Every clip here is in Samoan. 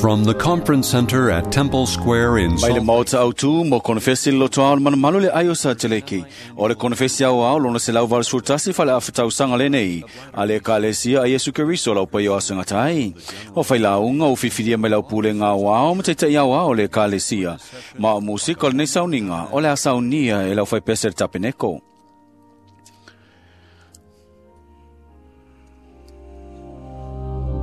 From the Conference Center at Temple Square in Mai le Salt maota autu mo konefesi le lotoa o le malumalu le ai o Sateleki. O le konefesi au ao lona 181 fale afatausaga lenei. A le ekalesia a Iesu Keriso lau paia o asogatai. O failauga o fifilia mai lau pulega aoao ma taita'i aoao o le ekalesia. Ma o musika o lenei sauniga o le a saunia e lau faipese le tapeneko.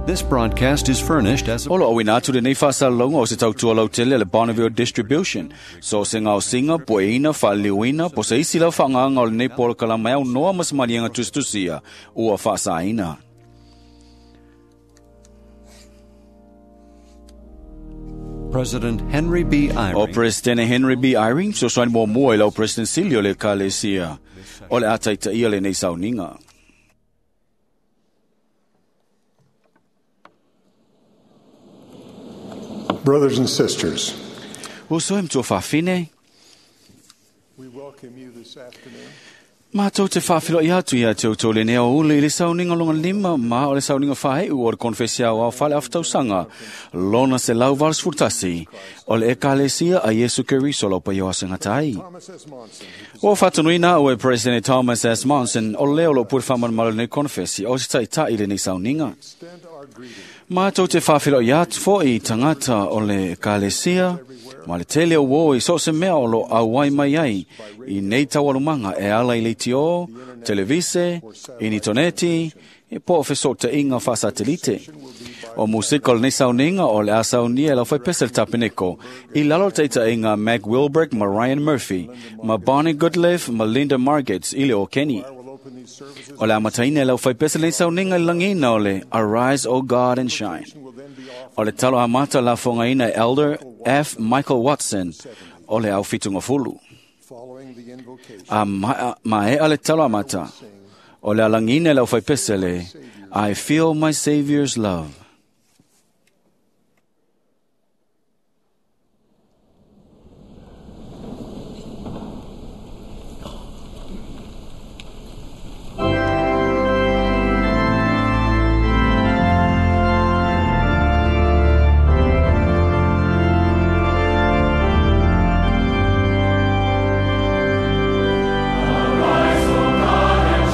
This broadcast is furnished as a O lo auina atu lenei faasalalauga o se tautua lautele a le Bonneville Distribution. So se gaosiga, pueina, faaliliuina, po o se isi lau faagaga o lenei polokalama e aunoa ma se maliega tusitusia ua faasaina. President Henry B. O Eyring Presidente Henry B. Eyring, fesoasoani muamua i lau President sili o le Ekalesia o le a taitaia lenei sauniga. Brothers and sisters, Uso e matua faafine, we welcome you this afternoon. Mātou te whawhilo i atu ia te outou lenei o ule i le sauniga longa lima ma o le sauniga whaeu o le konfesi au au whale awhatausanga lona 181 o le ekalesia a Iesu Keriso lau paio asengatai. Thomas S. Monson, who O whatanuina o e President Thomas S. Monson o leo lo pure whamanumalo nei konfesi o se taitai lenei sauniga. extend our greeting Mātou te whawhilo i atu fo i tangata o le ekalesia, ma le tele o o i so se mea o lo auai mai ai, i nei taualumanga e ala i leitio, televise, initoneti, e po o fesoota inga whasatelite. O musika o lenei sauniga o le a saunia e lau whaipese le tapeneko, i lalo le teita inga Mac Wilbrick ma Ryan Murphy, ma Bonnie Goodliff ma Linda Margits i le o Kenny. I will open these services. O le amataina e lau whaipese lenei sauniga i langina o le Arise, O God, and Shine. Will then be offered O le talo amata la fongaina e Elder F. Michael Watson o le au fitunga fulu. following the invocation. A ma e le talo amata o le alangina e lau whaipese le I feel my Savior's love.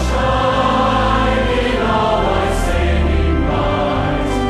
Shine in all thy saving light.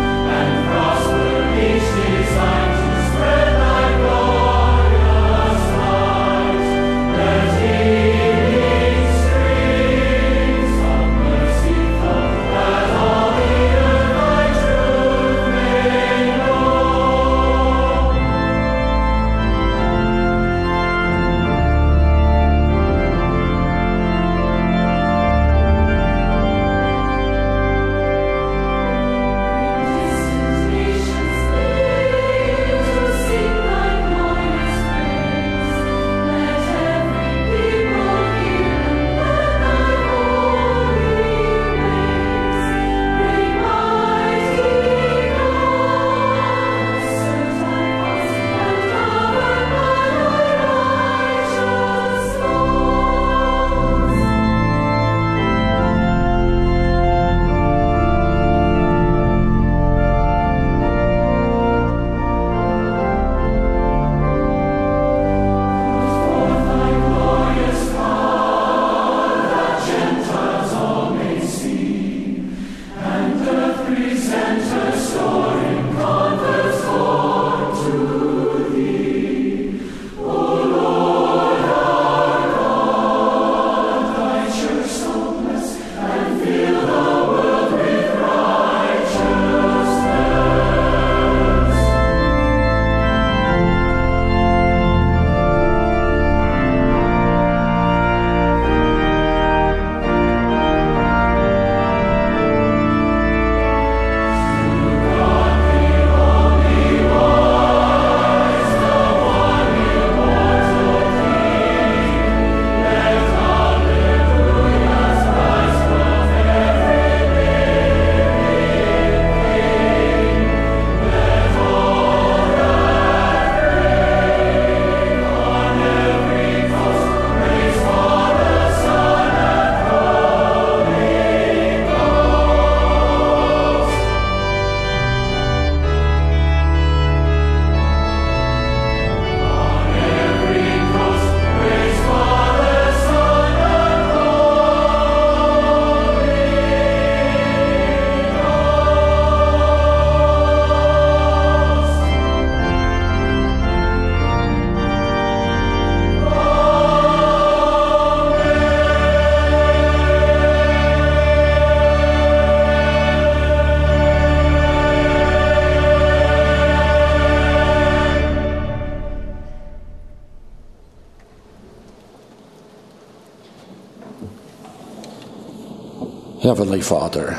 Heavenly Father,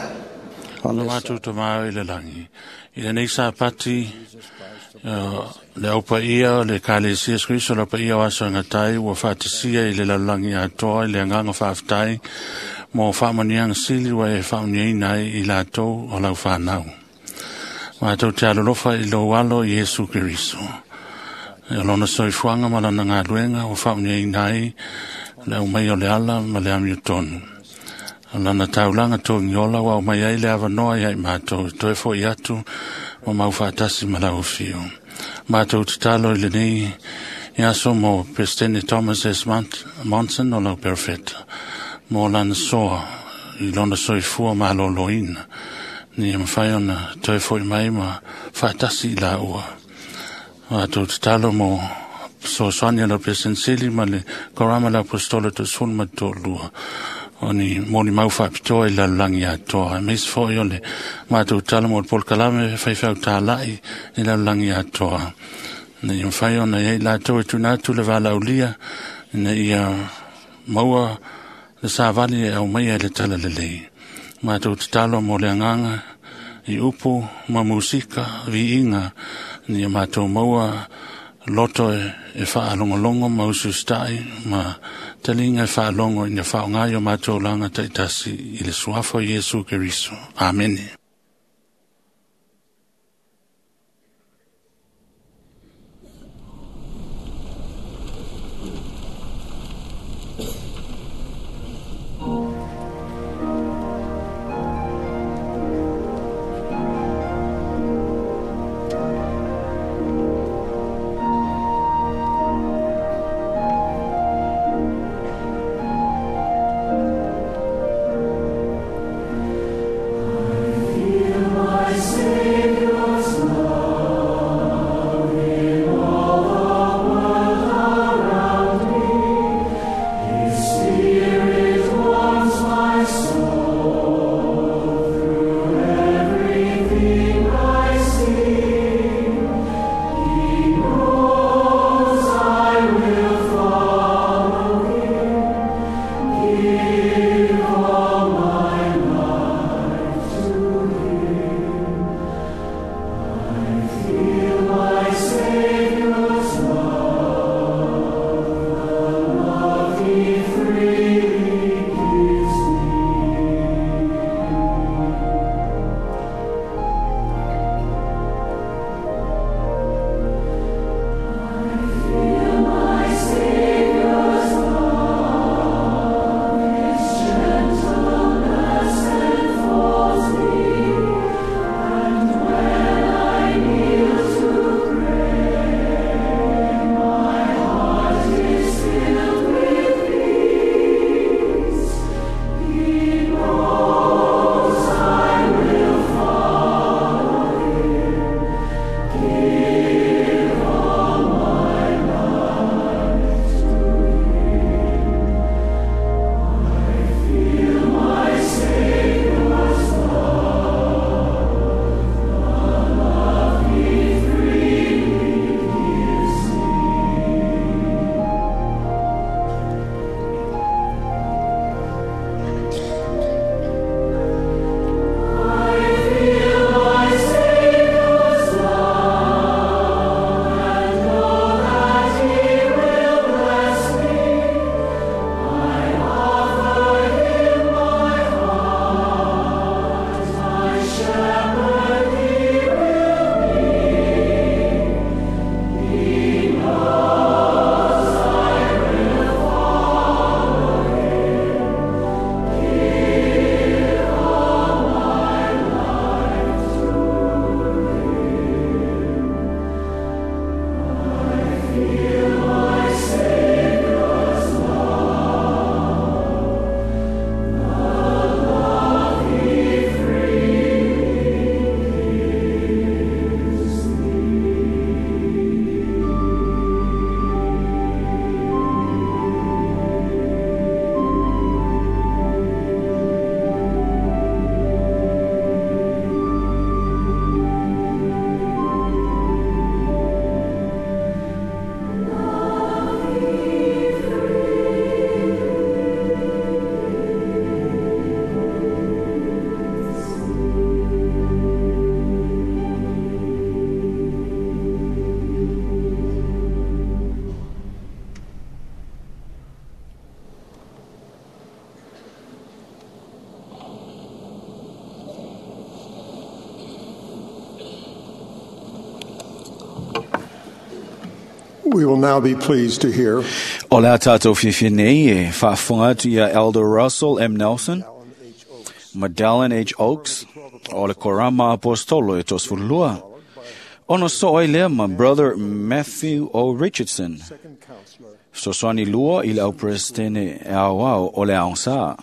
on Le this matou tamā i le lagi. I lenei Sapati, le aupaia o le Ekalesia Iesu Keriso le aupaia o aso e gatai ua faatasia i le lalolagi atoa i le agaga faafetai mo faamanuiaga sili ua e faamanuiaina ai i latou o lau fanau. Matou te alolofa i lou alo Iesu Keriso. O lona soifuaga ma lana galuega ua faamanuiaina ai le aumai o le ala ma le amiotonu. O lana taulaga togiola ua aumai ai le avanoa ia i matou e toe fo'i atu ma mau faatasi ma lau afio. Matou tatalo i lenei aso mo Peresetene Thomas S. Monson o lau perofeta, mo lana soa i lona soifua malōlōina, ina ia mafai ona toe fo'i mai ma faatasi i laua. Matou tatalo mo fesoasoani a lau Peresetene Sili ma le Korama le Aposetolo 12, o ni molimau faapitoa i le lalolagi atoa. Aemaise foi o le matou tatalo mo le polokalame faifeau tāla'i i le lalolagi atoa, ina ia mafai ona i ai latou e tuuina atu le valaaulia, ina ia maua le savali e aumaia i le talalelei. Matou tatalo mo le agaga i upu ma musika viiga, ina ia matou maua loto e faalogologo ma usiusitai ma taliga e faalogo ina faaaoga i o matou olaga taitasi i le suafa o Iesu Keriso. Amene. Amen. We will now be pleased to hear O le a tātou fiafia nei e faafofoga atu ia Elder Russell M. Nelson ma Dallin H. Oaks o le Korama Apostolo e 32. Ono so ai lea ma Brother Matthew O. Richardson, fesoasoani lua i le au Peresetene aoao o le aoga.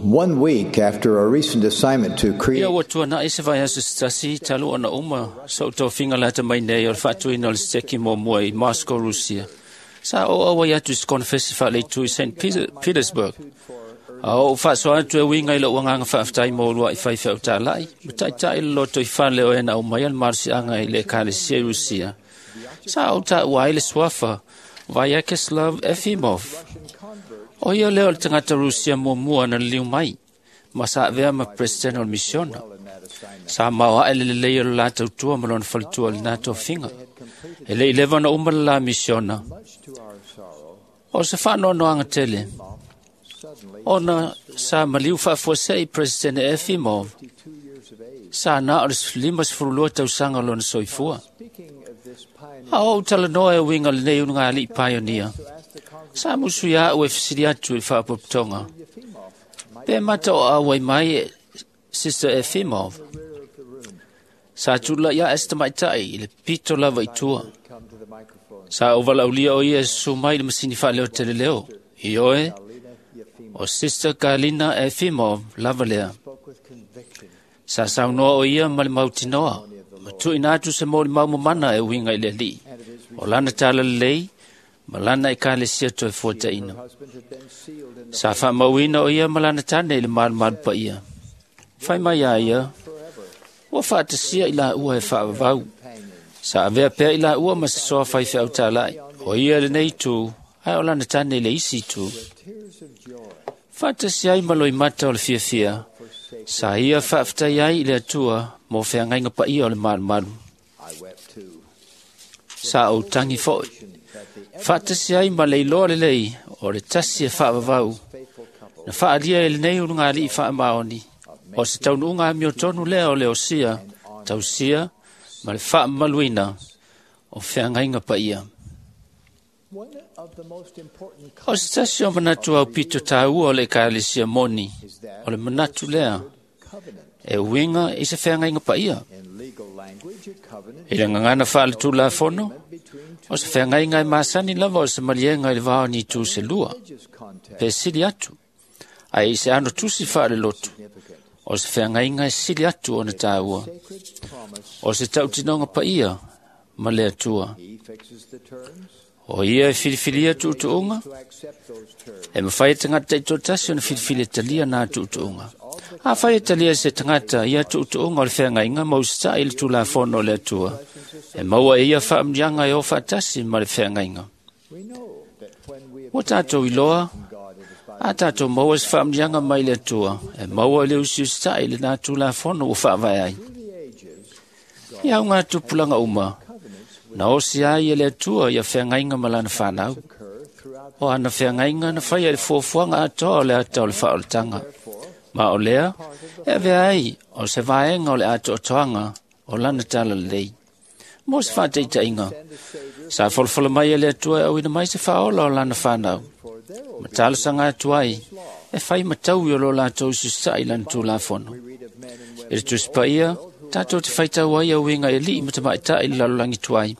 One week after a recent assignment to Ia create ua tuanai se vaiaso se tasi talu ona uma sa ou tofiga lata mai nei o le faatuina o le seteki muamua i Moscow, Rusia. Sa oo auai atu i se konefesi faaleitū i St. Petersburg. A oo faasoa atu e uiga i lou agaga faafetai mo uluai faifeau tālaʻi, ma taʻitaʻi le loto i fale o e na aumaia le malosiaga i le ekalesia i Rusia. Sa ou taua ai le suafa Vyacheslav Efimov. O ia lea o le tagata Rusia muamua na liliu mai, ma sa avea ma Peresetene o le misiona. Sa maoaʻe le lelei o le la tautua ma lona faletua i lena tofiga. E le i leva ona uma le la misiona. O se faanoanoaga tele, ona sa maliu faafuasei Peresetene Efimov, sa na o le 52 tausaga o lona soifua. A ou talanoa e uiga lenei ulugalii paionia, sa musu ia au e fesili atu i le faapotopotoga. Pe mata o auai mai e Sister Efimov. Sa tulaʻi aʻe se tamaʻitaʻi i le pito lava i tua. Sa ou valaaulia o ia e susu mai i le masini faaleoteleleo. Ioe, o Sister Galina Efimov lava lea. Sa saunoa o ia ma le mautinoa, ma tuuina atu se molimau mamana e uiga i le Alii. O lana talalelei, ma lana ekalesia toe fuataʻina. Sa faamauina o ia ma lana tane i le malumalu paia. Fai mai a ia, ua faatasia i laua e faavavau. Sa avea pea i laua ma se soa faifeau tālaʻi. O ia lenei itu, ae o lana tane i le isi itu. Faatasi ai ma loimata o le fiafia, sa ia faafetai ai i le Atua mo feagaiga paia o le malumalu. Sa ou tagi foʻi. Faatasi ai ma le iloa lelei o le tasi e faavavau. Na faaalia e lenei ulugalii faamaoni, o se taunuuga amiotonu lea o le osia, tausia ma le faamamaluina o feagaiga paia. O se tasi o manatu aupito tāua o le ekalesia moni, o le manatu lea e uiga i se feagaiga paia. I le gagana faaletulafono, o se feagaiga e masani lava o se maliega i le va o ni itu se lua, pe sili atu, ae i se ano tusi faalelotu, o se feagaiga e sili atu ona tāua, o se tautinoga paia ma le Atua. O ia e filifilia tuutuuga, e mafai e tagata taitoatasi ona filifili e talia na tuutuuga. Afai e talia se tagata ia tuutuuga o le feagaiga ma usitaʻi i le tulafono o le Atua, e maua e ia faamanuiaga e o faatasi ma le feagaiga. Ua tatou iloa, a tatou maua se faamanuiaga mai le Atua, e maua i le usiusitaʻi i lena tulafono ua faavae ai. Ia auga tupulaga uma, na osi ai e le Atua ia feagaiga ma lana fanau. O ana feagaiga na faia i le fuafuaga atoa o le ata o le faaolataga. Ma o lea, e avea ai o se vaega o le atoatoaga o lana talalelei. Mo se faataitaiga, sa folafola mai e le Atua e auina mai se faaola o lana fanau. Ma talosaga atu ai, e fai mataui o lo latou usiusitaʻi i lana tulafono. I le Tusi Paia, tatou te faitau ai auiga e alii ma tamaʻitaʻi i le lalolagi tuai,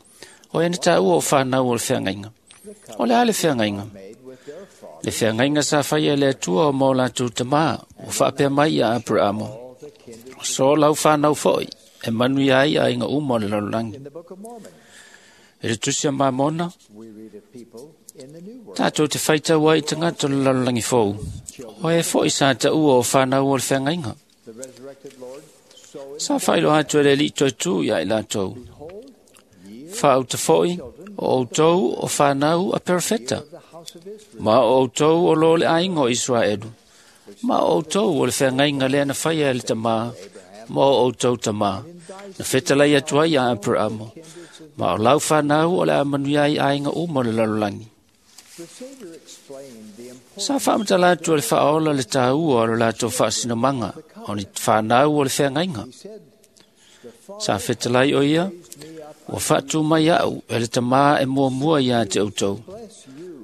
o e na taua o fanau o le feagaiga. O le a le feagaiga? Le feagaiga sa faia e le Atua o mo latou tamā, ua faapea mai ia Aperamo. So lau fanau foʻi, e manuia ai aiga uma o le lalolagi. I le Tusi a Mamona, tatou te faitau ai i tagata o le lalolagi fou, o e foʻi sa taua o fanau o le feagaiga. Sa faailoa atu e le Alii toe tū ia i latou. Faauta foʻi, o outou o fanau a perofeta, ma o outou o lo le aiga o Israelu, ma o outou o le feagaiga lea na faia e le tamā, ma o outou tamā, na fetalai atu ai ia Aperamo, ma o lau fanau o le a manuia ai aiga uma o le lalolagi. Sa faamatala atu e le Faaola le tāua o lo latou faasinomaga o ni fanau o le feagaiga. Sa fetalai o ia, ua faatu mai au e le tamā e muamua ia te outou.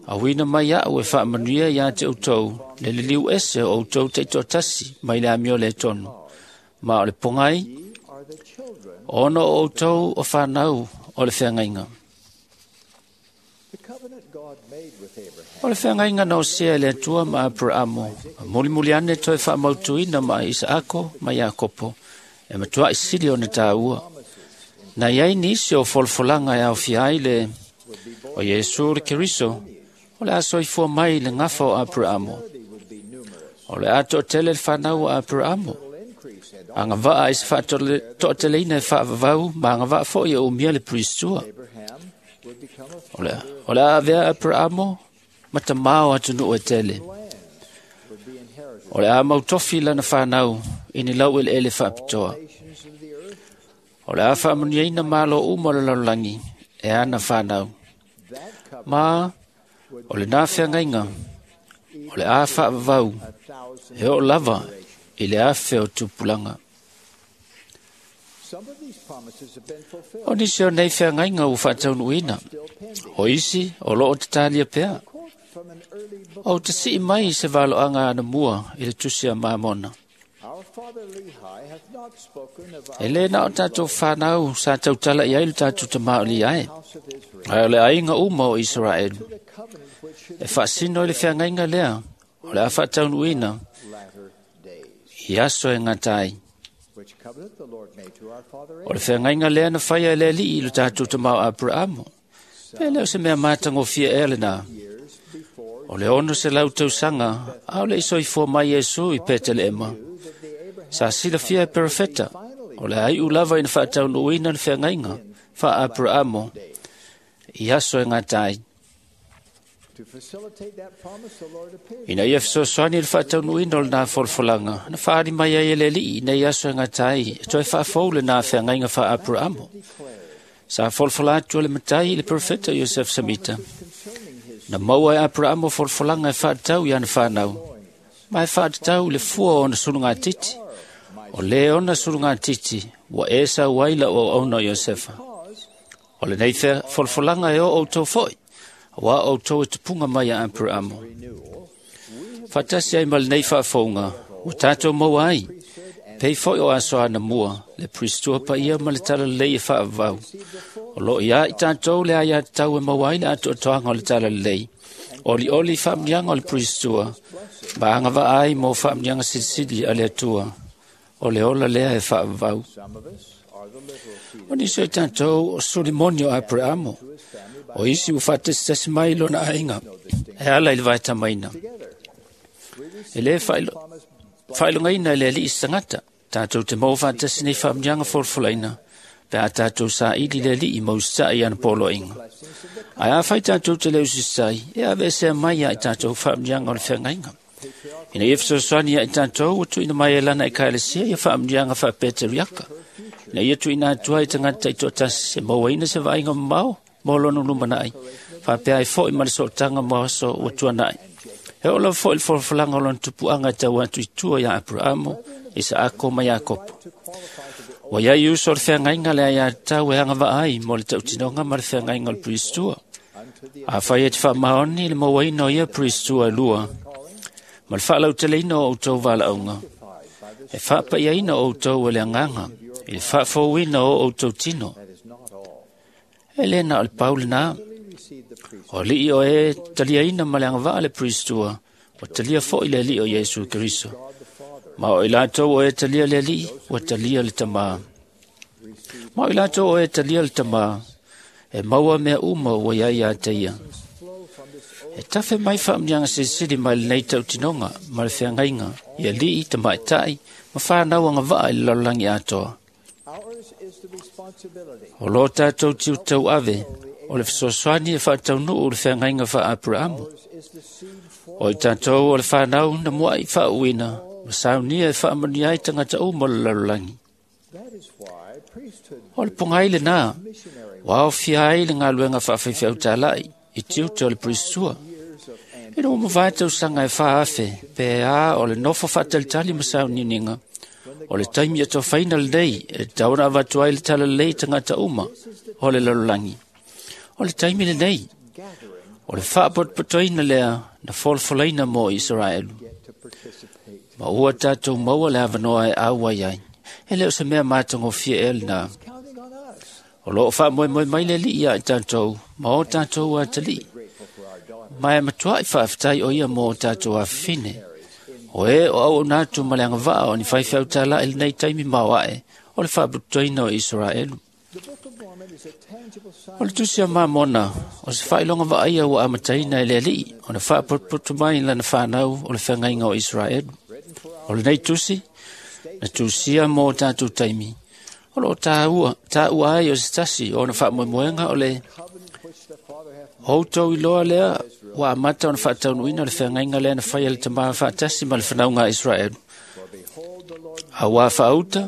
Auina mai au e faamanuia ia te outou le liliu ese o outou taitoatasi mai le amio le tonu. Ma o le pogai, ona o outou o fanau o le feagaiga. O le feagaiga na osea e le Atua ma Aperamo, ma mulimuli ane toe faamautuina ma Isaako ma Iakopo, e matuai sili ona tāua. Na iai nisi o folafolaga e aofia ai le o Iesu le Keriso, o le a soifua mai le gafa o Aperamo. O le a toatele le fanau o Aperamo. Agavaa i se faatoateleina e faavavau ma agavaa foi e umia le pristua. O le a avea Aperamo ma tamā o atunuu e tele. O le a mautofi lana fanau i ni lau eleele faapitoa. O le a faamanuiaina malo uma o le lalolagi e ana fanau. Ma o lena feagaiga, o le a faavavau e oo lava i le afe o tupulaga. O nisi o nei feagaiga ua faataunuuina, o isi o loo tatalia pea. O te sii mai se valoaga anamua i le tusi a Mamona. E le na o tātou whanau sa tautala i ai le tātou tamaoli ai. Ai o le aiga uma o Israel. E faasino i le feagaiga lea, o le a faataunuuina i aso e ngatai. O le feagaiga lea na whaia e le alii i le tātou tamao Aperamo. Pe leo se mea mātangofia ea lena. O le 600 tausaga, a o le isoifua mai Iesu i Peteleema. Sa silafia e perofeta, o le aiu lava ina faataunuuina le feagaiga faa Aperamo i aso e ngatai. Ina ia fesoasoani i le faataunuuina o lena folafolaga, na faaali mai ai e le alii nei aso e ngatai e toe faafou lena feagaiga faa Aperamo. Sa folafola atu e le matai i le perofeta Iosef Samita. Na maua e Aperamo folafolaga e faatatau i ana fanau, ma e faatatau i le fua o ona sulugatiti. O le ona sulugatiti, ua e sau ai lau auauna o Iosefa. O lenei folafolaga e o outou foi, aua outou e tupuga mai a Aperamo. Faatasi ai ma lenei faafouga, ua tātou maua ai, pei foi o aso anamua, le pristua paia ma le talalelei e faavavau. O loo ia i tātou le aia tatau e maua ai le atoatoaga o le talalelei. Olioli i faamanuiaga o le pristua, ma agavaa ai mo faamanuiaga silisili a le Atua. O le ola lea e faavavau. O nisi o i tātou o sulimoni o Aperamo, o isi ua faatasitasi mai lona aiga, e ala i le vaetamaina. E le faailogaina e le alii se tagata, tātou te maua faatasi nei faamanuiaga folafolaina, pe a tātou saili le alii ma usitai i ana poloaiga. Ae afai tātou te le usisai, e aveesea mai ia i tātou faamanuiaga o le feagaiga. Ina ia fesoasoani ia i tātou ua tuuina mai e lana ekalesia ia faamanuiaga faapeteriaka. Ina ia tuuina atu ai tagata taitoatasi e mauaina se vaaiga mamao mo lona lumanai, faapea ai foi ma le sootaga mo aso ua tuanai. E oo lava foi le folafolaga o lona tupuaga e tau atu i tua ia Aperamo, Isaako ma Iakopo. Ua iai uso o le feagaiga le aia tatau e agavaa ai mo le tautinoga ma le feagaiga o le pristua. Afai e te faamaoni le mauaina o ia pristua e lua, ma le faalauteleina o outou valaauga, e faapaiaina o outou e le agaga, i le faafouina o outou tino. E le na o le pau lena. O alii o e taliaina ma le agavaa le pristua, ua talia foi le alii o Iesu Keriso. Ma o i latou o e talia le alii, ua talia le tamā. Ma o i latou o e talia le tamā, e maua mea uma ua iai ia te ia. E tafe mai faamanuiaga silisili mai lenei tautinoga ma le feagaiga i alii, tamaitai ma whanau agavaa i le lalolagi atoa. O lo tātou tiutau ave, o le fesoasoani e faataunuu le feagaiga faa-Aperamo. O i tātou o le whanau na muai faauina, ma saunia e faamanuia ai tagata uma o le lalolagi. O le pogai lena, ua aofia ai le galuega faafaifaautalai i tiute o le pristua. Ina ua mavae tausaga e 4,000 pe a o le nofo faatalitali ma sauniuniga, o le taimi atofaina lenei e tatau ona avatu ai le talalelei i tagata uma o le lalolagi. O le taimi lenei, o le faapotopotoina lea na folafolaina mo Isaraelu. Ma ua tatou maua le avanoa e auai ai. E le o se mea matagofie ea lenā. O loo faamoemoe mai le Alii ia i tatou ma o tatou atalii. Ma e matuai faafetai o ia mo o tatou afafine. O e o auauna atu ma le agavaa o ni faifeau tāla'i i lenei taimi maoae o le faapotopotoina o Isaraelu. O le tusi a Mamona, o se faailoga vaaia ua amataina e le Alii ona faapotopoto mai lana fanau o le feagaiga o Isaraelu. O lenei tusi, na tusia mo o tatou taimi, o loo taua ai o se tasi o ona faamoemoega o le outou iloa lea ua amata ona faataunuuina le feagaiga lea na faia le Tamā faatasi ma le fanauga a Isaraelu. Auā faauta,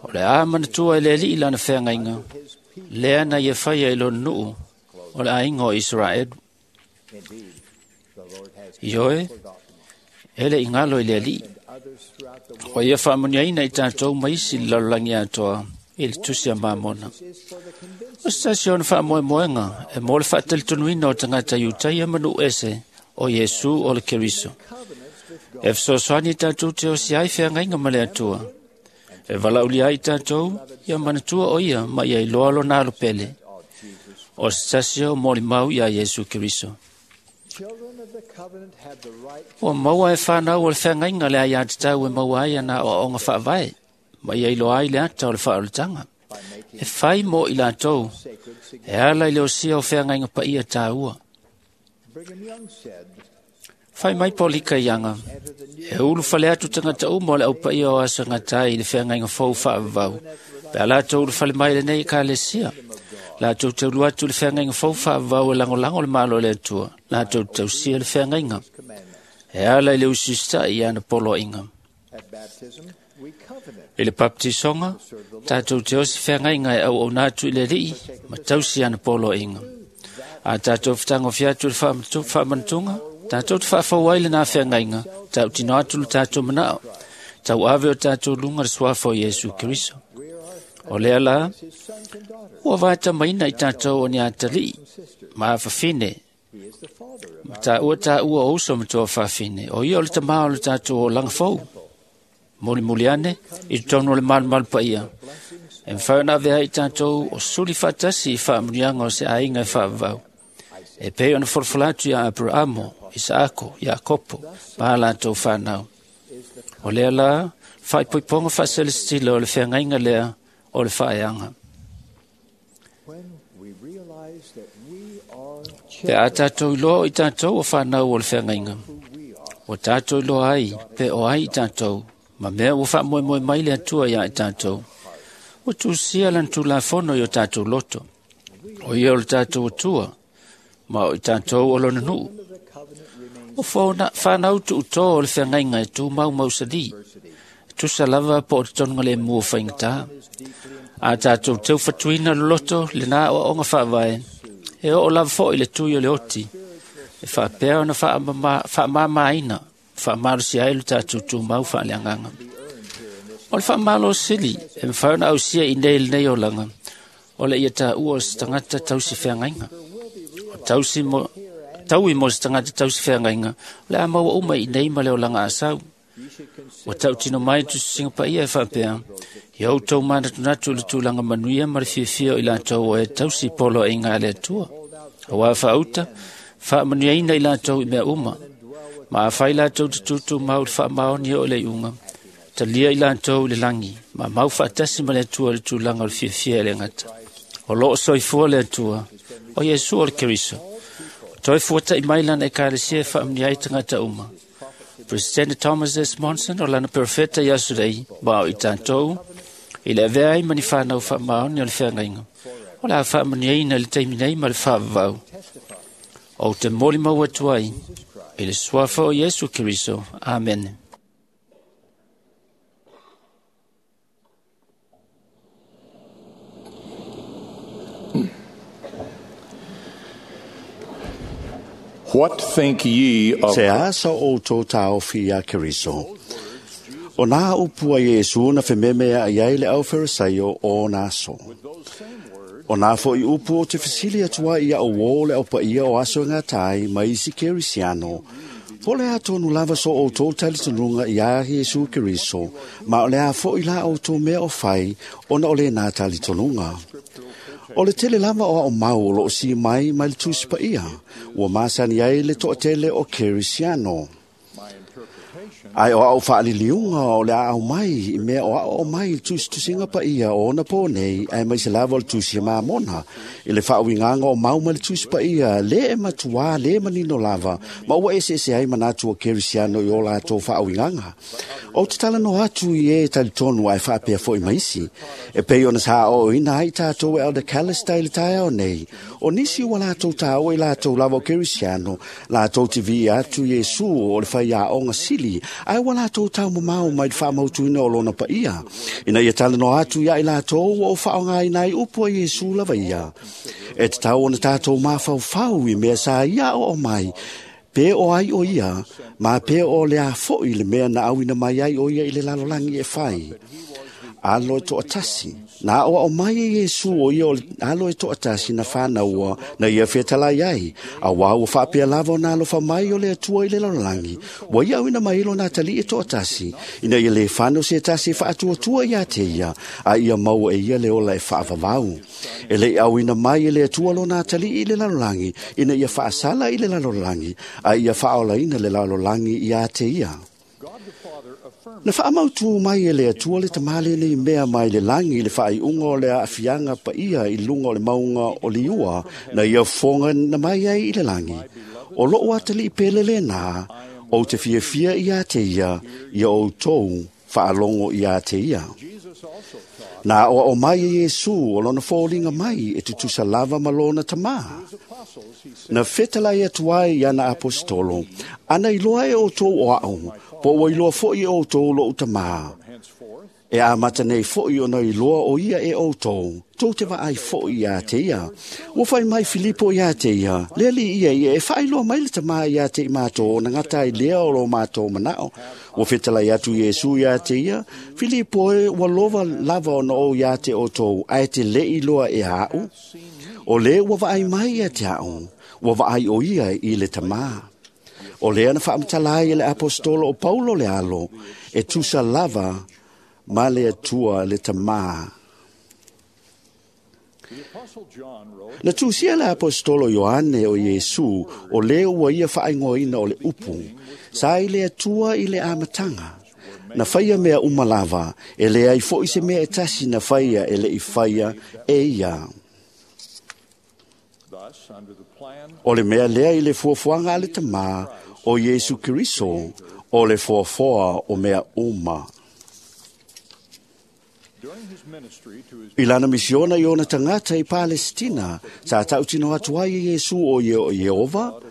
o le a manatua e le Alii lana feagaiga, lea na ia faia i lona nuu o le aiga o Isaraelu. Ioe, e le i galo i le Alii. O ia faamuniaina i tatou ma isi le lalolagi atoa i le tusi a Mamona. O se tasi o ona faamoemoega e mo le faatalitonuina o tagata Iutaia ma nuu ese o Iesu o le Keriso. E fesoasoani i tatou te osi ai feagaiga ma le Atua. E valaaulia ai tatou ia manatua o ia ma ia iloa lona alopele. O se tasi o molimau ia Iesu Keriso. Ua maua e whanau o le whangainga le ai atatau e maua ai ana o aonga whaavae, ma ia iloa ai le ata o le whaoletaga. E whai mo i lātou, e ala i le osia o whangainga pa ia tāua. Whai mai Polika ianga, e ulu whale atu tangata uma o le au paia o aso ngatai i le whangainga fou whaavavau. Pe a lātou ulu whale mai le nei ka lesia. Lātou taulu atu le whangainga fou whaavavau e langolango le malo le atua. Lātou tausia le whangainga. E ala i le usista i ana poloinga. I le baptisonga, tātou te osi whangainga e au au atu i le rii, ma tausi ana poloinga. A tātou whatango atu le whaamanatunga, tātou te whaafau ai le nā whangainga, tāu tino atu le tātou manao, tau ave o tātou lunga le suafa o Iesu Keriso. O lea la, ua vaeta maina i tātou o ni atalii, ma awhawhine, ma tāua tāua o uso ma toa whawhine, o ia o le tamā o le tātou o langafou. Moli muli ane, i tonu o le malu pa ia. E mwhau avea i tātou o suli whaatasi i whaamunianga o se ainga e whaavau. E pei ona folafola atu ia Aperamo, Isaako, Iakopo, ma lātou whanau. O lea la, whaipoiponga whaaselestila o le whangainga lea o le whaeanga. Pe a tātou iloa i tātou o whanau o le whangainga. O tātou iloa ai, pe o ai i tātou, ma mea ua whaamoemoe mai le atua ia i tātou. O tūsia lan tūlafono i o tātou loto. O ia o le tātou atua, ma o i tātou o lona nuu. O whanau tu uto o le whangainga e tū mau mausali. Tusa lava po o te tonga le mua whaingata. A tātou teu whatuina loto le nā o onga whaavae. E o lava fo i le tui o le oti. E whaapea ona whaamamaina. Whaamarosi ai le tātou tū mau whaaleanganga. O le whaamalo sili e mwhauna au sia i nei le nei o langa. O le ia tā ua o se tangata tausi whangainga. O tausi mo, taui mo se tangata tausi whangainga. O le a maua uma i nei ma le o langa asau. O tau tino mai tu singa pa ia e whaapea. I au tau mānatunatu le tūlanga manuia ma le fiafia o i lātou o e tausi polo e ngā le atua. O wā whaauta, whaamanuiaina i lātou i mea uma. Ma a whai lātou te tūtū mau le whaamaoni o le iunga. Talia i lātou le langi, ma mau whaatasi ma le atua le tūlanga o le fiafia e le ngata. O loo soifua le atua, o Iesu o le Keriso. O toi fuata i mailana e kālesia e whaamni ai tangata uma. President Thomas S. Monson o lana perfeta i asurei, ma o i tātou, i le avea ai mani whanau whaamaoni o le whangainga. O la whaamaniaina le teiminei ma le whaavavau. O te moli mau atu ai, i le suafa o Iesu Keriso. Amen. What think ye of Se asa o tō tāofi a Keriso. O nā upua Iesu na whememe a iai le au Farisaio o nā so. O nā fo i upu o te fisili atua ia o wō le au paia o aso ngā tai mai isi Kerisiano. Po le a tonu lava so o tō talitonunga i a Iesu Keriso, ma o le a fo i la o tō mea o whai o na o le nā talitonunga. O le tele lava o ao mau o loo si mai mai le tusi pa ia, ua masani ai le toa tele o Kerisiano. Ai o au whaaliliunga o le au mai, i mea o au mai tusi tusinga pa ia o ona pō nei, ai mai se lava o le tusi mā mona. I le whaawinganga o mau mai le tusi pa ia, le e matua, le manino lava, ma ua ese ese ai manatu o Kerisiano i o lātou whaawinganga. O te tala no atu i e talitonu ai whaapea fo i maisi. E pei ona sa o ina ai tātou e Elder Callister i le tae o nei. O nisi ua lātou tāo i lātou lava o Kerisiano, lātou te vi atu Iesu o le whai a onga sili, ai ua lātou tau mamau mai le whaamautuina o lona pa ia. Ina ia tala no atu ia i lātou o whaonga i nai upo i Iesu lava ia. E te tau ona tātou māwhauwhau i mea sa ia o mai, pe o ai o ia, ma pe o le a foi le mea na awina mai ai o ia i le lalolangi e whai. Alo e toatasi. Nā oa o mai e Iesu o ia o alo e toatasi na whānaua na ia whetalai ai. A wā ua whaapea lava o nā alofa mai o le atua i le lalolangi. Wa ia awina mai ilo nā tali e toatasi. Ina ia le whanau se tasi e whaatuatua ia te ia. A ia maua e ia le ola e whaavavau. E le awina mai e le atua lo nā tali i le lalolangi. Ina ia whaasala i le lalolangi. A ia whaolaina le lalolangi ia te ia. Na whaamautu mai e le atua le tamale nei mea mai le langi le whaaiunga o le aafianga pa ia i lunga o le maunga o liua na ia fonga na mai ai i le langi. O loo atali i pele le nā, o te fiafia i a te ia, ia o tōu whaalongo i a te ia. Nā oa o mai e Iesu o lona fōlinga mai e tutusa lava ma lona tamā. Na whetalai atu ai i ana apostolo, ana iloa e o tō o au, po ua iloa foi e o tō lo tamā. E a mata nei foi ona iloa o ia e o tō, tō te vaai foi ia te ia. Ua whai mai Filipo ia te ia, leli ia ia e whailoa mai le tamā ia te i mātō, na ngata i lea o lo mātō manao. Ua whetalai atu Iesu ia te ia, Filipo e ua lova lava ona o ia te o tō, ai te le iloa e au. O le ua vaai mai ia te au, ua vaai o ia i le tamā. O lea na whaamtalai e le apostolo o Paulo le alo, e tusa lava ma le atua le tamā. Na tusia le apostolo Ioane o Iesu, o le ua ia whaingoina o le upu, sa i le atua i le amatanga. Na whaia mea umalava, e le ai fo i se mea e tasi na whaia e le i whaia e ia. O le mea lea i le fuafuanga a le tamā o Iesu Keriso, o le fuafoa o mea uma. I lana misiona i ona tangata i Palestina, sa tautino atu ai e Iesu o Iehova,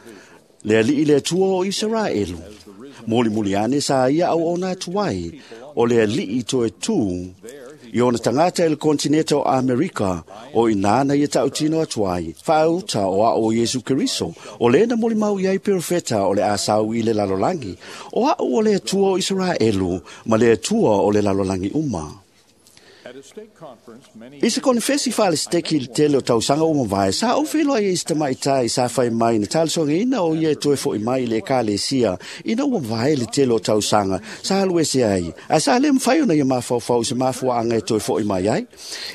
le alii le atua o Israelu. Moli muli ane sa ia au ona atu ai, o le alii toe tū, i ona tangata i le kontineta o Amerika, o inana ia tautino atu ai, whaauta o a o Iesu Keriso, o lena moli mau iai perofeta o le asau i le lalolangi, o a o le atua o Israelu, ma le atua o le lalolangi uma. I se konfesi whaale steki i tele o tausanga o mawai, sa o whiloa i ista mai tai sa whai mai na talisonga ina o ia e toe fo i mai le kale sia, ina ua mawai le tele o tausanga, sa alu ese ai, a sa le mwhai ona ia mawhau se mawhua anga e toe fo i mai ai.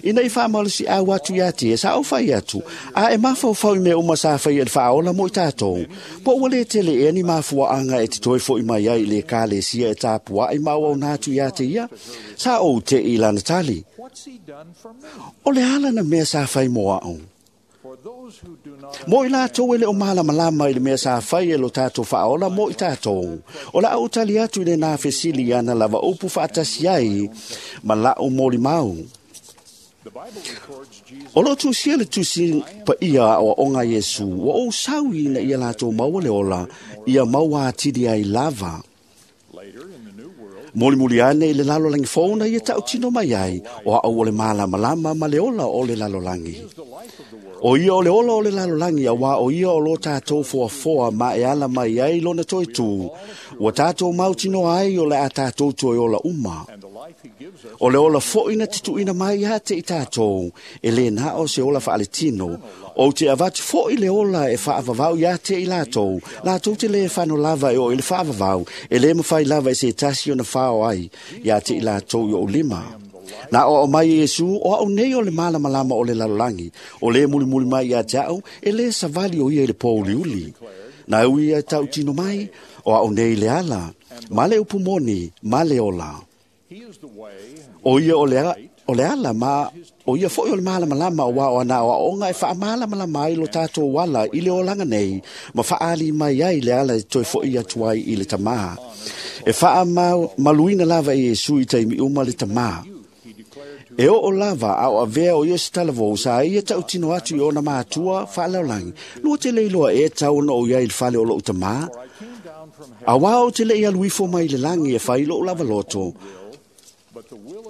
Ina i whaamalo si au atu ia te, sa o whai atu, a e mawhau i mea uma sa whai e whaola mo i tātou. Po ua le tele e ni mawhua anga e te toe fo i mai ai le kale sia e tāpua i maua o nātu ia te ia, sa o te i lana tali. O le ala na mea sa whai moa au. Mo i lātou e le o malamalama i le mea sa whai e lo tātou whaola mo i tātou. O la au tali atu i le nā fesili ana lava upu whaatasi ai ma lau moli mau. O lo tusia le tusi pa ia o onga Iesu, wa o saui na ia lātou maua le ola, ia maua atiri ai lava. Moli muli ane i le lalolangi fōna ia tautino mai ai, o au o le malamalama ma le ola o le lalolangi. O ia o le ola o le lalolagi a wā o ia o lo tātou foafoa ma e ala mai ai lona toi tū. Ua tātou mautino ai o le a tātou toi ola uma. O le ola foi na tituina mai ia te i tātou, e le nā o se ola whaaletino, o te avatu foi le ola e whaavavau ia te i lātou, lātou te le whano lava e o i le whaavavau, e le mawhai lava e se tasi o na whao ai, ia te i lātou i o lima. Nā o mai Iesu, o au nei o le malamalama o le lalolagi, o le mulimuli mai ia te au, e le savali o ia i le pōuliuli. Nā ui ia tau tino mai, o au nei le ala, ma le upumoni, ma le ola. O ia o le ala ma o ia foi o le malamalama o wao ana o aonga e whaamalamalama ai lo tātou wala i le olanga nei, ma whaali mai ai le ala e toi foi atu ai i le tamā. E whaamaluina lava e Iesu i taimi uma le tamā. E o lava a o avea o ia se talavou sa ia tautino atu i ona mātua whaalaolangi. Lua te leiloa e tau ona o ia i le fale o lou tamā. A wā o te lei aluifo mai le langi e whai lou lava loto.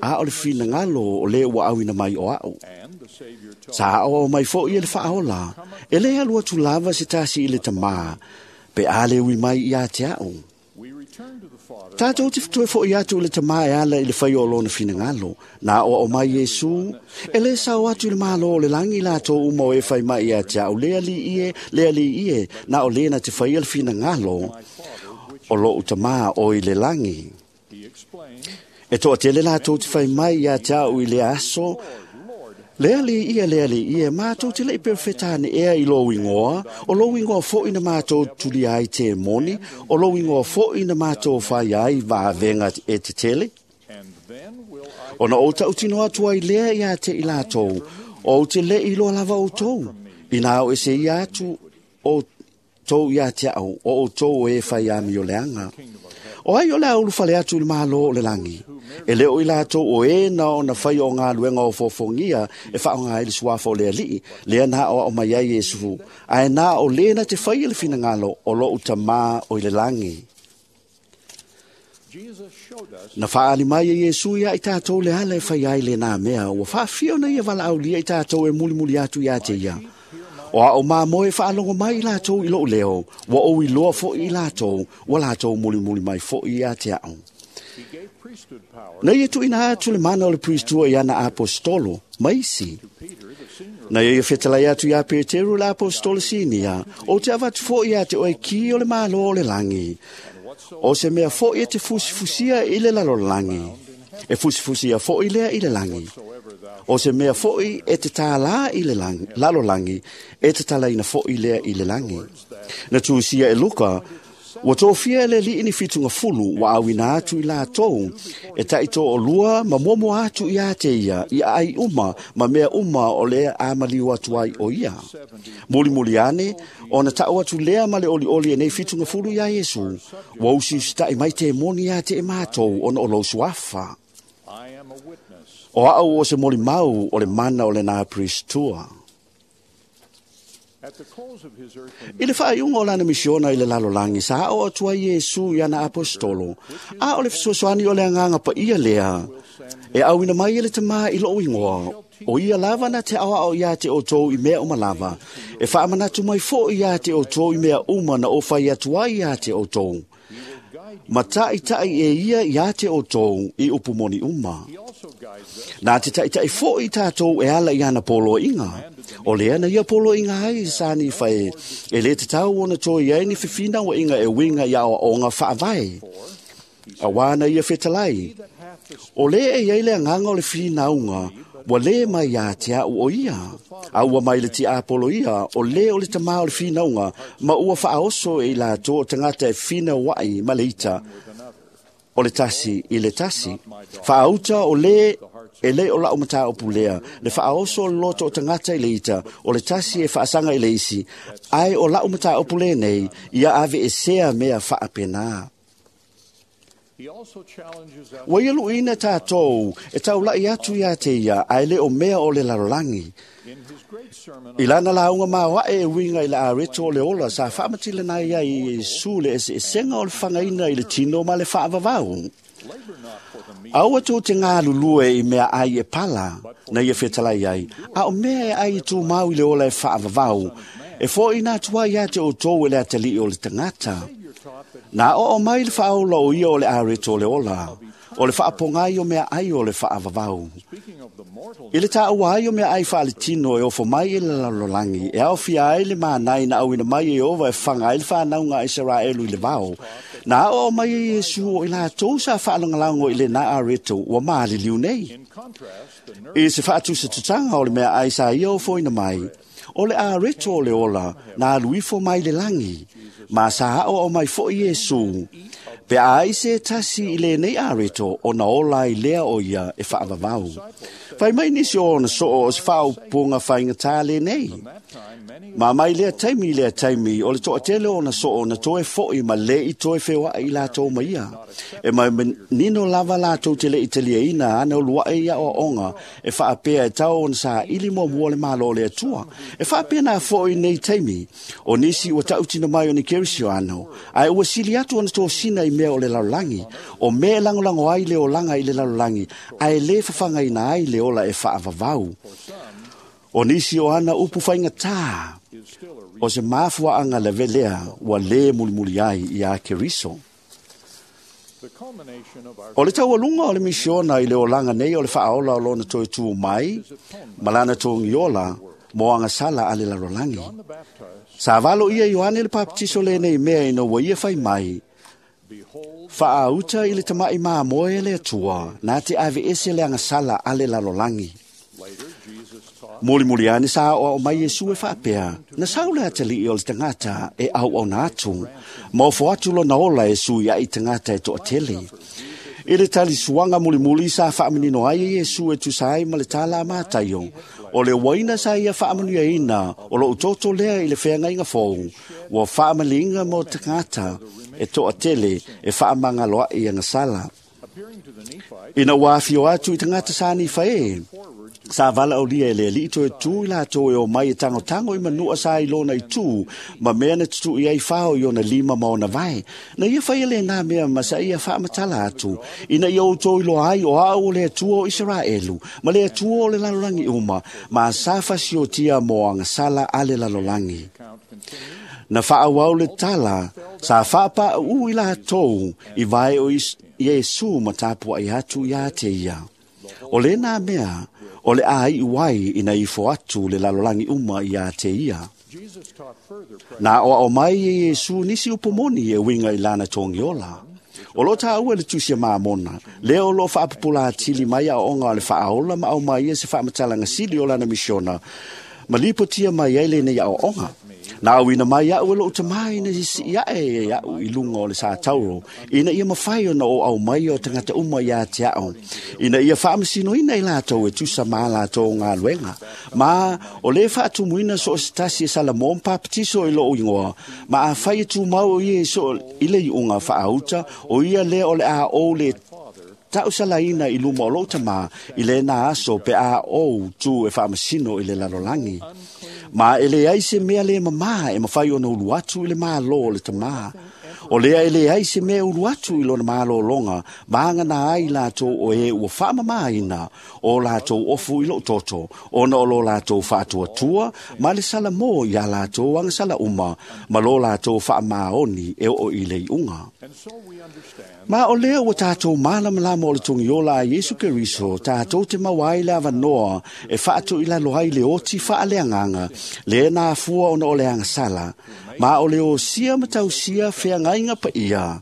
A o le whina o le ua awina mai o au. Sa o mai fo i le whaola. E le alu atu lava se tasi i le tamā. Pe a le ui mai i a te au. Tātou te fitoe fo i atu i le tamā e ala i le whai o lona whina. Nā o mai Iesu. E le sao atu i le malo o le langi lātou uma o e whai mai i a te au. Lea li ie, lea li ie. Nā o lena te whai le whina o lou tamā o i le langi. E toa tele lātou te whai mai ia te au i le aso. Lea li ia, mātou te lei perfetane ea i lou ingoa, o lou ingoa foi na mātou tuli ai te moni, o lou ingoa foi na mātou whai ai vaavenga e te tele. O na o tautino atu ai lea ia te i lātou, o te lei loa lava o tou, ina o e se ia atu o tou ia te au, o o tou e whai ami o leanga. O ai o le aulu fale atu i le malo o le langi. E leo i lātou o e na o na whai o ngā luenga o fōfongia e whaonga i le suafa o le alii, lea nā o au mai ai Iesu, ae nā o lena te whai le whinangalo o lou tamā o i le langi. Na whaali mai e Iesu ia i tātou le ala e whai ai le nā mea, ua whaafio na ia wala aulia i tātou e mulimuli atu ia te ia. O a o mā moe whaalongo mai i lātou i lou leo, wa o i loa foi i lātou, wa lātou mulimuli mai foi ia te au. Na ia tuina atu le mana o le priestua i ana apostolo, maisi. Na ia whetalai atu ia Peteru le apostolo sinia, o te avatu foi ia te oe ki o le malo o le langi. O se mea foi e te fusifusia i le lalolangi. E fusifusia foi lea i le langi. O se mea foi e te tālā i le lalolangi, e te talaina foi lea i le langi. Na tūsia e Luka, ua tōfia le li ini whitunga fulu wa awina atu i lātou, e taito o lua ma momo atu i a te ia, i ai uma, ma mea uma o lea amaliu atu ai o ia. Muli muli ane, o na tau atu lea ma le oli oli e nei whitunga fulu ia Iesu, wa usi usita'i mai te moni a te e mātou ona o lou suafa. O au o se moli mau o le mana o le nā priestua. I le whaaiunga o lana misiona i le lalolangi, sa o atua Iesu i ana apostolo, a o le fesoasoani o le anganga pa ia lea, e awina mai e le tamā i lou ingoa, o ia lava na te awa o ia te o tō i mea uma lava, e whaamanatu mai fo ia te o tō i mea uma na o whai atua ia te o tō. Ma ta'itai e ia ia te o tō i upumoni uma. Nā te ta'itai fo i tātou e ala i ana polo inga. O lea na ia polo inga ai sani whai e le te tau ona tō i ai ni whiwhina wa inga e winga ia o ngā whaavai. A wāna ia whetalai. O le e ia le anganga o le whinaunga, wa le mai ia te au o ia. A ua mai le ti apolo ia, o le o le tamā o le whinaunga, ma ua whaoso e i lātou o tangata e whina wai ma le ita, o le tasi i le tasi. Whaauta o le e le o lau mata o pulea, le whaoso o loto o tangata i le ita, o le tasi e whaasanga i le isi, ai o lau mata o pulea nei, ia ave e sea mea whaapena. Wa ia luina tātou, e taulai atu ia te ia, ai le o mea o le lalolangi. I lana launga mawae e winga i la areto o le ola, sa whaamatila nai ia i Iesu le ese esenga o le whangaina i le tino ma le whaavavau. Aua tou te galulue i mea ai e pala, na ia fetalai ai, a o mea e ai i tumau i le ola e faavavau, e foʻi atu ai ia te outou e le atalii o le tagata. Na oo mai le faaola o ia o le areto o le ola, o le faapogai o mea ai o le faavavau. I le taua ai o mea ai faaletino e ofo mai i le lalolagi, e aofia ai le manai na auina mai e Ieova e faga ai le fanauga a Isaraelu i le vao. Na aoao mai e Iesu o i latou sa faalagolago i lena areto ua maliliu nei. I se faatusatusaga o le mea ai sa ia ofoina mai, o le areto o le ola na alu ifo mai le lagi, ma sa aoao mai foʻi Iesu, pe a ai se tasi i lenei areto ona ola ai lea o ia e faavavau. Fai mai nisi o ona soo o se faaupuga faigata lenei. Ma mai lea taimi, o le toatele o ona soo na toe foʻi ma le i toe feoai i latou ma ia. E mai nino lava latou te le i taliaina ana uluaʻe ia oaoga e faapea e tau ona saili muamua le malo o le Atua. E faapea na foʻi nei taimi, o nisi ua tautino mai o ni Kerisioano, ae ua sili atu ona tosina i mea o le lalolagi, o mea e lagolago ai le olaga i le lalolagi, ae lē fafagaina ai le ola e faavavau. O nisi o ana upu faigatā, o se mafuaaga lave lea ua lē mulimuli ai iā Keriso. O le taualuga o le misiona i le olaga nei o le faaola o lona toe tu mai, ma lana togiola mo agasala a le lalolagi. Sa valo ia Ioane le Papatiso lenei mea ina ua ia fai mai, faauta i le tamaʻi mamoe le Atua, na te aveese le agasala a le lalolagi. Mulimuli ane sa aoao mai Iesu e faapea, na sau le atalii o le tagata e auauna atu, ma ofo atu lona ola e sui ai tagata e toatele. I le talisuaga mulimuli sa faamanino ai e Iesu e tusa ai ma le tala a Mataio, o le uaina sa ia faamanuiaina o lou toto lea i le feagaiga fou, ua faamaliga mo tagata e toatele e faamagaloaʻi agasala. Ina ua afio atu i tagata sa nifa e, sa valaaulia e le alii toe tu i latou e o mai e tagotago i manua sa i lona i tu, ma mea na tutuʻi ai fao i ona lima ma ona vae. Na ia faia lenā mea ma sa ia faamatala atu, ina ia outou iloa ai o aʻu o le Atua o Isaraelu, ma le Atua o le lalolagi uma, ma sa fasiotia mo agasala a le lalolagi. Na faaauau le tala, sa faapaʻu i latou i vae o Iesu ma tapuaʻi atu iā te ia. O lenā mea, o le aiʻu ai ina ifo atu le lalolagi uma iā te ia. Na aoao mai e Iesu nisi upu moni e uiga i lana togiola. O lo taua le tusi a Mamona, lea o loo faapupula atili mai aoaoga o le faaola ma aumai ia se faamatalaga sili o lana misiona, ma lipotia mai ai lenei aoaoga. Na auina mai aʻu e loʻu tamā ina sisii aʻe e aʻu i luga o le sa tauro, ina ia mafai ona o aumai o tagata uma iā te aʻo, ina ia faamasinoina i latou e tusa ma latou galuega. Ma o lē faatumuina so o se tasi e salamo ma papatiso i lou igoa, ma afai e tumau o ia so i le iuga faauta, o ia lea o le a ou le tausalaina i luma o lou tamā i lena aso pe a ou tu e faamasino i le lalolagi. Ma e leai se mea lē mamā e mafai ona ulu atu i le mālō o le tamā. O lea e leai se mea ulu atu i lona malōloga, ma agana ai latou o e ua faamamāina o latou ofu i lou toto, ona o lo latou faatuatua ma le salamō iā latou agasala uma, ma lo latou faamaoni e oo i le iuga. Ma o lea ua tatou malamalama o le togiola a Iesu Keriso, tatou te maua ai le avanoa e faatoilalo ai le oti faaleagaga, le na afua ona o le agasala, ma o le osia ma tausia feagaiga paia,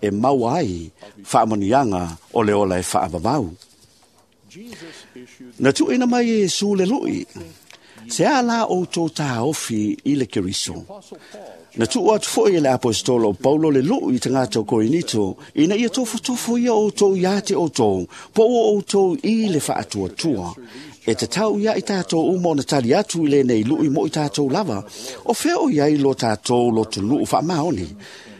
e maua ai faamanuiaga o le ola e faavavau. Na tuuina mai e Iesu le luʻi, se a la outou taofi i le Keriso. Na tuu atu foʻi e le aposetolo o Paulo le luʻu i tagata o Korinito, ina ia tofotofo ia outou iā te outou, po ua outou i le faatuatua. E tatau ia i tatou uma ona tali atu i lenei luʻi mo i tatou lava, o fea o iai lo tatou lotonuu faamaoni.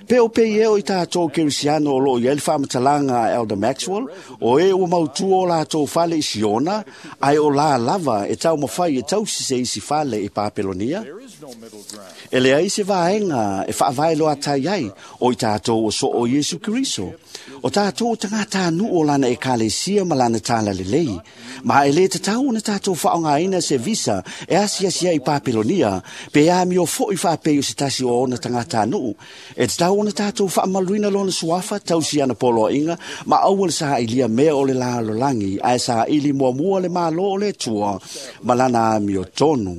Pe o pe e o i tātou Kerisiano o loo i ai le faamatalaga a Elder Maxwell, o e ua mautua o latou fale i Siona, ai o la lava e taumafai e tausi se isi fale i Papelonia. E leai se vaega e faavaeloatai ai o i tātou o soo Iesu Keriso. O tātou o tagatanuu o lana ekalesia ma lana talalelei. Ma e lē tatau ona tātou faaaogāina se visa e asiasi ai i Papelonia, pe amio foʻi faapei o se tasi o ona tagatanuu. E tatau ona tātou faamaluina lona suafa, tausi ana poloaiga, ma aua le saʻilia mea o le lalolagi, ae saʻili muamua le Mālō o le Atua ma lana amiotonu.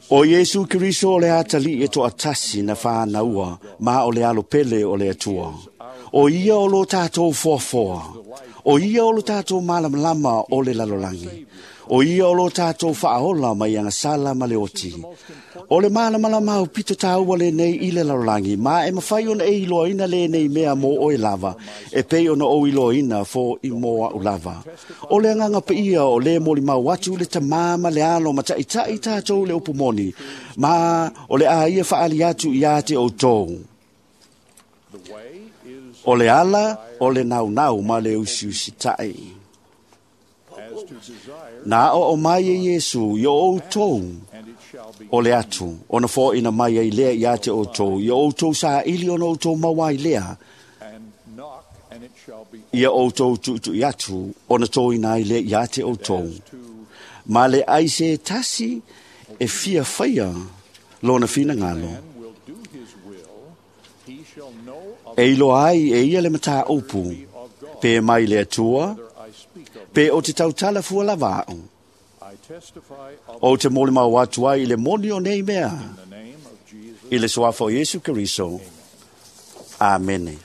O Iesu Keriso o le atalii e toatasi na whānaua, ma o le alopele o le Atua. O ia o lo tātou foafoa. O ia o lo tātou malamalama o le lalolagi. O ia o lo tātou whaaola mai agasala ma le oti. O le malamalama au pito tāua le nei i le lalolagi, ma e mawhai ona e iloaina le nei mea mō oe lava, e pei ona o iloaina fo i mō au lava. O le anganga paia o le moli mau atu le tamā ma le alo ma taʻitaʻi tātou le upu moni, ma o le a ia whaali atu i a te o tōu. O le ala, o le naunau ma le usiusi taʻi. Nā o o mai e Iesu i o outou o le atu, ona fōina mai ai lea i a te outou, i o outou saʻili ona outou maua ai lea, ia outou tuʻutuʻi atu, ona tōina ai lea i a te outou. Ma le ai se tasi e fia faia lona finagalo. E iloa ai e ia le mataupu, pe mai le Atua, pe o te tautala fua lava a'u. O te molimau atu ai i le moni o nei mea, i le suafa o Iesu Keriso. Amene.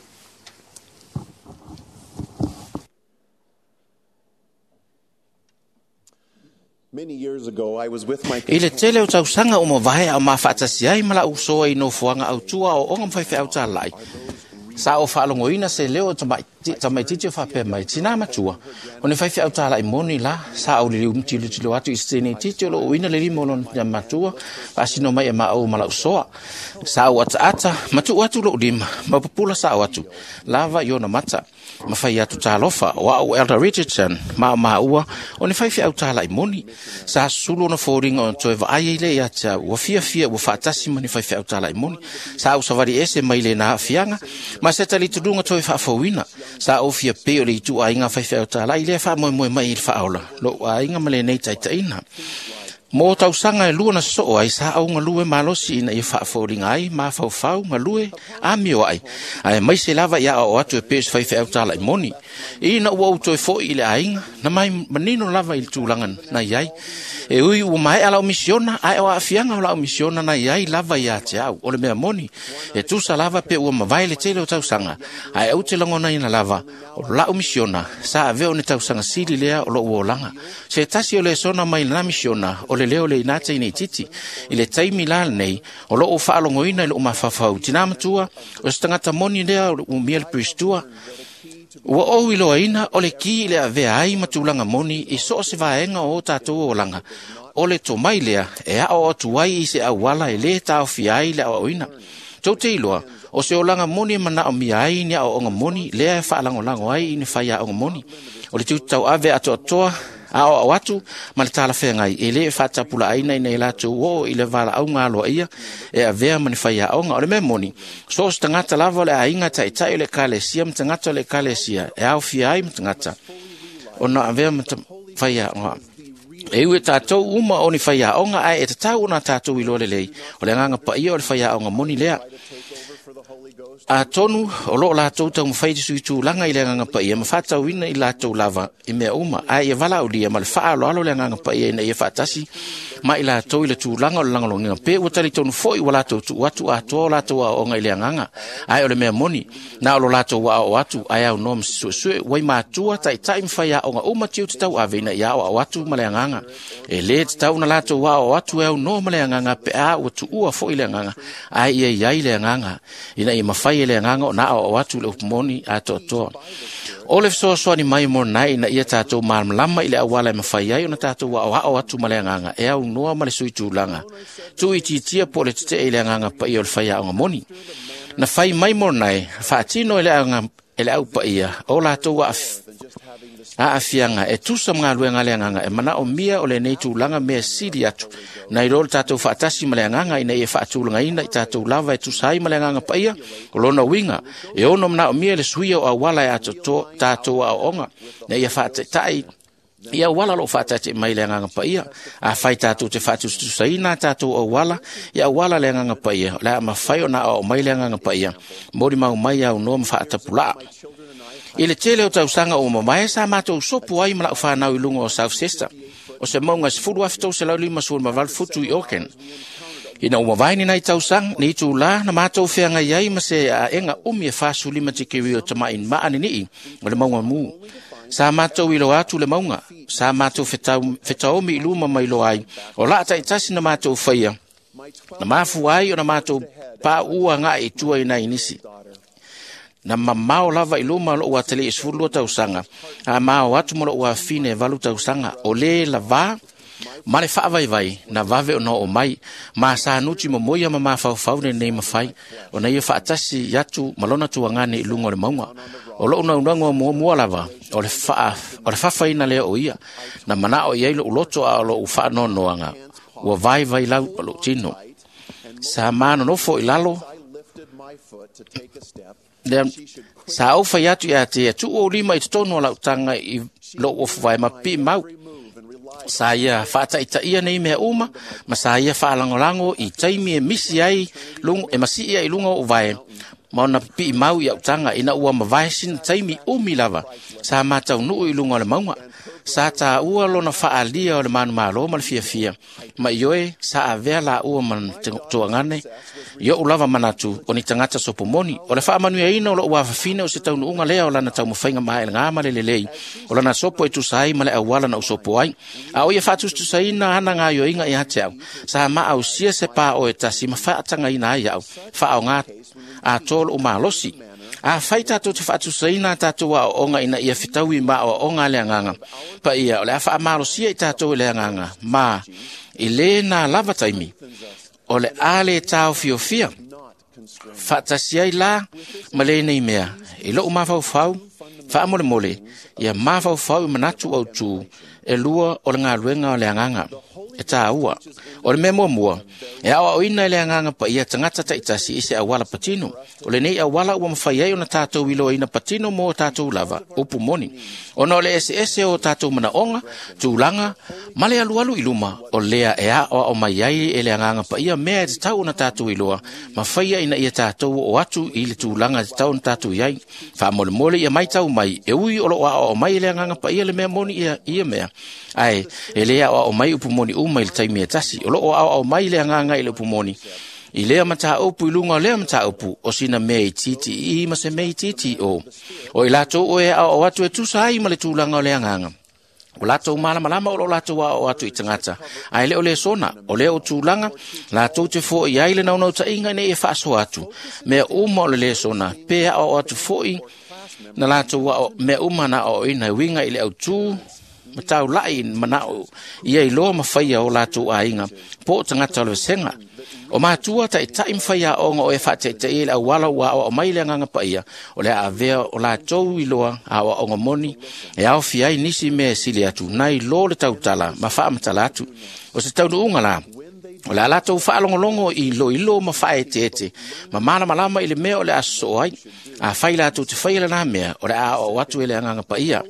I le tele o tausaga o mavae a o mafaatasi ai ma la'u usoa i nofoaga autua o oga ma faifeau talai. Sa o faalogoina se leo o tamaititi o faapea mai, tinā matua, o ne faifeau talaʻi moni la, sa ou liliu tilotilo atu i se teinititi o loo uina le lima o lona matua, faasino mai e maʻou ma la'u soa. Sa ou ataata, ma tuu atu loʻu lima, ma pupula saʻo atu, lava i ona mata. Ma fai atu talofa, o a'u Elder Richardson, ma o maua, o ne faifeau talaʻi moni. Sa sulu ona foliga ona toe vaai ai lea ia te au, ua fiafia ua faatasi ma ni faifeau talaʻi moni. Sa ou savali ese mai lena aafiaga, ma se talitonuga toe faafouina. Sa ou fia pei o le ituaiga faifeau talaʻi lea faamoemoe mai i le faaola, loʻu aiga ma lenei taitaʻina. Mo tausaga e lua na sosoo ai, sa ou galue malosi ina ia faafoliga ai mafaufau galue amio ai, ae maise lava ia aoao atu e pei o se faifeau talaʻi moni. Ina ua ou toe foʻi i le aiga, na mai manino lava i le tulaga na iai. E ui ua maeʻa lau misiona, ae o aafiaga o lau misiona na iai lava iā te au. O le mea moni, e tusa lava pe ua mavae le tele o tausaga, ae ou te lagonaina lava, o lau misiona, sa avea o ni tausaga sili lea o loʻu olaga. Se tasi o lesona mai lena misiona, o le leo le ina teine titi. I le taimi la lenei, o loo faalogoina i loo mafaufau tinā matua, o se tagata moni lea o le umia le Piristua. Ua ou iloaina o le ki i le avea ai ma tulaga moni i so o se vaega o tatou olaga. O le tomai lea e aʻo atu ai i se auala e lē taofia ai le aoaoina. Tou te iloa, o se olaga moni e manaomia ai ni aoaoga moni lea e faalagolago ai i ni faiaoga moni. O le tiute tauave atoatoa aoao atu ma le talafeagai e lē faatapulaaina ina ia latou oo i le valaauga aloaia e avea ma ni faiaoga. O le mea moni, so o se tagata lava o le aiga taʻitaʻi o le ekalesia ma tagata o le ekalesia e aofia ai ma tagata ona avea ma faiaoga. E ui e tātou uma o ni faiaoga, ae e tatau ona tātou iloa lelei, o le agaga paia o le faiaoga moni lea. Atonu o loo latou taumafai te suitulaga i le agaga paia ma faatauina i latou lava i mea uma, ae ia valaaulia ma le faaaloalo le agaga paia ina ia faatasi ma i latou i le tulaga o le lagolagoina. Pe ua talitonu foi ua latou tuu atu atoa o latou aoaoga i le agaga, ae o le mea moni, na o lo latou aoao atu ae aunoa ma se suesue. Ua i matua taʻitaʻi ma faiaoga uma tiute tauave ina ia aoao atu ma le agaga. E lē tatau ona latou aoao atu e aunoa ma le agaga pe a ua tuua foi le agaga, ae ia iai le agaga ina ia mafai mafai e le agaga ona aoao atu i le upu moni atoatoa. O le fesoasoani mai mo lenai ina ia tatou malamalama i le auala e mafai ai ona tatou aoao atu ma le agaga e aunoa ma le sui tulaga, tuuitiitia po o le tetee i le agaga paia o le faiaoga moni. Na fai mai mo lenai, faatino e le au paia o latou aafiaga e tusa ma galuega a le agaga e manaomia o lenei tulaga mea sili atu nai lo le tatou faatasi ma le agaga ina ia faatulagaina i tatou lava e tusa ai ma le agaga paia. O lona uiga e ono manaomia le suia o auala e atoatoa tatou aoaoga ina ia faataitai i auala o loo faataatia mai le agaga paia. Afai tatou te faatusatusaina tatou auala i auala le agaga paia, o le a mafai ona aoao mai le agaga paia molimau mai aunoa ma faatapulaa. I le tele o tausaga ua mamae sa matou sopo ai ma lau whanau i lunga o South Chester, o se maunga 10,358 futu i Auckland. Ina ua mavae ni nai tausaga, ni itulā na matou feagai ai ma se aega umi e 45 tikeri o tama'i maanini'i o le mauga mu. Sa matou iloa atu le mauga, sa matou fetaomi i luma ma iloa ai, o laa taitasi na matou faia, na mafua ai ona matou paua agai i tua i nai nisi. Na mamao lava i luma o lou atalii e 12 tausaga, a mao atu ma lou afine e 8 tausaga, o lē lavā ma le faavaivai na vave ona oo mai, ma sa nuti momoia ma mafaufau lenei mafai, ona ia faatasi atu ma lona tuagane i luga o le mauga. O lou naunaga muamua lava, o le fafaina lea o ia, na manao i ai lou loto a o lou faanoanoaga, ua vaivai lau o lou tino. Sa manonofo i lalo, lea, sa ou fai atu ia te tuu ou lima i totonu o lau taga i lou ofuvae ma pipii mau. Sa ia faataitaia nei mea uma, ma sa ia faalagolago i taimi e misi ai e masii ai i luga o uvae, ma ona pipii mau i au taga ina ua mavae sina taimi umi lava. Sa mataunuu i luga o le mauga. Sa tāua lona faalia o le manumalo ma le fiafia, ma ioe sa avea laua ma tuagane i o'u lava manatu o ni tagata sopomoni. O le faamanuiaina o lou afafine o se taunuuga lea o lana taumafaiga maelega ma le lelei, o lana sopo e tusa ai ma le auala na ou sopo ai. A o ia faatusatusaina ana gaoioiga ia te au, sa maausia se pā o e tasi ma faatagaina ai au, faaaoga atoa lou malosi. A fai tatou te faatusaina tatou aoaoga ina ia fetaui ma aoaoga a le agaga paia, o le a faamalosia i tatou i le agaga, ma i lē na lava taimi, o le a le taofiofia. Faatasi ai la ma lenei mea, i lou mafaufau, faamolemole, ia mafaufau i manatu autū e lua o le galuega o le agaga e tāua. O le mea muamua, e aoaoina e le agaga paia tagata taitasi i se auala patino. O lenei auala ua mafai ai ona tatou iloaina patino mo tatou lava, upu moni. Ona o le eseese o tatou manaoga, tulaga, ma le alualu i luma, o lea e aoao mai ai e le agaga paia mea e tatau ona tatou iloa, ma faia ina ia tatou oo atu i le tulaga e tatau ona tatou i ai. Faamolemole ia maitau mai, e ui o loo aoao mai e le agaga paia le mea moni ia mea. Ae, e le aoao mai upu moni uma i le taimi e tasi. O loo aoao mai le agaga i le upu moni. I lea mataupu i luga o lea mataupu, o sina mea itiiti i ma se mea itiiti o. O i latou o e aoao atu e tusa ai ma le tulaga o le agaga. O latou malamalama o lo latou aoao atu i tagata. Ae le o le sona, o lea o tulaga, latou te fo'i ai le naunautaiga ina ia faasoa atu. Mea uma o le le sona, pe aoao atu fo'i na latou ao, mea uma na aoaoina e uiga i le autū, ma taulai manao ia iloa ma faia o latou aiga, po o tagata o le vasega. O matua taitai ma faiaoga o e faataitai i le auala ua aoao mai le agaga paia, o le a avea o latou iloa aoaoga moni, e aofia ai nisi mea e sili atu, nai lo le tautala ma faamatala atu. O se taunuuga la, o le a latou faalogologo i iloilo ma faaeteete, ma malamalama i le mea o le a sosoo ai. A fai latou te faia lena mea, o le a aoao atu e le agaga paia.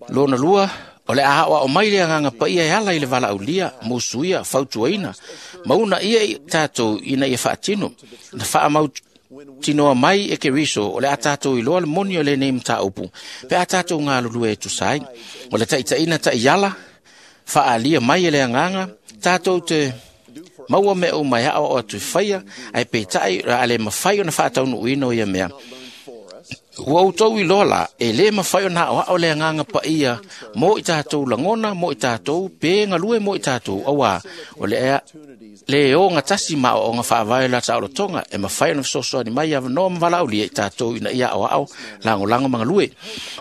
Lona lua, o le a aoao mai le agaga paia e ala i le valaaulia, musuia, fautuaina, ma una ia i tatou ina ia faatino. Na faamautinoa mai e Keriso, o le a tatou iloa le moni o lenei mataupu, pe a tatou galulue e tusa ai. O le taitaiina taiala, faaalia mai e le agaga, tatou te maua mea uma e aoao atu i faia, ae peitai o le a le mafai ona faataunuuina o ia mea. Ua outou iloa la, e lē mafai ona aoao le agaga paia mo i tatou lagona, mo i tatou pe galue mo i tatou, auā o le le ogatasi ma aoaoga faavae o le taolotoga e mafai ona fesoasoani mai avanoa ma valaaulia i tatou ina ia aoao lagolago ma galue.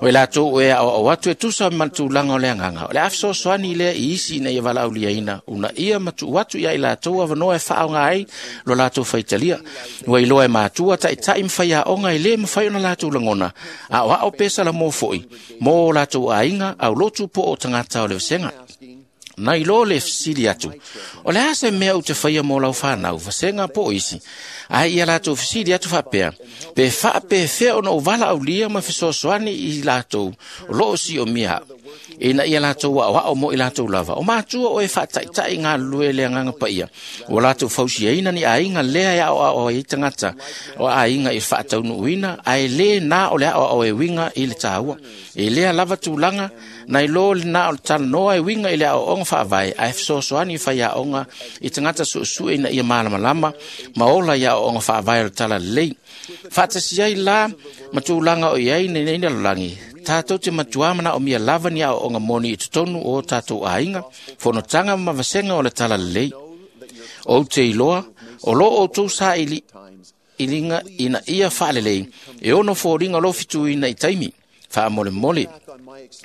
O i latou o e aoao atu e tusa ma le tulaga o le agaga, o le a fesoasoani lea i isi ina ia valaauliaina unaia ma tuu atu ia i latou avanoa e faaaoga ai lo latou faitalia. Ua iloa e matua taitai ma faiaoga e lē mafai ona latou lagona aoao pe salamo foi mo o latou aiga aulotu po o tagata o le vasega. Nai lo le fesili atu, o le a se mea ou te faia mo lau whanau, vasega po o isi, ae ia latou fesili atu faapea, pe faapefea ona ou valaaulia ma fesoasoani i latou o lo o siomia au, ina ia latou aoao mo i latou lava. O matua o e faataitai galulue le agaga paia, ua latou fausiaina ni aiga lea e aoao ai tagata o aiga i le faataunuuina, ae lē na o le aoao e uiga i le taua. E lea lava tulaga, nai lo le na o le talanoa e uiga i le aoaoga faavae, ae fesoasoani i faiaoga i tagata suesue ina ia malamalama ma ola i aoaoga faavae o le talalelei. Faatasi ai la ma tulaga o i ai nei lalolagi, tatou te matua manaomia lava ni aoaoga moni i totonu o tatou aiga, fonotaga ma vasega o le talalelei. Ou te iloa, o lo outou sailiiliga ina ia faalelei, e ono foliga lo fituina i taimi, faamolemole.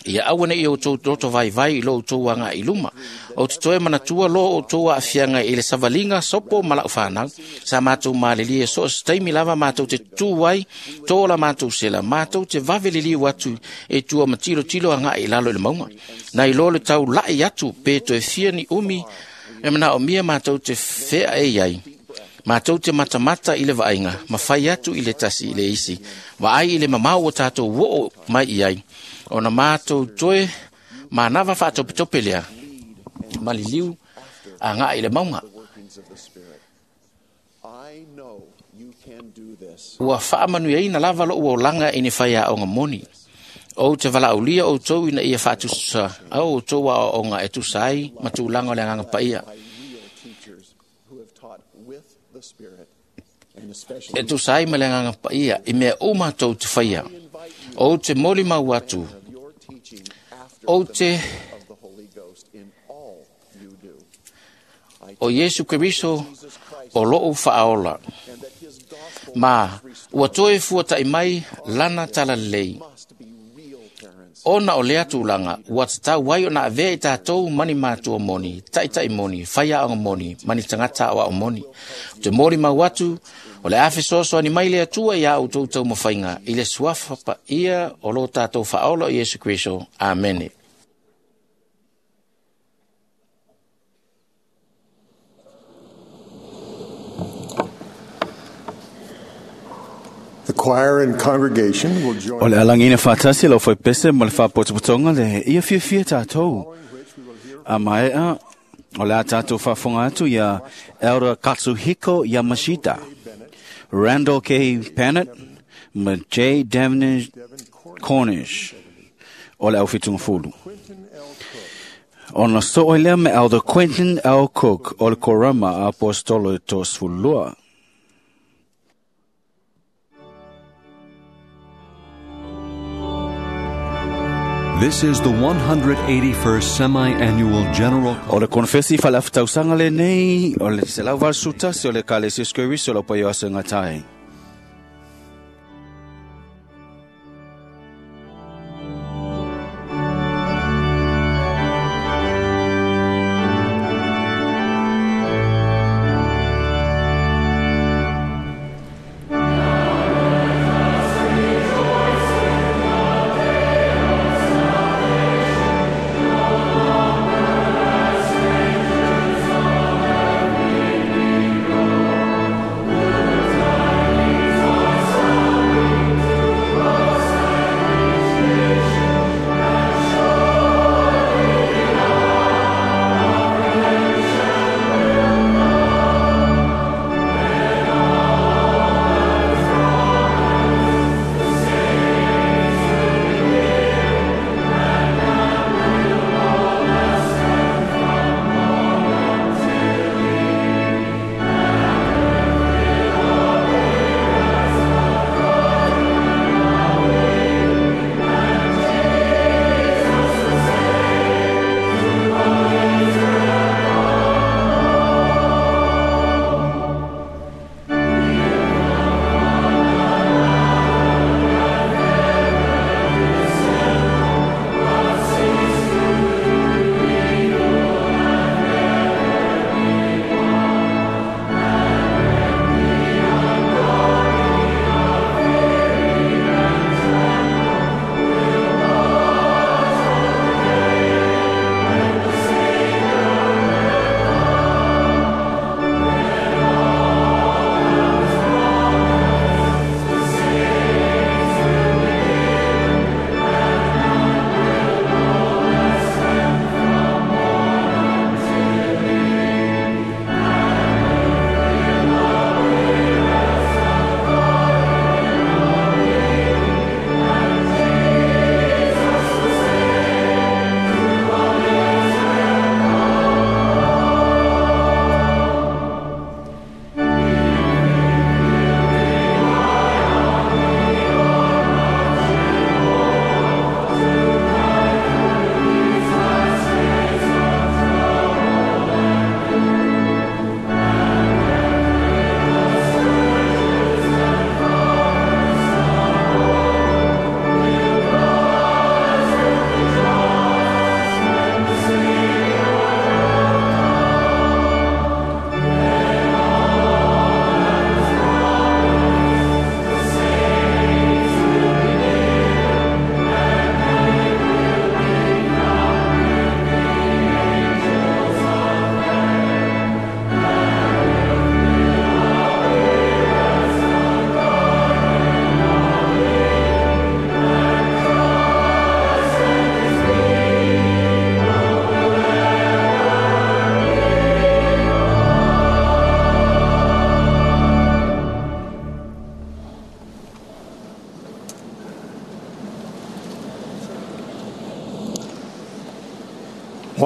Ia aua ne i outou loto vaivai i lo outou aga'i i luma. Ou te toe manatua lo outou aafiaga i le savaliga sopo ma lau fanau. Sa matou malilie so o se taimi lava matou te tutū ai, tō la matou sela, matou te vave liliu atu e tua ma tilotilo aga'i i lalo i le mauga. Nai lo le taula'i atu pe toe fia ni umi e manaomia matou te fea e i ai. Matou te matamata i le vaaiga, ma fai atu i le tasi i le isi. Vaai i le mamao ua tatou oo mai i ai. Ona matou toe manava faatopetope lea, maliliu aga'i i le mauga. Ua faamanuiaina lava lou olaga i ni faiaoga moni. Ou te valaaulia outou ina ia faatusa au outou aoaoga e tusa ai ma tulaga o le agaga paia. E tusa ai ma le agaga paia i mea uma tou te faia. Ou te molimau atu, ou te o Iesu Keriso o lou faaola. Ma ua toe fuata'i mai lana talalelei. Ona o lea tulaga, ua tatau ai ona avea i tatou mani matua moni, taitai moni, faiaoga moni, mani tagata aoao moni. O te molimau atu, o le a fesoasoani mai le Atua iā outou taumafaiga i le suafa paia o lo tatou faaola o Iesu Keriso. Amene. The choir and congregation will join O le alagina whātasi lau whai pese ma le whāpotopotonga le ia fiafia tātou. A maea, o le a tātou whāwhonga atu ia Elder Katsuhiko Yamashita, Randall K. Pannett, ma J. Devon Cornish, o le au whitunga fulu. Ona so lea me Elder Quentin L. Cook o le Korama Apostolo Tosfulua. This is the 181st Semi-Annual General O le konfesi whalafutausanga le nei, o le selau valsutasi o le kalesia skuriso lo paio asa ngatai. Conference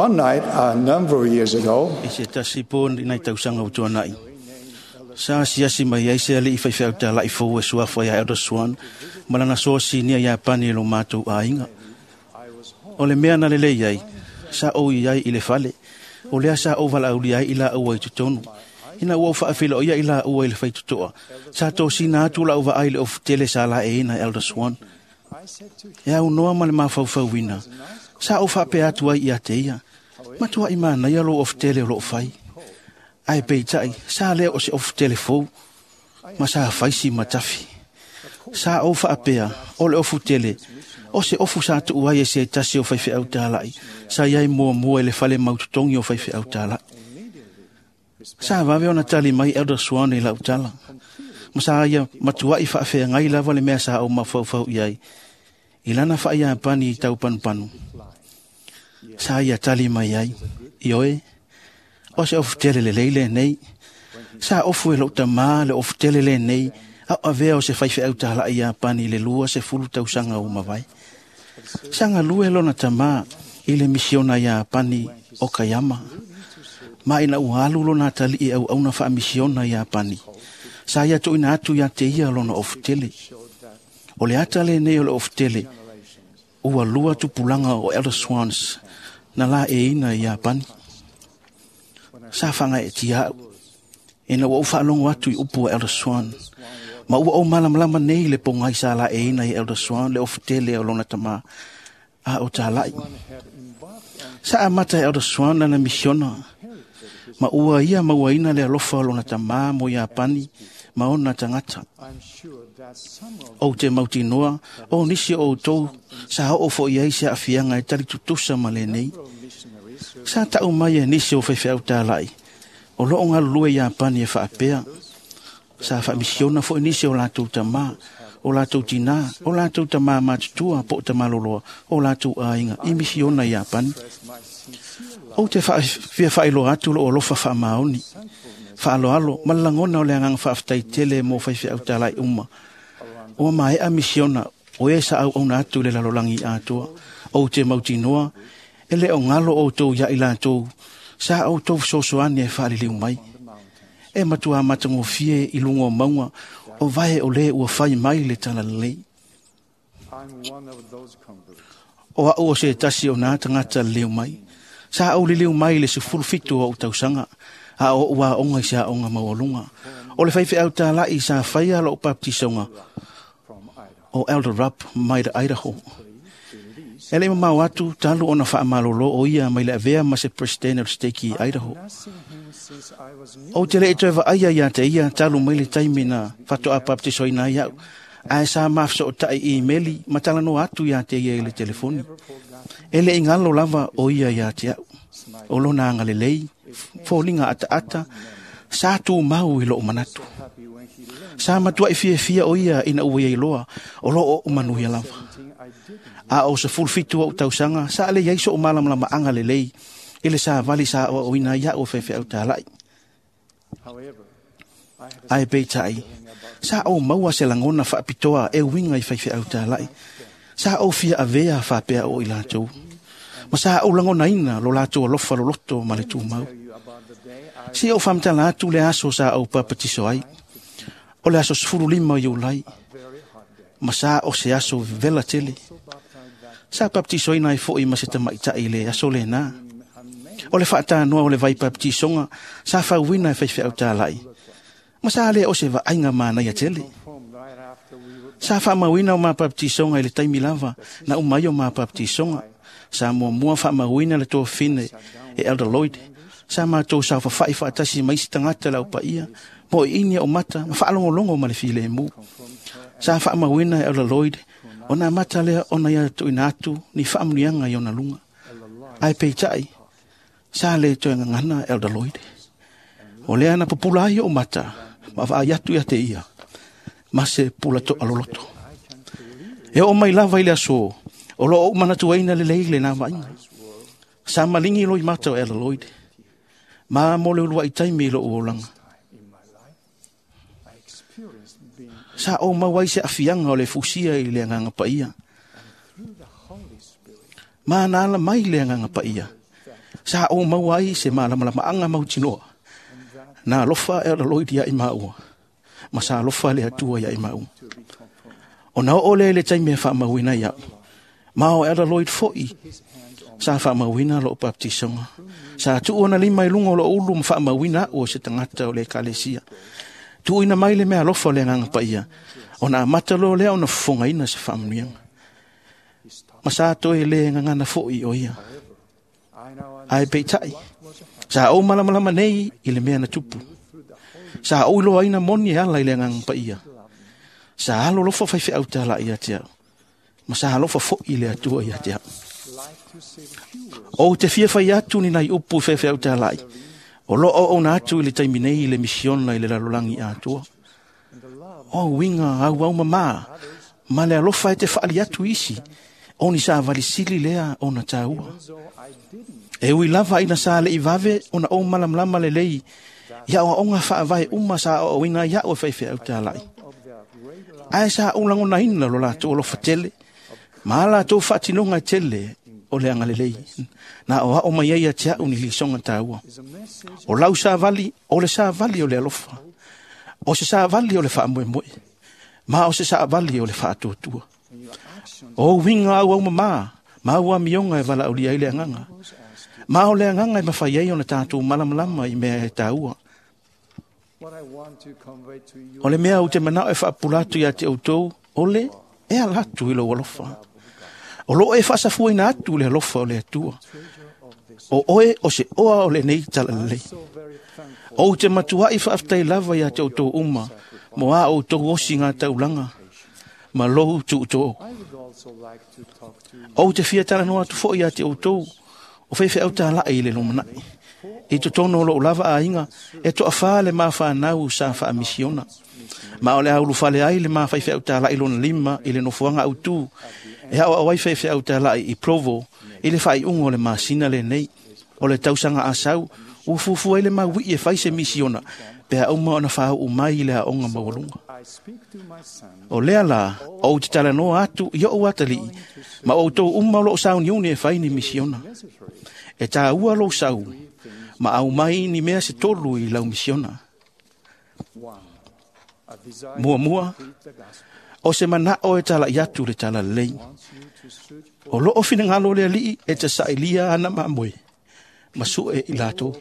One night, a number of years ago, I se tasi po nai tausaga ua tuanaʻi sa asiasi mai ai se aliʻi faifeau fou e suafa iā Elder Swan ma lana soasinia iā pani e lo matou aiga. O le mea na lelei ai, sa ou i ai i le fale, o lea sa ou valaaulia ai i laua i totonu. Ina ua ou faafiloia i laua i le faitotoa, sa tosina atu lau vaai i le ofutele sa laeina e Elder Swan. E aunoa ma le mafaufauina, sa ou faapea atu ai ia te ia, matuai manaia lou ofutele o loo fai. Ae peitai, sa lea o se ofutele fou, ma sa faisi ma tafi. Sa ou faapea, o le ofutele, o se ofu sa tuu ai e se tasi o faifeau tālai, sa iai muamua i le fale mautotogi o faifeau tālai. Sa vave ona tali mai Elder Swan i lau tala. Ma sa ia matuai faafeagai lava le mea sa ou mafaufau i ai. I lana faaiapani i tau panupanu. Sa ia tali mai ai, ioe, o se ofutele lelei lenei. Sa ofu e lou tamā le ofutele lenei, au avea o se faifeau tālai Iapani i le 20 tausaga ua mavae. Sa galue lona tamā i le misiona Iapani o Kaiama. Ma ina ua alu lona atalii auauna faamisiona Iapani. Sa ia tuuina atu ia te ia lona ofutele. O le ata lenei o le ofutele, ua lua tupulaga o Elder Swans na laeina i Iapani. Sa fagaeetia au, ina ua ou faalogo atu i upu a Elder Swan. Ma ua ou malamalama nei le pogai sa laeina i Elder Swan le ofutele o lona tamā a o tālai. Sa amata e Elder Swan lana misiona, ma ua ia mauaina le alofa o lona tamā mo Iapani ma ona tagata. Ou te mautinoa, o nisi o outou sa oo foʻi ai se aafiaga e tali tutusa ma lenei. Sa taʻu mai e nisi o faifeau tālai, o loo galulue Iapani e faapea. Sa faamisiona foʻi nisi o latou tamā, o latou tinā, o latou tamā matutua po o tamaloloa, o latou aiga i misiona Iapani. Ou te fia faailoa atu lou alofa faamaoni, faaloalo ma le lagona o le agaga faafetai tele mo faifeau tālai uma. Ua maea misiona o e sa auauna atu i le lalolagi atoa. Ou te mautinoa, e le o galo outou ia i latou, sa outou fesoasoani e faaliliu mai. E matua matagofie i luga o mauga, o vae o lē ua fai mai le talalelei. I'm one of those converts. O au o se tasi o nā tagata leleu mai. Sa ou liliu mai le 17 o ou tausaga, a o ou aoga i se aoga maualuga. O le faifeau tālai sa faia lou baptisoga o Elder Rupp mai le Idaho. E le mamao atu talu ona faamalolo o ia mai le avea ma se president o le stake i Idaho. Not seen him since I was new. Ou te le i toe vaaia ia te ia talu mai le taimi na faatoa baptisoina ai au. Ae sa mafesootai i imeli ma talanoa atu ia te ia i le telefoni. E le i galo lava o ia ia te au. O lona agalelei, foliga ataata, sa tumau i lou manatu. Happy when he learned Sa matuai fiafia o ia ina ua iai loa, o loo ou manuia lava. something I didn't. A o 17 ou tausaga, sa le iai so'u malamalamaaga lelei, i le savali sa aoaoina ai a'u e faifeau tāla'i. However, I had a Ae peitai, sa ou maua se lagona faapitoa e uiga i faifeau tāla'i. Sa ou fia avea faapea o i latou. Ma sa ou lagonaina lo latou alofa loloto ma le tumau. tell you about the day I Si ou faamatala atu le aso sa ou papatiso ai. O le aso 15 Iulai, very hot day. ma sa o se aso vela tele. So baptized that Sa baptisoina ai foʻi ma se tamaitaʻi le aso lenā. O le faatanoa o le vai baptisoga, sa fauina e faifeau tālaʻi. Ma sa lea o se vaaiga manaia tele. from right after we were Sa faamauina o mapaptisoga i le taimi lava, na umai o mapaptisoga. Sa muamua faamauina le tofine e Elder Lloyd. Sa matou saofafaʻi faatasi mai isi tagata le aupaia, mo i ini o mata, ma faalogologo ma le filemu. Sa faamauina e Elder Lloyd, ona mata lea ona ia tuuina atu ni faamuniaga i ona luga. Ae peitai, sa le toe gagana Elder Lloyd. O lea na pupula ai ou mata, ma vaai atu ia te ia, ma se pula toaloloto. E oo mai lava i le aso, o loo ou manatuaina lelei lenā vaaiga. Sa maligi loi mata o Elder Lloyd, ma mo le uluai taimi i lou olaga. in my life. I experienced being Sa ou mau ai se afiaga o le fusia i le agaga paia. through the Holy Spirit Ma na ala mai le agaga paia. Sa ou maua ai se malamalamaaga mautinoa. Na alofa Elder Lloyd ia i maua, ma sa alofa le Atua ia i maua. Ona oo lea i le taimi e faamauina ai au, ma o Elder Lloyd foi sa faamauina lou baptisoga. Sa tuu ona lima i luga o lou ulu ma faamauina au o se tagata o le ekalesia. Tuuina mai le meaalofa o le Agaga Paia, ona amata loa lea ona fofogaina se faamanuiaga. Ma sa toe le gagana foi o ia. Ae peitai, sa ou malamalama nei i le mea na tupu. Sa ou iloaina moni e ala i le Agaga Paia. Sa alolofa faifeau talai ia te au, ma sa alofa foi le Atua ia te au. Ou te fia fai atu ni nai upu i faifeau talai, o loo auauna atu i le taimi nei i le misiona i le lalolagi atoa. O uiga auau mamā, ma le alofa e te faali atu isi, o ni savali sili lea ona taua. E ui lava ina sa le'i vave ona ou malamalama lelei i aoaoga faavae uma sa aoaoina ai a'u e faifeau talai. Ae sa ou lagonaina lo latou alofa tele, ma a latou faatinoga e tele o le agalelei. Na aoao mai ai ia te a'u ni lisoga taua. O lau savali, o le savali o le alofa. O se savali o le faamoemoe. Ma o se savali o le faatuatua. O uiga auau mamā, ma au amioga e valaaulia ai le agaga. Ma o le agaga e mafai ai ona tatou malamalama i mea e taua. O le mea ou te manao e faapula atu ia te outou, o le e ala atu i lou alofa. O loo e faasafuaina atu le alofa o le Atua. O oe o se oa o lenei talalelei. Ou te matuai faafetai lava ia te outou uma, mo a outou osiga taulaga, ma lou tuutoo. Ou te fia talanoa atu foi ia te outou, o faifeau talai i le lumanai. I totonu o lou lava aiga, e toafā le mafanau sa faamisiona. Ma o le a ulufale ai le mafaifeau talai lona lima i le nofoaga autū, e aoao ai faifeau talai i Provo, i le faaiuga o le masina lenei. O le tausaga asau, ua fuafua ai le mauii e fai se misiona, pe a uma ona faauu mai i le aoga maualuga. O lea la, ou te talanoa atu i o'u atalii, ma outou uma o loo sauniuni e fai ni misiona. E taua lou sau, ma aumai ni mea se tolu i lau misiona. Muamua, o se manao e tala'i atu le talalelei. O loo finagalo le Alii e te sailia ana mamoe, ma su'e i latou.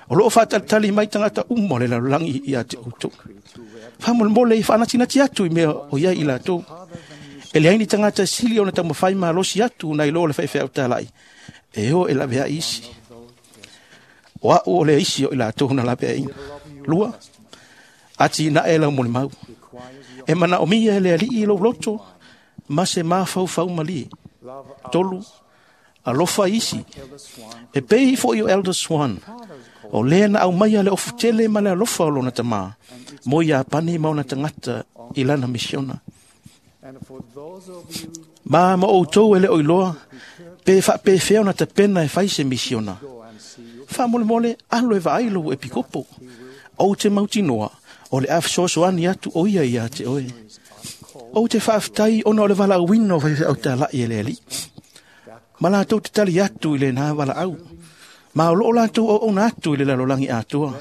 O loo faatalitali mai tagata uma o le lalolagi ia te outou. Faamolemole i faanatinati atu i mea o iai i latou. E leai ni tagata e sili ona taumafai malosi atu nai lo le faifeau talai, e o e laveai isi. O a'u o le isi o i latou na laveaiina. Lua, atinae lau molimau. E manaomia e le Alii i lou loto, ma se mafaufau malie. Tolu, alofa isi. E pei foi o Elder Swan, o lea na aumaia le ofutele ma le alofa o lona tamā, mo Iapani ma ona tagata i lana misiona. Ma outou e le o iloa, pe faapefea ona tapena e fai se misiona. Faamolemole alo e vaai lou epikopo. Ou te mautinoa, o le a fesoasoani atu o ia ia te oe. Ou te faafetai ona o le valaauina o faifeau talai e le Alii. Ma latou te tali atu i lena valaau. Ma o loo latou auauna atu i le lalolagi atoa.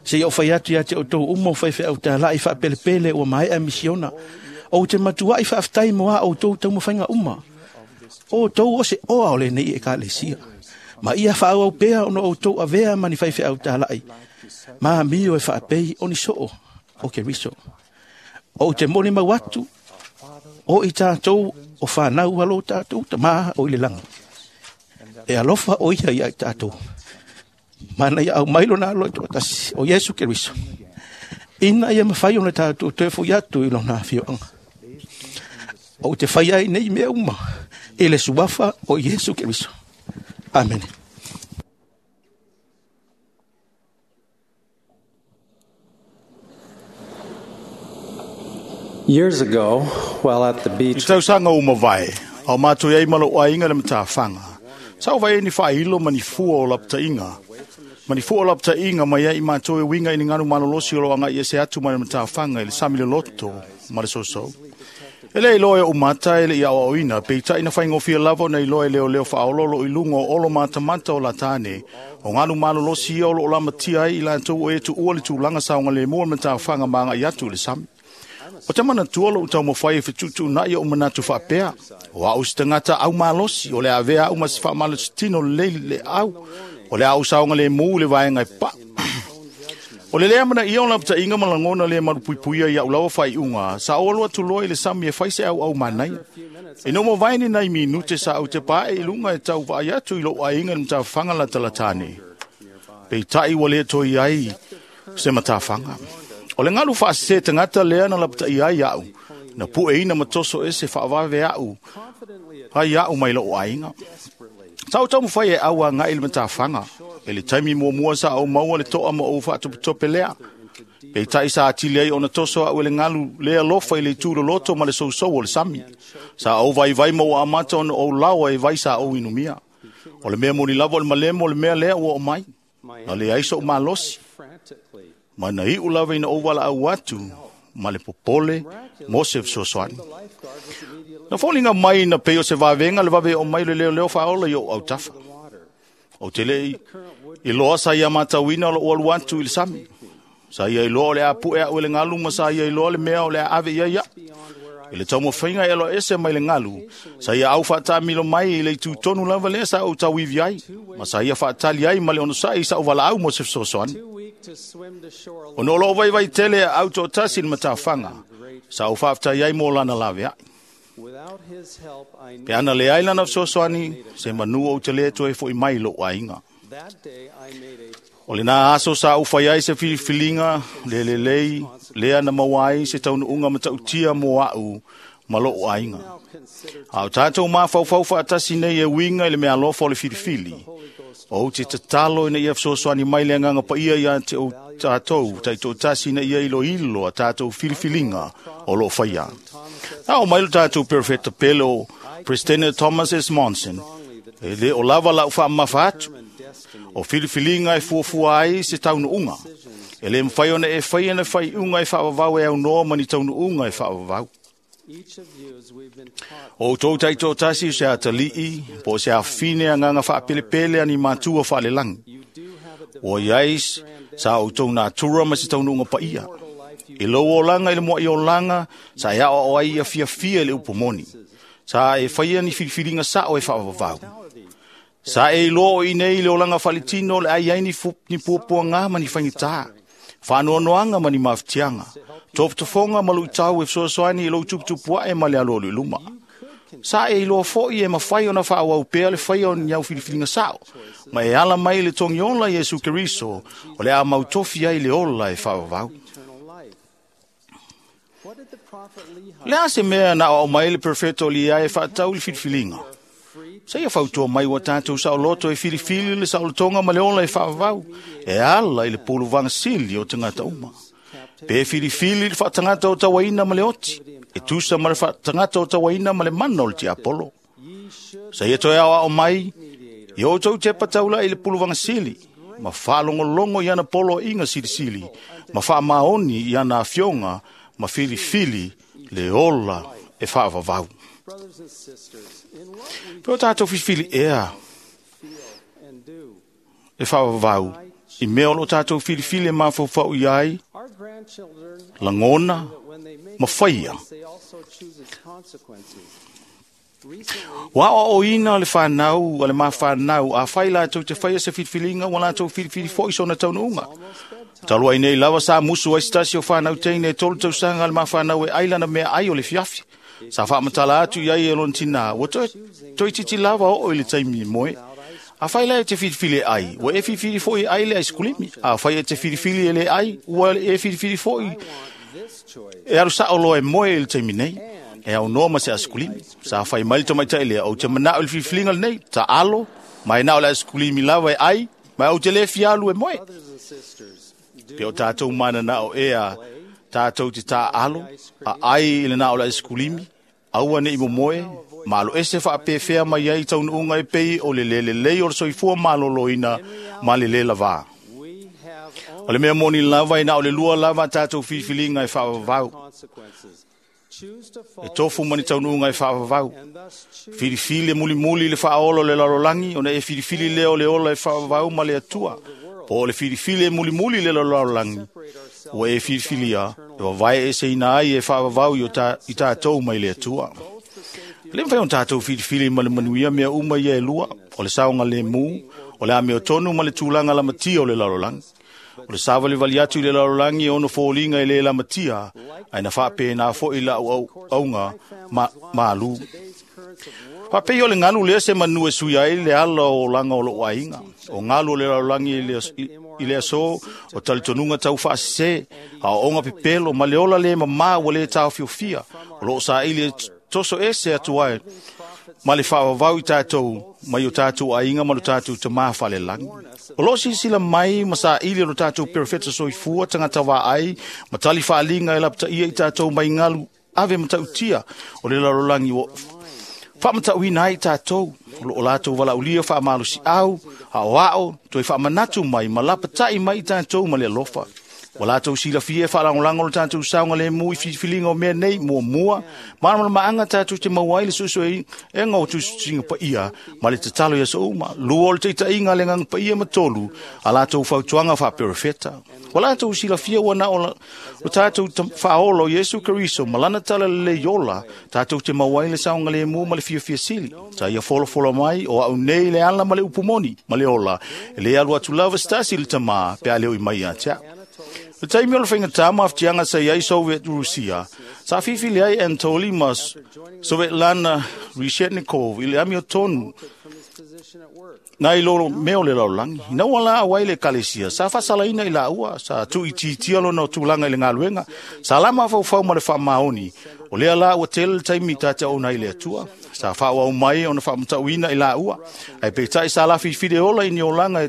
Seia ou fai atu ia te outou uma o faifeau talai faapelepele ua maea misiona. Ou te matuai faafetai mo a outou taumafaiga uma. O outou o se oa o lenei ekalesia. Ma ia faaauau pea ona outou avea ma ni faifeau talai. Ma amio e faapei o ni soo o Keriso. Ou te molimau atu, o i tatou o fanau a lo tatou tamā o i le lagi. E alofa o ia ia i tatou. Mana ia aumai lona alo i toatasi o Iesu Keriso. Ina ia mafai ona tatou toe foi atu i lona afioaga. Ou te fai ai nei mea uma i le suafa o Iesu Keriso. Amene. Years ago, while at the I beach, tausaga o mavae, ao mātou ai malo aiga le matawhanga. Sa o vai ni whailo ma ni fua o laptainga. Ma ni fua o laptainga mai ai mātou e winga i ni nganu malolosi o loanga i ese atu ma le matawhanga i le sami le loto ma le soso. E le iloa e o mata e le i aoaoina, peitai na whaingofia lava na iloa e leo leo whaololo i lunga o olo matamata o la tāne, o ngalu malolosi ia o lo o lamatia ai i lātou o e tu ua le tūlanga saonga le mua me tāwhanga maanga i atu le sami. O te manatua lo utau mawhai e whitutu na ia o manatu whaapea. O au si tangata au malosi, o le avea au mas whaamalosi tino le le au, o le au saonga le mū le vaenga e pa. O le lea mana ia o lapta inga malangona le marupuipuia ia ulawa whai unga, sa o alua tuloa i le sami e whaise au au manaia. E no mo vaini nei minute sa au te pae i lunga e tau vai atu i lo ainga ni mtawhanga la talatane. Pei tai wa le toi ai se matawhanga. O le ngalu whaase tangata lea na lapta i ai au, na pue ina matoso ese whaavawe au, ai au mai lo ainga. Tau tau mwhai e aua ngai le matawhanga. E le taimi mua mua sa au maua le toa ma o whaatopotope lea. Pei tai sa atili ai ona toso au e le ngalu lea lofa i le tūro loto ma le sousou o le sami. Sa au vai vai mau amata ona o lawa e vai sa au inumia. O le mea moni lava o le malemo o le mea lea ua o mai. Na le aiso o malosi. Ma na iu lava ina o wala au atu ma le popole mo se fesoasoani. Na fōlinga mai na pei o se vavenga le vave o mai le leo leo whaola i o autafa. O te lei i loa sa ia matauina o lo ualu atu i le sami. Sa ia i loa o le apu e au e le ngalu ma sa ia i loa le mea o le ave ia ia. I le taumawhainga e loa ese mai le ngalu. Sa ia au whaatamilo mai i le tūtonu lava lea sa au tauivi ai. Ma sa ia whaatali ai ma le ono sa i sa uwala au mo se fesoasoani. O no lo vai vai tele au tō tasi le matawhanga. Sa au whaaftai ai mō lana lawe ai. Pe ana le ai lana fesoasoani, se manu o te le toe fo i mai lo ainga. O le nā aso sa uwhai ai se filifiliga, le lelei, lea na maua ai se taunuunga matautia mō au ma lo ainga. A o tātou mawhauwhau whaatasi nei e winga i le mea alofa o le filifili. O te tatalo ina ia fesoasoani mai le anganga paia ia te o tātou, taitoatasi ina ia ilo ilo a tātou filifiliga o lo whaia. Na o mai lo tātou perfecta pele o President Thomas S. Monson, e le o lava lau whaamafa atu. O filifiliga e fuafua ai se taunuunga. E le mwhai ona e whai ana whai unga e whaawawau e au noa mani taunuunga e whaawawau. O tō taitoatasi o se atalii, po se awhine a nganga whaapelepele ani mātua whaalelangi. O iais, sa o tō nā tura ma se taunuunga paia. I lau o langa i le mua i o langa, sa e ao o ai a fia fia le upomoni. Sa e whaia ni filifiliga sa o e whaawawau. Sa e iloa o inei le olanga whalitino le ai ai ni, ni puapuanga ma ni whaingitā. Whanoanoanga ma ni mawhitianga. Tōptofonga ma luitau e fesoasoani i lou tuputupuae e ma le alo luma. Sa e iloa foi e mawhai ona whaawau pea le whai o ni au filifiliga sao. Ma e ala mai le tongi ola Yesu Keriso o le a mautofi ai le ola e whaawau. Le a se mea na o mai le perfecto li ai e whaatau le filifiliga. Sa ia fautua mai wa tātou sa loto e filifili le saolotoga ma le ola e faavavau, e ala i le puluvaga sili o tagata uma. Pe filifili le faatagata o tauaina ma le oti, e tusa ma le faatagata o tauaina ma le mana o le tiapolo. Sa ia toe aoao mai, i outou tepa taula'i i le puluvaga sili, ma faalogologo i ana poloaiga silisili, ma faamaoni i ana afioga ma filifili le ola e faavavau. Pe o tātou filifili ea e faavavau i mea o lo tātou filifili e mafaufau i ai, lagona ma faia. Ua aoaoina o le whanau, o le mawhanau, a whai lātou te whaia se filifiliga, ua lātou filifili foi sona taunuunga. Talu ai nei lava sa musu ai se tasi o whanau teine e tolu tausaga le mawhanau e ai lana mea ai o le fiafi. Sa whaamatala atu i ai e lona tinā, ua toe, toe titi lava oo i le taimi moe. A whai lai e te filifili e ai, ua e filifili foi e ai le aisikulimi. A whai e te filifili e le ai, ua e filifili foi e aru sao loa e moe i le taimi nei. E au noa ma se aisikulimi. Sa whai mai le tamaitai lea, o te manao i le filifiliga lenei, ta alo, mai nao le aisikulimi lava e ai, mai au te le fialu e moe. Pe o tātou mana nao ea, tātou te tā alo, a ai i le nao le aisikulimi, aua nei mo moe, malo ese whaapewhea mai ai taunuunga e pei o le lele lei o le soifua maloloina ma le le lava. O le mea moni lava i na o le lua lava tātou filifiliga e whaavavau. E tofu ma ni taunuuga e faavavau. Filifili e mulimuli le faaola o le lalolagi ona e filifili lea o le ola e faavavau ma le Atua. Po o le filifili e mulimuli le lalolagi ua e filifilia e vavae eseina ai e faavavau i tatou mai le Atua. E le mafai ona tatou filifili ma le manuia mea uma ia e lua, o le saogalemu, o le amiotonu ma le tulaga lamatia o le lalolagi. O le savalivali atu i le lalolagi e ono foliga e lē lamatia, ae na faapena foʻi lau auga malū. Faapei o le galu lea se manu e sui ai le ala o olaga o loʻu aiga. O galu o le lalolagi i le aso o talitonuga taufaasesē, aoaoga pepelo ma le ola lē mamā ua lē taofiofia, o loo saili e toso ese atu ai ma le faavavau i tatou mai o tatou aiga ma lo tatou tamā faalelagi. O loo silasila mai ma saili o lo tatou perofeta soifua tagata vaai ma tali faaliga e lapataia i tatou mai galu ave matautia o le lalolagi ua faamatauina ai tatou. O loo latou valaaulia faamalosiau, aoao, toe faamanatu mai ma lapataʻi mai i tatou ma le alofa. Ua latou silafia e faalagolago lo tatou saogalemu i filifiliga o mea nei muamua, malamalamaaga tatou te maua ai le suesuega o tusitusiga paia ma le tatalo i aso uma. Lua o le taitaiga a le Agaga Paia ma tolu a latou fautuaga faaperofeta. Ua latou silafia ua na o lo tatou faaola o Iesu Keriso ma lana tala lelei ola tatou te maua ai le saogalemu ma le fiafia sili. Sa ia folafola mai o au nei le ala ma le upu moni ma le ola, e lē alu atu lava se tasi i le Tamā pe a le oi mai ia te a'u. Le taimi o le faigata ma afutiaga sa iai Soviet Rusia, sa fifili ai Anatoly ma Svetlana Reshetnikov i le amiotonu nai lo mea o le lalolagi. Ina ua la au ai le ekalesia, sa faasalaina i laua, sa tuuitiitia lona tulaga i le galuega, sa la mafaufau ma le faamaoni, o lea la ua tele le taimi tateaona ai le Atua. Sa faaauau mai ona faamatauina i laua, ae peitai sa lafilifili e ola i ni olaga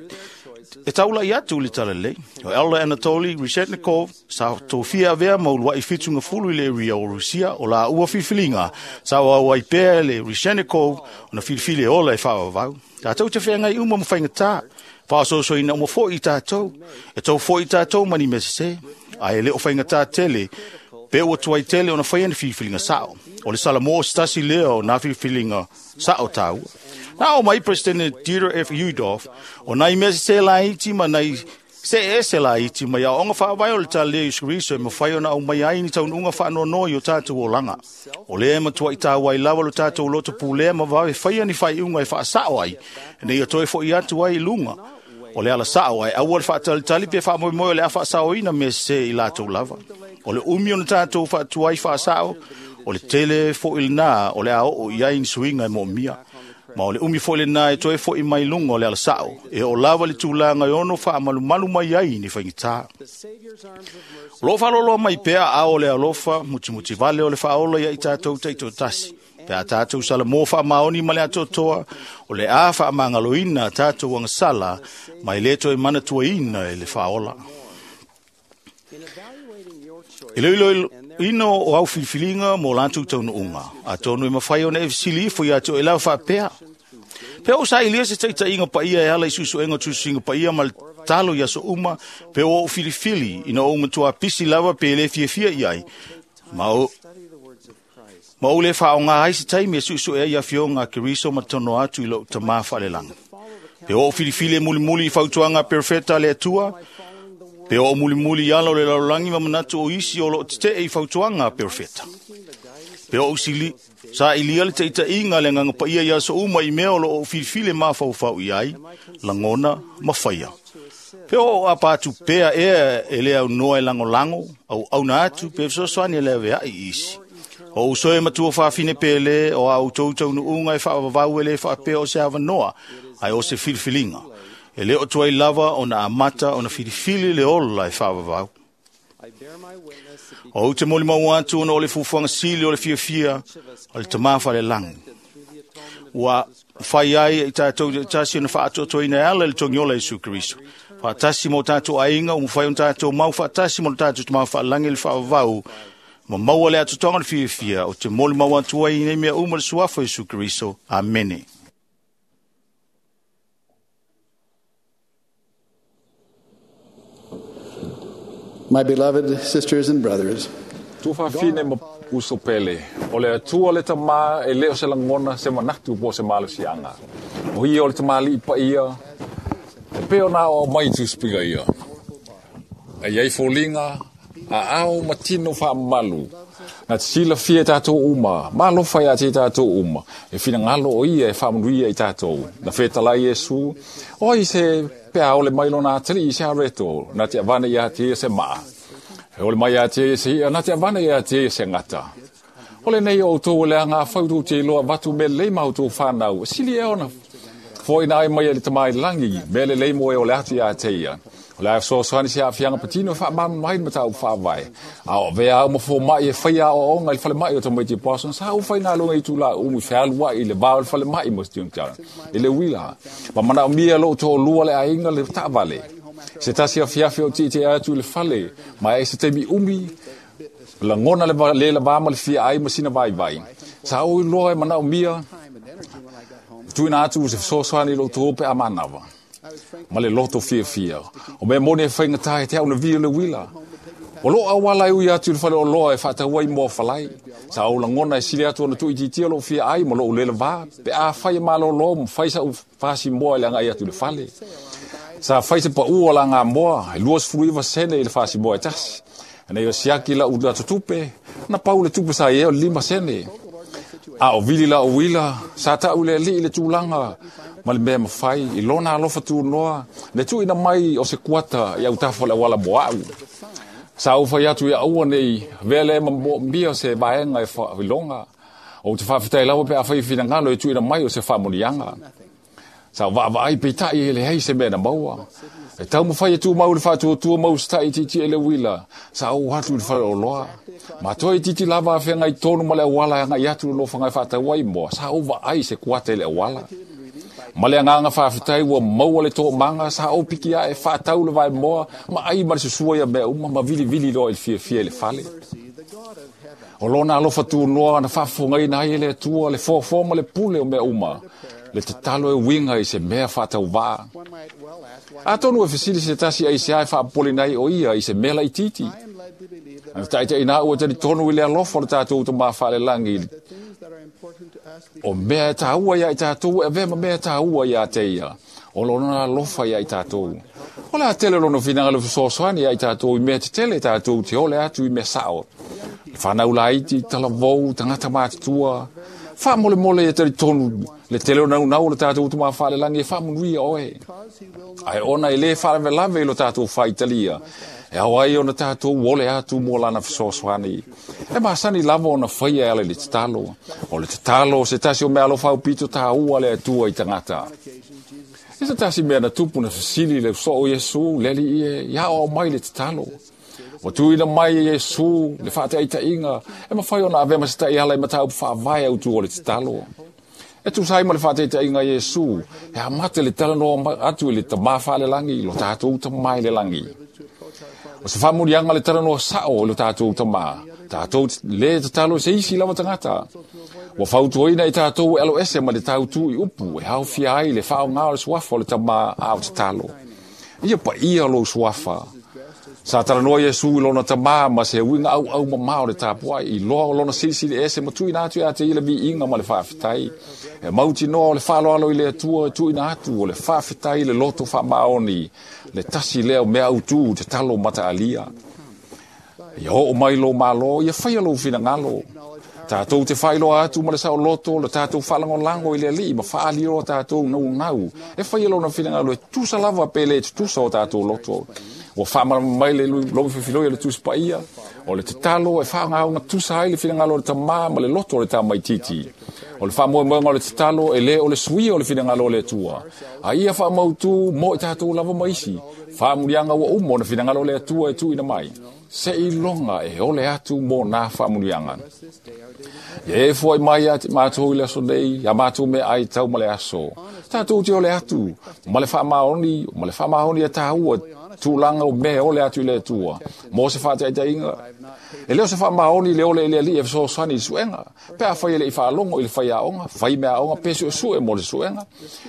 e taulai atu i le talalelei. O Elder Anatoly Reshetnikov sa tofia avea ma uluai 70 i le ria o Rusia o laua filifiliga sa auau ai pea le Reshetnikov ona filifili e ola e faavavau. Tatou te feagai uma ma faigata, faasoasoaina uma foʻi i tatou, e tou foʻi i tatou ma ni mea sesē, ae le o faigata tele pe ua tuai tele ona faia ni filifiliga sao. O le Salamo o se tasi lea o nā filifiliga sao taua. Na o mai Presidente Dieter F. Udoff, o nai mea sesē laiti ma nai se ese laiti mai aoaoga faavae o le talalelei o Iesu Keriso e mafai ona aumai ai ni taunuuga faanoanoa i o tatou olaga. O lea e matuaʻi tāua ai lava lo tatou loto pulea ma vave faia ni faaiuga e faasao ai, ina ia toe foʻi atu ai i luga o le ala sao, ae aua le faatalitali pe faamoemoe o le a faasaoina mea sesē i latou lava. O le umi ona tatou faatuai faasao, o le tele foʻi lenā o le a oo i ai ni suiga e moomia. Ma o le umi foʻi lenā e toe foʻi mai luga o le ala sao, e oo lava le tulaga e ono faamalumalu mai ai ni faigata. O loo faaloloa mai pea aao o le alofa mutimutivale o le faaola ia i tatou taitoatasi. Pe a tatou salamo faamaoni ma le atoatoa, o le a faamagaloina tatou agasala ma e lē toe manatuaina e le faaola. E iloiloina o au filifiliga mo latou taunuuga, atonu e mafai ona e fesili ifo ia te oe lava faapea. Pe ou sailia se taitaiga paia e ala i suesuega o tusitusiga paia ma le talo i aso uma, pe ua ou filifili ina ou matuā pisi lava pe lē fiafia i ai, ma ou lē faaaogā ai se taimi e suesue ai afioga a Keriso ma tono atu i lou tamā faalelagi. Pe ua ou filifili e mulimuli i fautuaga a perofeta a le Atua, pe o mulimuli i ala o le lalolagi ma manatu o isi o loo tetee i fautuaga a perofeta. Pe o ou sailia le taitaiga le Agaga Paia i aso uma i mea o loo ou filifili e mafaufau i ai, lagona ma faia. Pe o ou apa atu pea ea e le aunoa e lagolago, auauna atu pe fesoasoani e le aveaʻi i isi. O ou soe matua faafine pe lē o a outou taunuuga e faavavau e lē faapea o se avanoa, ae o se filifiliga. E lē o tuai lava ona amata ona filifili le ola e faavavau. O ou te molimau atu ona o le fuafuaga sili o le fiafia o le Tamā faalelagi. Ua fai ai i tatou tasi ona faatoatoaina e ala i le togiola Iesu Keriso. Faatasi ma o tatou aiga, ua mafai ona tatou mau faatasi ma lo tatou Tamā faalelagi i le faavavau, ma maua le atotoga o le fiafia o te molimau atu ai i nei mea uma le suafa o Iesu Keriso. Amene. My beloved sisters and brothers, Tuafafine Uso pele, o le Atua le Tamā e le o se lagona se manatu po o se malosiaga. O ia o le tamalii paia, e pei ona aoao mai i Tusi ia. E i ai foliga, aao ma tino faamamalu, na te silafia e tatou uma, ma alofa ia te i tatou uma, e finagalo o ia e faamanuia i tatou. Na fetalai Iesu, o ai se pe a ole mai lona atalii i se areto, na te avane ia te ia se maa. E ole mai ia te ia se ia, na te avane ia te ia se gata. O lenei o outou o le aga afai tou te iloa avatu mea lelei ma outou fanau, e sili ea ona foaina ai mai e le Tama i le lagi, mea lelei mo e ole atu ia te ia. O le a fesoasoani se aafiaga patino e faamalamalama ai le mataupu faavae. A o avea au ma fomai e faia aoaoga i le falemai o tamaiti Parsons, sa ou faigaluega i itula umi fealuai i le va o le falemai ma Student i le uila. Ma manaomia lou toalua le aiga le taavale. Se tasi afiafi o tietie atu i le fale, ma e se taimi umi, lagona le le lavā ma le fia ai ma sina vaivai. Sa ou iloa e manaomia, tuuina atu se fesoasoani i lou tou pe a manava. Ma le loto fiafia. O mea moni e faigata e te au na vili o le uila. O lou auala e ui atu i le fale oloa e faatau ai moa falai. Sa ou lagona e sili atu ona tuuitiitia lou fia ai ma lou le lavā, pe afai e malolo ma fai sa'u fasi moa i le agai atu i le fale. Sa fai se paʻu o lagamoa, e 29 sene i le fasi moa e tasi. Ina ia siaki lau atotupe, na pau le tupe sa i ai o le 5 sene. A o vili lau uila, sa ta'u i le alii le tulaga ma le mea e mafai, i lona alofa tunoa, le tuuina mai o se kuata i autafa o le auala mo a'u. Sa ou fai atu ia aua ne i avea lea ma moomia se vaega e faailoga. Ou te faafetai lava pe afai e finagalo e tuuina mai o se faamanuiaga. Sa ou vaavaai peitai e leai se mea na maua. E taumafai e tumau i le faatuatua ma usitai itiiti i le uila, sa ou atu i le faleoloa. Ma toe itiiti lava afeagai tonu ma le auala e agai atu i le nofoaga e faatau ai moa, sa ou vaai i se kuata i le auala. Ma le agaga faafetai ua maua le toomaga, sa ou piki ae faatau le vaemoa ma ai ma le susua ia mea uma ma vilivili loa i le fiafia i le fale. O lona alofa tunoa na faafofogaina ai e le Atua le foafoa ma le pule o mea uma, le tatalo e uiga i se mea faatauvaa. Atonu e fesili se tasi aisea e faapopoleina ai o ia i se mea laitiiti. Na taitaiina au e talitonu i le alofa o le tatou Tama faalelagi, o mea e taua ia i tatou e avea ma mea e taua ia te ia, o lona alofa ia i tatou. O le a tele lona finagalo fesoasoani ia i tatou i mea tetele tatou te ole atu i mea sao. Le fanau laiti, talavou, tagata matutua, faamolemole ia talitonu le tele o naunau o le tatou Tama faalelagi e faamanuia oe. Ae ona e le faalavelave i lo tatou faitalia, e ao ai ona tatou ole atu mo lana fesoasoani. E masani lava ona faia e ala i le tatalo. O le tatalo o se tasi o mea alofa aupito taua a le Atua i tagata. I se tasi mea na tupu na fesili le usoo o Iesu, le Alii e, ia aoao mai le tatalo. Ua tuuina mai e Iesu le faataitaiga e mafai ona avea ma se taiala i mataupu faavae autu o le tatalo. E tusa ai ma le faataitaiga a Iesu, e amata le talanoa atu i le Tama faalelagi, lo tatou Tama i le lagi. O se faamuliaga le talanoa sao i lo tatou Tama, tatou le tatalo i se isi lava tagata. Ua fautuaina i tatou e aloese ma le tautu i upu e haofia ai le faaaoga o le suafa o le Tama a o tatalo. Ia paia lou suafa. Sa talanoa Iesu i lona Tama ma se uiga auau mamao o le tapuai, i loa o lona silisili ese ma tuuina atu ia te ia le viiga ma le faafetai. E mautinoa o le faaaloalo i le Atua e tuuina atu o le faafetai i le loto faamaoni, le tasi lea o mea autu tatalo mataalia. Ia oo mai lou Malo, ia faia lou finagalo. Tatou te faailoa atu ma le saoloto le tatou faalagolago i le Alii ma faaali loa tatou naunau e faia lona finagalo e tutusa lava pe le tutusa o tatou loto. Ua faamalamalama mai le lomi filifiloi a le Tusi Paia, o le tatalo e faagaogatusa ai le finagalo o le Tama ma le loto o le tamaitiiti. O le faamoemoega o le tatalo e le o le suia o le finagalo o le Atua, a ia faamautu mo i tatou lava ma isi faamuliaga ua uma ona finagalo o le Atua e tuuina mai. Seiloga e ole atu mo nā faamuliaga. Ia e foai mai ia te matou i le aso nei, ia matou meaai tau ma le aso. Tatou te ole atu, ma le faamaoni, ma le faamaoni e taua tulaga o mea e ole atu i le Atua, mo se faataitaiga. E le o se faamaoni le ole i le Alii e fesoasoani i le suega, pe afai e le i faalogo i le faiaoga, fai meaaoga pe suesue mo le suega.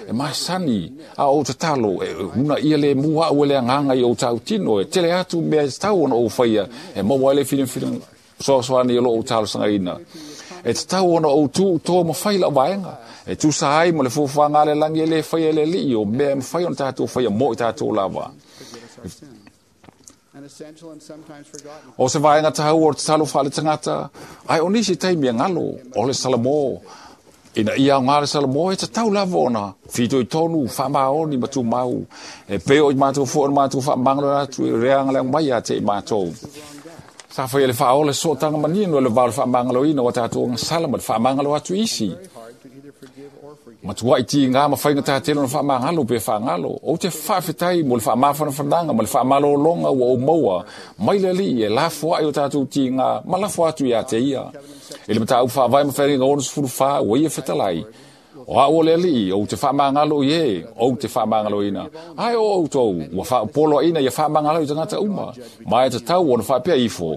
E masani a ou tatalo e uunaia lemu a'u e le Agaga i ou tautino e tele atu mea e tatau ona ou faia e maua ai le fesoasoani o loo ou talosagaina. E tatau ona ou tuutoa ma fai lau vaega. E tusa ai ma le fuafuaga a le lagi e lē faia e le Alii o mea e mafai ona tatou faia mo i tatou lava. O se vaega taua o le tatalo faaletagata, ae o nisi taimi e galo, o le Salamo. Ina ia aogā le Salamo, e tatau lava ona fitoitonu, faamaoni ma tumau. E pei o i matou foi ona matou faamagalo atu i leaga le mai ia te i matou. Sa faia le faaola sootaga manino e le vao le faamagaloina o tatou agasala ma le faamagalo atu isi. Matuai tigā ma faigata tele ona faamagalo pe faagalo. Ou te faafetai mo le faamafanafanaga ma le faamalologa ua ou maua mai le Alii e lafoai o tatou tigā ma lafo atu ia te ia. I le mataupu faavae ma Feagaiga 64 ua ia fetalai, O au o le Alii, ou te faamagalo i e, ou te faamagaloina. Ae o outou, ua faaopoloaina ia faamagalo i tagata uma, ma e tatau ona faapea ifo,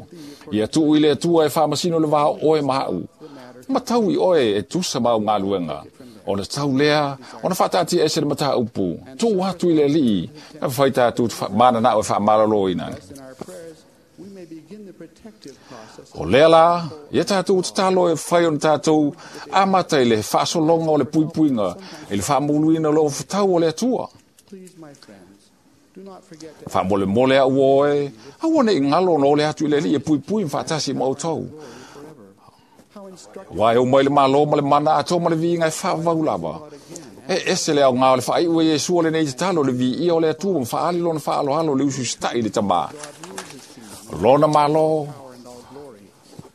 ia tuu i le Atua e faamasino le va o oe ma au. Ma tau i oe e tusa ma au galuega. Ona tau lea, ona faataatia ese le mataupu, tuu atu i le Alii, na fai tatou mananao e faamaloloina. O lea la, ia tatou tatalo e fai ona tatou amata i le faasologa o le puipuiga, i le faamuluina o le ofatau o le Atua. Faamolemole au oe, aua ne i galo ona ole atu i le Alii e puipui ma faatasi ma outou. Aua e o mai le malo ma le mana atoa ma le viiga e faavavau lava. E ese le aogā o le faaiu e Iesu o lenei tatalo le viia o le Atua ma faaali lona faaaloalo le usiusitai i le Tamā. Lona malo,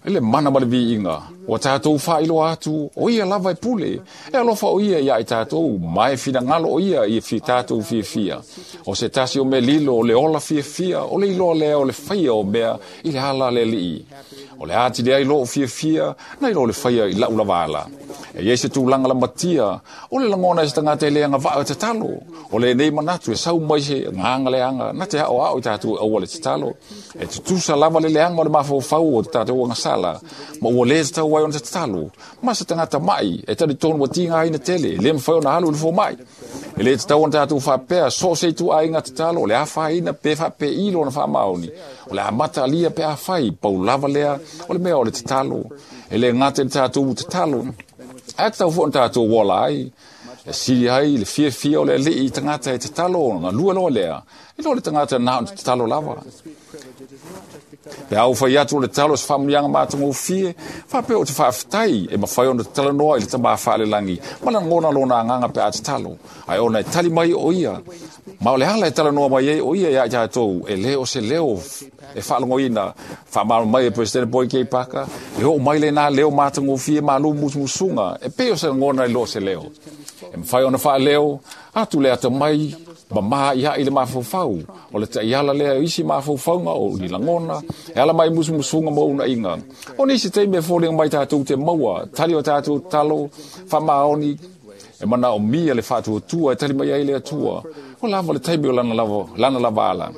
i le mana ma le viiga, ua tatou faailoa atu, o ia lava e pule. E alofa o ia ia i tatou, ma e finagalo o ia i fi tatou fiafia. O se tasi o mea lilo, o le ola fiafia, o le iloa lea o le faia o mea i le ala le Alii. O le ati lea i loo fiafia, na i lo le faia i lau lava ala. E iai se tulaga lamatia, o le lagona e se tagata e le agavaa e tatalo. O lenei manatu e sau mai se agaga leaga, na te aoao i tatou aua le tatalo. E tutusa lava le leaga o le mafaufau o tatou agasala, ma ua lē tatau ai ona tatalo. Ma se tagata mai, e talitonu ua tigaina tele, e le mafai ona alu i le fomai. E lē tatau ona tatou faapea, so o se ituaiga tatalo, o le afaina pe faapei lona faamaoni. O le amata alia pe afai, pau lava lea, o le mea o le tatalo. E le gata i le tatou tatalo, ae tatau foi ona tatou ola ai. E sili ai le fiafia o le Alii i tagata e tatalo ona galue loa lea, i lo le tagata na ona tatalo lava. Pe a ou fai atu o le tatalo se faamanuiaga matagofie, faapea ou te faafetai e mafai ona talanoa i le Tamā faalelagi ma lagona lona agaga pe a tatalo, ae ona e tali mai o ia. Ma o le ala e talanoa mai ai o ia ia i tatou, e le o se leo e faalogoina. Faamalo mai e President Boyd K. Parker, e oo mai lenā leo matagofie malu musumusuga, e pei o se lagona i lo se leo. E mafai ona faaleo atu le atamai mamā ia i le mafaufau. O le taiala lea o isi mafaufauga o ni lagona, e ala mai musumusuga ma unaiga. O nisi taimi e foliga mai tatou te maua, tali o tatou tatalo, faamaoni, e manaomia le faatuatua e tali mai ai le Atua. O lava le taimi o lana lava, lana lava ala.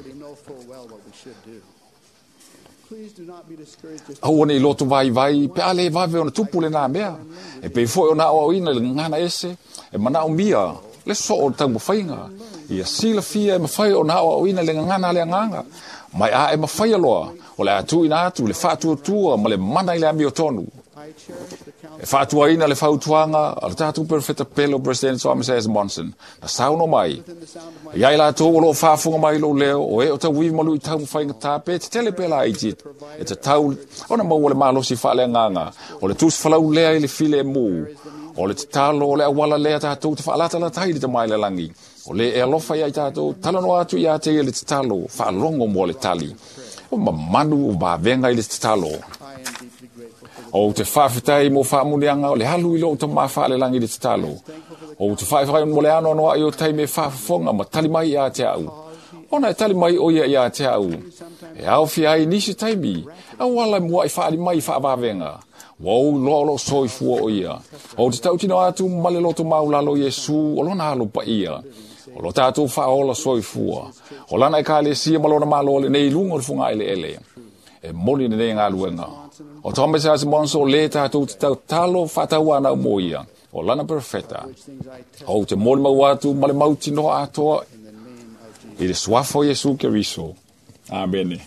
Aua ne i loto vaivai, pe a le vave ona tupu lenā mea. E pei foi ona aoaoina i le gagana ese, e manaomia le soo o le taumafaiga. Ia silafia e mafai ona aoaoina i le gagana a le agaga. Mai a e mafaia loa, o le a tuuina atu le faatuatua ma le mana i le amiotonu. E faatuaina le fautuaga a le tatou perofeta pele o President Thomas S. Monson, na saunoa mai, Ia i latou o loo faafofoga mai i lou leo, o e o tauivi ma luitau ma faigata pe tetele pe laiti, e tatau ona maua le malosi faaleagaga, o le tusi falau lea i le filemu, o le tatalo o le auala lea tatou te faalatalata ai i le Tama i le lagi. O le e alofa ia i tatou, talanoa atu ia te ia le tatalo, faalogo mo le tali. O mamanu o vavega i le tatalo. Ou te faafetai mo faamuniaga o le alu i lou Tamā faalelagi i le tatalo. Ou te faifai mo le anoanoai o taimi e faafofoga ma tali mai ia te au. Ona e tali mai o ia ia te au. E aofia ai nisi taimi, auala e mua'i faali mai i faavavega. Ua ou iloa o loo soifua o ia. Ou te tautino atu ma le loto maulalo Iesu o lona alo paia. O lo tatou faaola soifua. O lana ekalesia ma lona malo lenei i luga o le fogaeleele. E moni lenei galuega. O Thomas S. Monson o lē tatou te tautalo faatauanau mo ia. O lana perofeta. Ou te molimau atu ma le mautinoa atoa i le suafa o Iesu Keriso. Amene.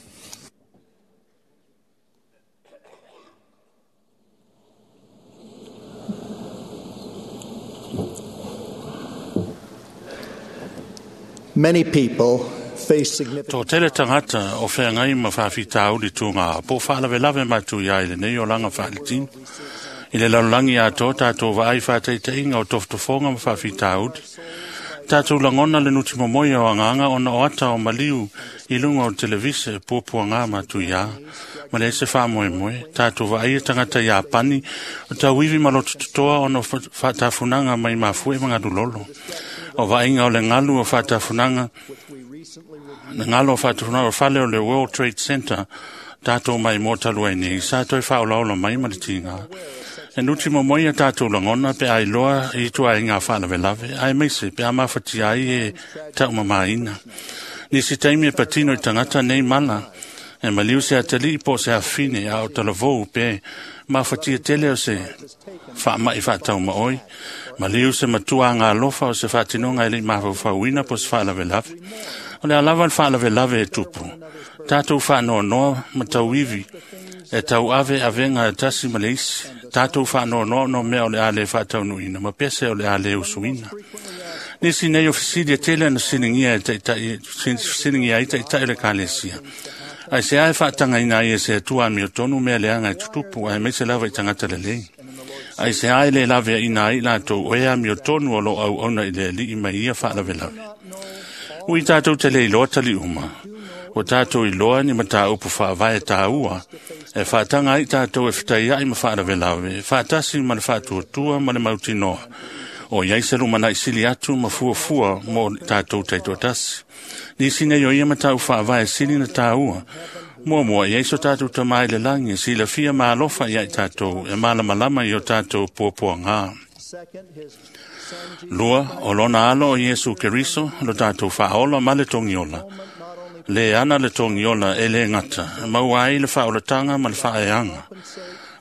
Many people face significant To tele tagata o feagai ma faafitauli tuga po o faalavelave matuia i lenei olaga faaletino. I le lalolagi atoa tatou vaai faataitaiga o tofotofoga ma faafitauli. Tatou lagona le nutimomoia o agaga ona o ata o maliu i luga o televise puapuagā matuiā. Ma leai se faamoemoe, tatou vaaia tagata Iapani o tauivi ma lotototoa ona o faatafunaga mai mafuie ma galulolo. O vaaiga o le galu o faatafunaga le galo o faatafunaga o fale o le World Trade Center tatou mai mo talu ai nei sa toe faaolaola mai ma le tiga. E nuti momoia tatou lagona pe a iloa i ituaiga faalavelave, aemaise pe a mafatia ai e taumamāina. Nisi taimi e patino i tagata nei mala, e maliu se atalii po o se afafine a o talavou pe mafatia tele o se faamai faataumaoi, maliu se matua agalofa o se faatinoga e le i mafaufauina po o se faalavelave. O le a lava le faalavelave e tupu, tatou faanoanoa ma tauivi e tauave avega e tasi ma le isi, tatou faanoanoa ona o mea o le a le faataunuuina ma pese o le a le usuina. Nisi nei o fesili e tele na fesiligia e taitai, fesiligia ai taitai o le Ekalesia. Aisea e faatagaina ai e se Atua amiotonu mea leaga e tutupu, aemaise lava i tagata lelei. Aisea e le laveaina ai i latou o e amiotonu o lo o auauna i le Alii mai ia faalavelave. Ui tatou te le iloa tali uma, ua tatou iloa ni mataupu faavae tāua e faataga ai tatou e fetaiai ma faalavelave, faatasi ma le faatuatua ma le mautinoa, o i ai se lumanai sili atu ma fuafua mo tatou taitoatasi. Nisi nei o ia mataupu faavae sili na tāua, muamua i ai so tatou Tamā i le lagi e silafia ma alofa ia i tatou e malamalama i o tatou puapuagā. Lua, o lona alo o Iesu Keriso, lo tatou faaola ma le togiola. Le ana le togiola e le gata, e maua ai le faaolataga ma le faaeaga.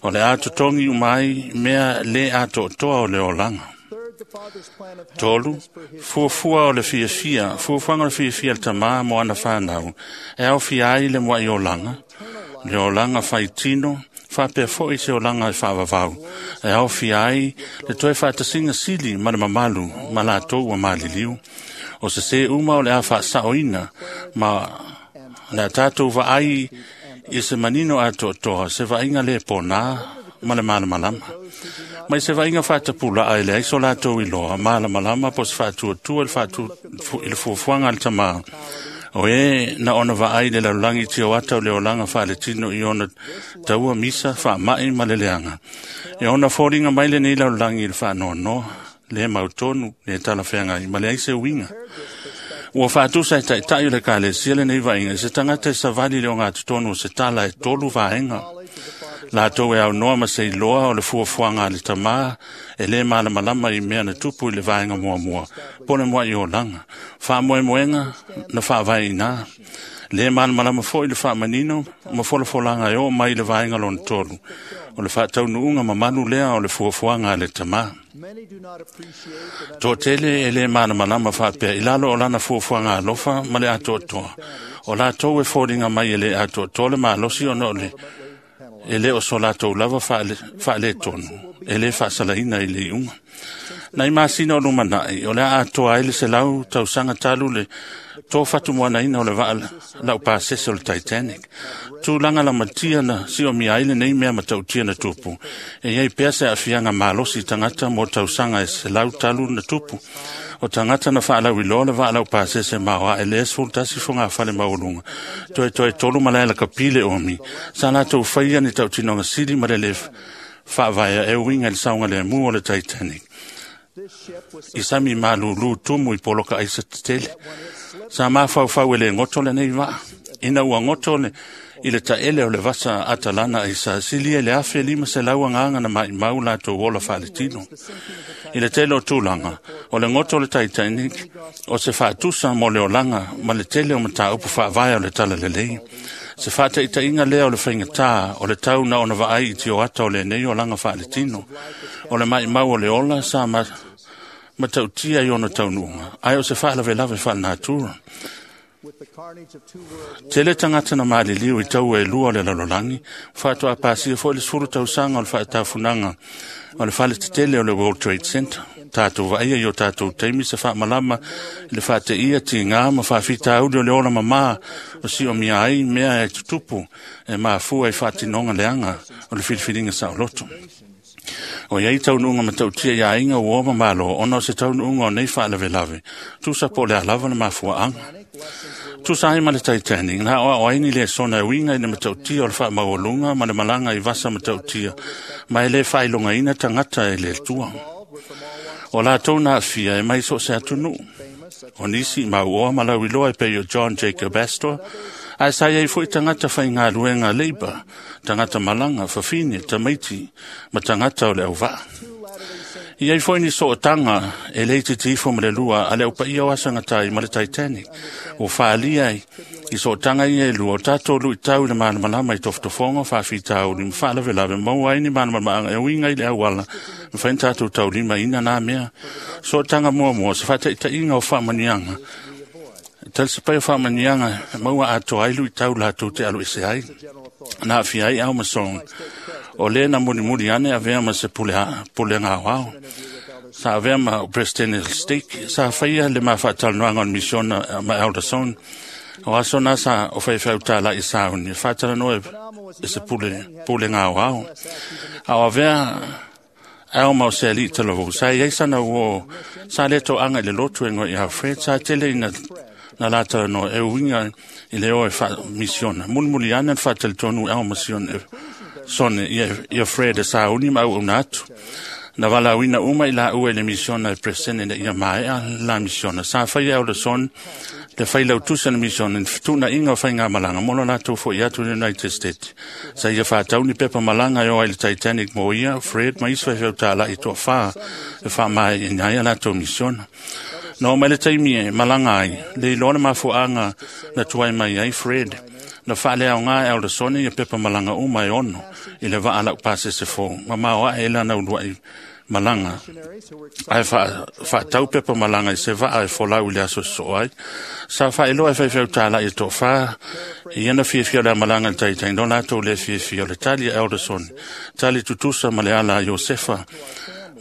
O le a totogi uma ai mea le atoatoa o le olaga. Tolu, fuafua o le fiafia, fuafuaga o le fiafia le Tamā mo ana whanau, e aofia ai le muai olaga, le olaga faitino, faapea foi se olaga e faavavau, e aofia ai le toe faatasiga sili ma le mamalu ma latou ua maliliu. O se sē uma o le a faasaoina ma le a tatou vaai i se manino atoatoa, se vaaiga le pōnā ma le malamalama. Mai se vaaiga faatapulaa e leai so latou iloa, malamalama po o se faatuatua i le fuafuaga a le Tamā, o e na ona vaai i le lalolagi tioata o le olaga faaletino i ona taua misa, faamai ma le leaga. E ona foliga mai lenei lalolagi i le faanoanoa, le mautonu, le talafeagai ma leai se uiga. Ua faatusa e taitai o le Ekalesia lenei vaaiga i se tagata e savali i le ogatotonu o se tala e tolu vaega. Latou e aunoa ma se iloa o le fuafuaga a le Tamā e le malamalama i mea na tupu i le vaega muamua, po le muai olaga. Faamoemoega na faavaeina. Le malamalama foi le faamanino ma folafolaga e oo mai i le vaega lona tolu, o le faataunuuga mamalu lea o le fuafuaga a le Tamā. Toatele e le malamalama faapea i lalo o lana fuafuaga alofa ma le atoatoa. O latou e foliga mai e le atoatoa le malosi ona o le e le o so latou lava faaletonu, e le faasalaina i le iuga. Nai masina o lumanai, o le a atoa ai le 100 tausaga talu le tofatumoanaina o le vaa laupasese o le Titanic. Tulaga lamatia na siomia ai lenei mea matautia na tupu. E iai pea se aafiaga malosi i tagata mo tausaga e 100 talu na tupu. O tagata na faalauiloa le vaa laupasese maoae le 11 fogafale maualuga. Toe toe tolu malae lakapi le omi. Sa latou faia ni tautinoga sili ma le le faavaea e uiga i le saogalemu o le Titanic. I sami malūlū tumu i poloka aisa tetele. Sa mafaufau e le goto lenei vaa. Ina ua goto le, i le taele o le vasa Atalana aisa, silia i le 1,500 agaga na maimau latou ola faaletino. I le tele o tulaga, o le goto o le Titanic, o se faatusa mo le olaga ma le tele o mataupu faavae o le talalelei. Se faataitaiga lea o le faigatā o le tau na ona vaai i tioata o lenei olaga faaletino. O le maimau o le ola sa matautia i ona taunuuga, ae o se faalavelave faalenatura. Tele tagata na maliliu i taua e lua o le lalolagi, faatoa pasia foi le 10 tausaga o le faatafunaga o le faletetele o le World Trade Center. Tatou vaaia i o tatou taimi se faamalama i le faateia tigā ma faafitauli o le ola mamā o siomia ai mea e tutupu e mafua i faatinoga leaga o le filifiliga saoloto. O iai taunuuga matautia i aiga ua ma malo ona o se taunuuga o nei faalavelave, tusa po o le a lava le mafuaaga. Tusa ai ma le Titanic, na aoao ai ni lesona e uiga i le matautia o le faamaualuga ma le malaga i vasa matautia, ma e le faailogaina tagata e le Atua. O latou na aafia e mai so o se atunuu. O nisi i mauoa ma lauiloa e pei o John Jacob Astor, ae sa iai foi tagata faigaluega leipa, tagata malaga, fafine, tamaiti ma tagata o le auvaa. I ai foi ni sootaga e le itiiti ifo ma le lua a le aupaia o Aso e Gata ai ma le Titanic. Ua faaalia ai i sootaga ia e lua o tatou luitau i le malamalama i tofotofoga, faafitauli ma faalavelave maua ai ni malamalamaaga e uiga i le auala mafai ona tatou taulimaina na mea. Sootaga muamua, se faataitaiga o faamanuiaga talisapaia faamanuiaga e maua atoa ai luitau latou te aloese ai. Na aafia ai Alma Song, o lē na mulimuli ane avea ma se pulega aoao. Sa avea ma President Stake, sa faia le mafaatalanoaga o le misiona ma Elder Song. O aso na sa o faifeau tāla'i sauni, e faatalanoa e se pulega aoao. A o avea Alma o se ali'i talavou, sa iai sana uō, sa le toaga i le lotu e ngoi Alfred, sa tele ina na la talanoa e uiga i le o e faamisiona. Mulimuli ane na faatalitonu Alma Sone ia Fred e sauni ma auauna atu. Na valaauina uma i laua i le misiona e Presene ina ia maea la misiona. Sa faia Elder Son le failautusi o le misiona i le fetuunaiga o faigamalaga mo lo latou fo'i atu i le United States. Sa ia faatau ni pepa malaga e o ai le Titanic mo ia, Fred ma isi faifeau tāla'i toafā e faamaeaina ai a latou misiona. Na oo mai le taimi e malaga ai, le iloa le mafuaaga na tuai mai ai Fred. Na faaleaoga e Elder Sone ia pepa malaga uma e 6 i le vaa laupasese fou, ma maoae e lana uluai malaga. Ae faatau pepa malaga i se vaa e folau i le aso sosoo ai. Sa faailoa e faifeau tāla'i e toafā, ia na fiafia o le amalaga i le Titanic, no latou le fiafia o le tali a Elder Sone, tali tutusa ma le ala a Iosefa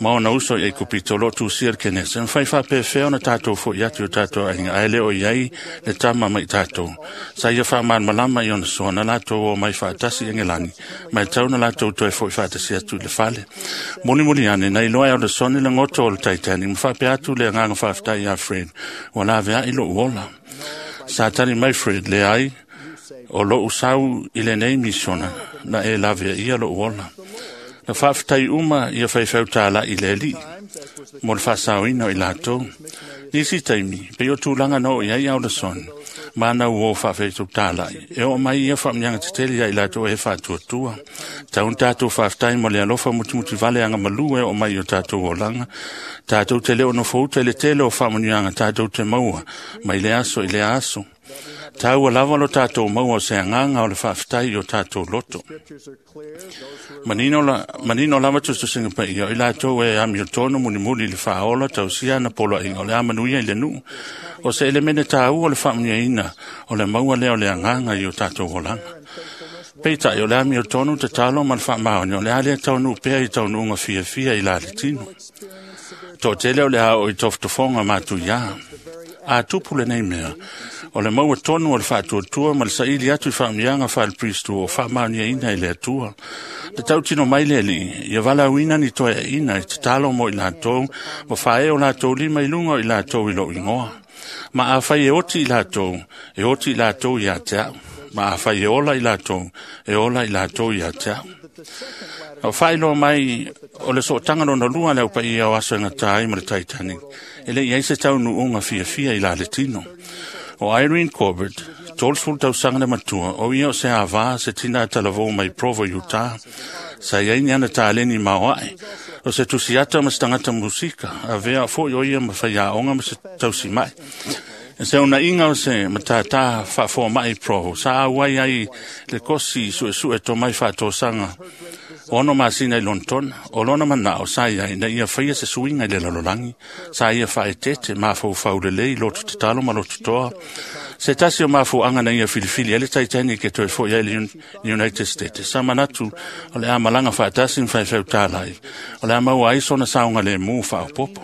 ma ona uso i Aikupito o loo tusia le Kenese. Mafai faapefea ona tatou fo'i atu i o tatou aiga, ae le o i ai le tama mai tatou. Sa ia faamalamalama i ona soa na latou o mai faatasi i Engelani, ma e tau na latou toe fo'i faatasi atu i le fale. Mulimuli ane, na iloa e Elder Sone le goto o le Titanic, ma faapea atu le agaga faafetai ia Fred, ua laveai lo'u ola. Sa tali mai Fred, leai, o lo'u sau i lenei misiona, na e laveaia lo'u ola. Na faafetai uma ia faifeau tāla'i i le Alii mo le faasaoina o i latou. Nisi taimi, pei o tulaga na oo i ai Elder Son, ma na uō faafeitau tāla'i. E oo mai ia faamanuiaga tetele ia i latou e faatuatua. Tau na tatou faafetai mo le alofa mutimutivale agamalū e oo mai i o tatou olaga. Tatou te le o nofouta i le tele o faamanuiaga tatou te maua mai le aso i lea aso. Taua lava lo tatou maua o se agaga o le faafetai i o tatou loto. Manino lava tusitusiga paia o i latou e amiotonu mulimuli i le faaola tausia ana poloaiga o le a manuia i le nuu. O se elemene taua o le faamanuiaina o le maua lea o le agaga i o tatou olaga. Peitai o le amiotonu tatalo ma le faamaoni o le a lea taunuu pea i taunuuga fiafia i la le tino. Toatele o le a oo i tofotofoga matuiā. A tupu lenei mea, o le maua tonu o le faatuatua ma le saili atu i faamanuiaga faale-Pristu o faamaoniaina e le Atua. Le tautino mai le Alii, ia valaauina ni toeaiina e tatalo mo i latou, ma faaee o latou lima i luga o i latou i lou igoa. Ma afai e oti i latou, e oti i latou ia te au. Ma afai e ola i latou, e ola i latou ia te au. Na faailoa mai o le sootaga lona lua le aupaia o Aso e Gata ai ma le Titanic, e le i ai se taunuuga fiafia i la le tino. O Irene Corbett, 30 tausaga le matua, o ia o se avā se tina talavou mai Provo, Utah. Sa iai ni ana taleni maoae, o se tusiata ma se tagata musika, avea foi o ia ma faiaoga ma se tausimai. E se unaiga o se matātā faafoama'i i Provo, sa auai ai le kosi suesue tomai faatosaga 6 masina i Lonetona. O lona manao sa iai ina ia faia se suiga i le lalolagi, sa ia faaeteete mafaufau lelei loto tatalo ma loto toa. Se tasi o mafuaga na ia filifili ai le Titanic e toe fo'i ai le United States. Sa manatu o le a malaga faatasi ma faifeau tālai. O le a maua ai sona saogalēmū faaopopo.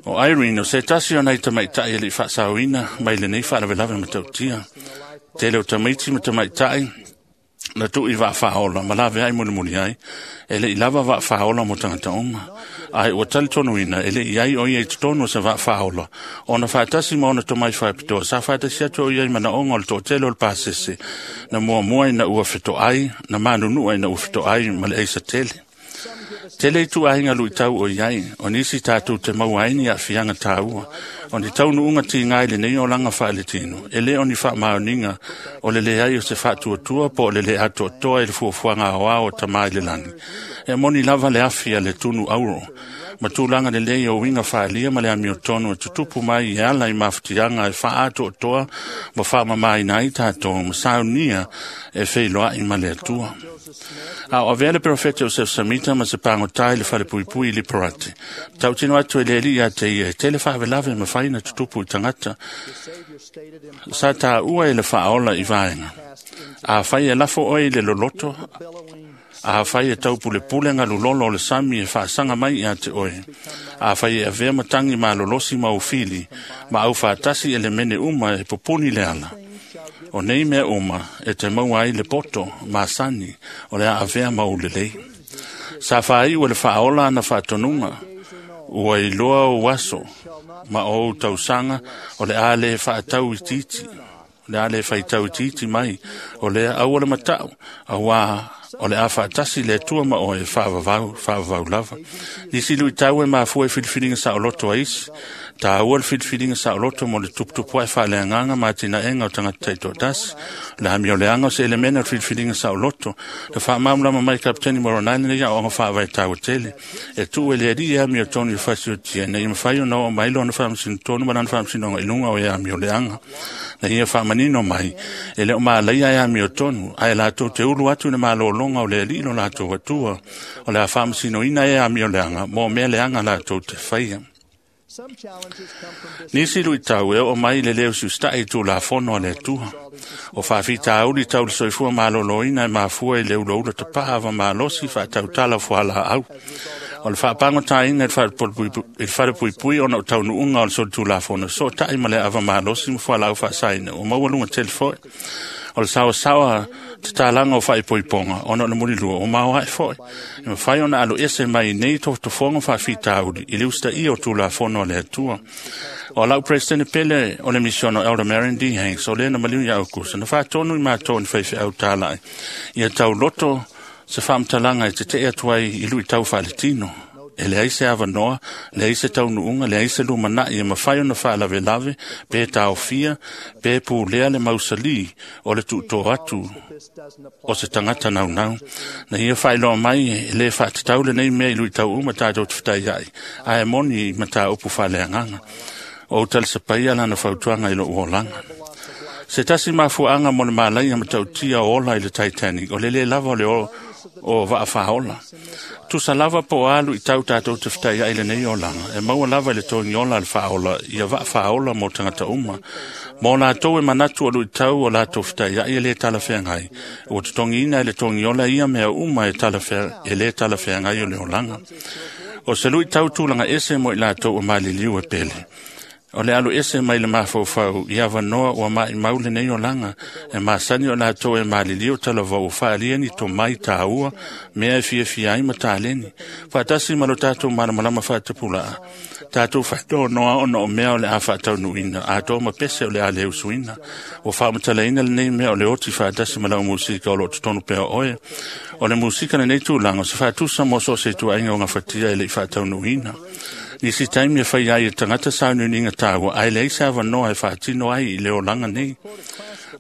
O Irene o se tasi o nai tamaitai e lei faasaoina mai lenei faalavelave matautia. Tele o tamaiti ma tamaitai na tuu i vaafāola ma laveai mulimuli ai, e le'i lava vaafāola mo tagata uma. Ae ua talitonuina e le'i ai o ia i totonu o se vaafāola, ona faatasi ma ona tomai faapitoa sa faatasi atu o ia i manaoga o le toatele o le pasese, na muamua ina ua fetoai, na manunua ina ua fetoai ma le aisa tele. Tele ituaiga luitau o i ai, o nisi tatou te maua ai ni aafiaga tāua, o ni taunuuga tiga i lenei olaga faaletino, e lē o ni faamaoniga o le leai o se faatuatua po o le lē atoatoa i le fuafuaga aoao o Tamā i le lagi. E moni lava le afi a le tunu auro, ma tulaga lelei o uiga faaalia ma le amiotonu e tutupu mai e ala i mafutiaga e faaatoatoa ma faamamaina ai tatou ma saunia e feiloai ma le Atua. A o avea le perofeta o Joseph Samita ma se pagotā i le falepuipui i Liparate. Tautino atu e le alii ia te ia, e tele faavelave e mafai na tutupu i tagata. Sa tāua e le faaola i vaega. Afai e lafo oe i le loloto, afai e taupulepule galulolo o le sami e faasaga mai ia te oe, afai e avea matagi malolosi ma ufili, ma aufaatasi elemene uma e pupuni le ala. O nei mea uma e te maua ai le poto masani o le a avea ma ulelei. Sa faaiu e le faaola ana faatonuga, ua iloa ou aso ma ou tausaga o le a le faatau itiiti, o le a le faitau itiiti mai, o lea aua le matau, auā o le a faatasi le Atua ma oe e faavavau, faavavau lava. Nisi luitau e mafua i filifiliga saoloto a isi, tāua le filifiliga saoloto mo le tuputupu ae faaleagaga ma atinaega o tagata taitoatasi. O le amioleaga o se elemene o le filifiliga saoloto, le faamalamalama mai Kapiteni Moronai lenei aoaoga faavae taua tele. E tuu e le alii e amiotonu i le fasiotia ina ia mafai ona oo mai lona faamasino tonu ma lana faamasinoga i luga o e amioleaga. Na ia faamanino mai, e le o malaia e amiotonu, ae latou te ulu atu i le malologa o le alii lo latou Atua, o le a faamasinoina e amioleaga mo mea leaga latou te faia. Nisi luitau e oo mai i le lē usiusitaʻi i tulafono a le Atua. O faafitauli tau le soifua malōlōina e mafua i le ulaula tapaa avamalosi faatautala fualaau. O le faapagotāina i le falepuipui ona o taunuuga o le solitulafono sootaʻi ma le avamalosi ma fualaau faasaina ua maua luga tele foʻi. O le saosaoa tatalaga o faaipoipoga ona o le mulilua ua maoaʻe foʻi. E mafai ona aloese mai nei tofotofoga faafitauli i le usitaia o tulafono a le Atua. O lau Presidente pele o le misiono Elder Marion D. Hanks o lea na maliu ia Aukusa na faatonu i matou ni faifeau tālaʻi ia tauloto se faamatalaga e teteʻe atu ai i luitau faaletino. E leai se avanoa, leai se taunuuga, leai se lumanaʻi e mafai ona faalavelave, pe taofia, pe pulea le mausalī o le tuutō atu o se tagata naunau. Na ia faailoa mai e lē faatatau lenei mea i luitau uma tatou te fetaiaʻi, ae moni i mataupu faaleagaga. O ou talisapaia lana fautuaga i lou olaga. Se tasi mafuaaga mo le malaia matautia o ola i le Titanic, o le lē lava o le o vaafāola. Tusa lava po o alu i tau tatou te fetaiaʻi lenei olaga, e maua lava i le togiola a le faaola ia vaafāola mo tagata uma. Mo latou e manatu o luitau o latou fetaiaʻi e lē talafeagai, ua totogiina e le togiola ia mea uma e, e lē talafeagai o le olaga. O se luitau tulaga ese mo i latou o maliliu e pele. O le alu ese mai le mafaufau i avanoa ua maʻimau lenei olaga, e masani o latou e maliliu talavou faaalia ni tomai tāua, mea e fiafia ai ma taleni. Faatasi ma lo tatou malamalama faatapulaa, tatou faatonoa ona o mea o le a faataunuuina, atoa ma pese o le a le usuina. Ua faamatalaina lenei mea o le oti faatasi ma lau musika o loo totonu pea oe. O le musika lenei tulaga o se faatusa mo so o se ituaiga o gafatia e leʻi faataunuuina. Nisi taimi e fai ai e tagata sauniuniga tāua, ae leai se avanoa e faatino ai i le olaga nei.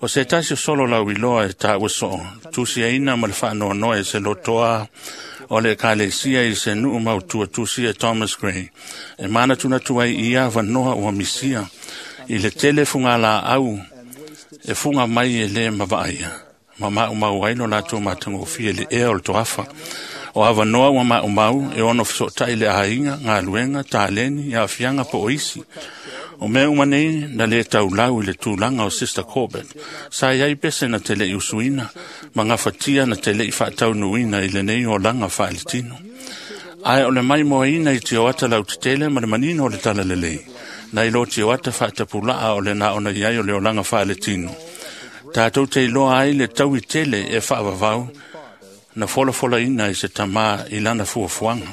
O se tasi o solo lau iloa e tāua soo, tusiaina ma le faanoanoa e se lotoa o le ekalesia i se nuu mautua tusia e Thomas Gray. E manatunatu ai i ia avanoa ua misia, i le tele fugalaau e fuga mai e lē mavaaia, ma maumau ai lo latou matagofie le ea o le toafa. O avanoa ua maumau e ono fesoʻotaʻi le aiga, galuega, taleni, aafiaga po o isi. O mea uma nei na le taulau i le tulaga o Sister Corbett. Sa iai pese na te lei usuina, ma gafatia na te lei faataunuuina i lenei olaga faaletino. Ae o le maimoaina i tioata lautetele ma le manino o le talalelei, nai lo tioata faatapulaa o le na ona iai o le olaga faaletino. Tatou te iloa ai le taui tele e faavavau na folafolaina i se tamā i lana fuafuaga.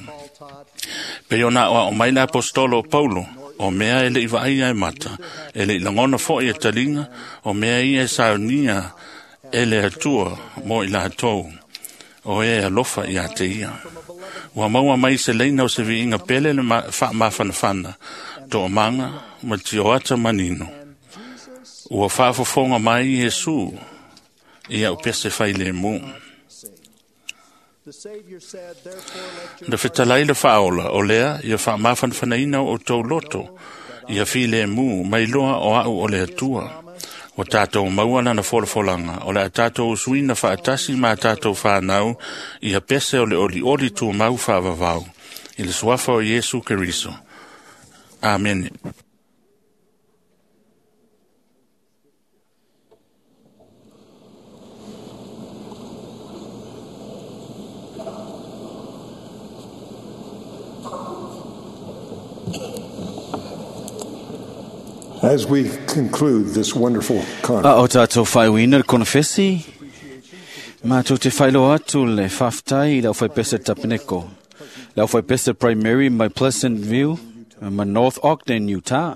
Pei ona aoao mai le apostolo o Paulo, o mea e lei vaaia e mata, e lei lagona fo'i e taliga, o mea ia e saunia e le Atua mo i latou, o e alofa ia te ia. Ua maua mai se leina o se viiga pele le faamafanafana, toomaga ma tioata manino. Ua faafofoga mai Iesu i au pese failemu. Na fetalai le faaola o lea ia faamafanafanaina o outou loto, ia filemu mai loa o au o le Atua. Ua tatou maua lana folafolaga, o le a tatou usuina faatasi ma tatou whanau ia pese o le olioli tumau faavavau, i le suafa o Iesu Keriso. Amene. As we conclude this wonderful conference, A o tātou whaiwina le konofesi, mātou te whailoa atu le whaftai i lau whaipese tapeneko. Lau whaipese Primary mai Pleasant View, ma North Ogden, Utah.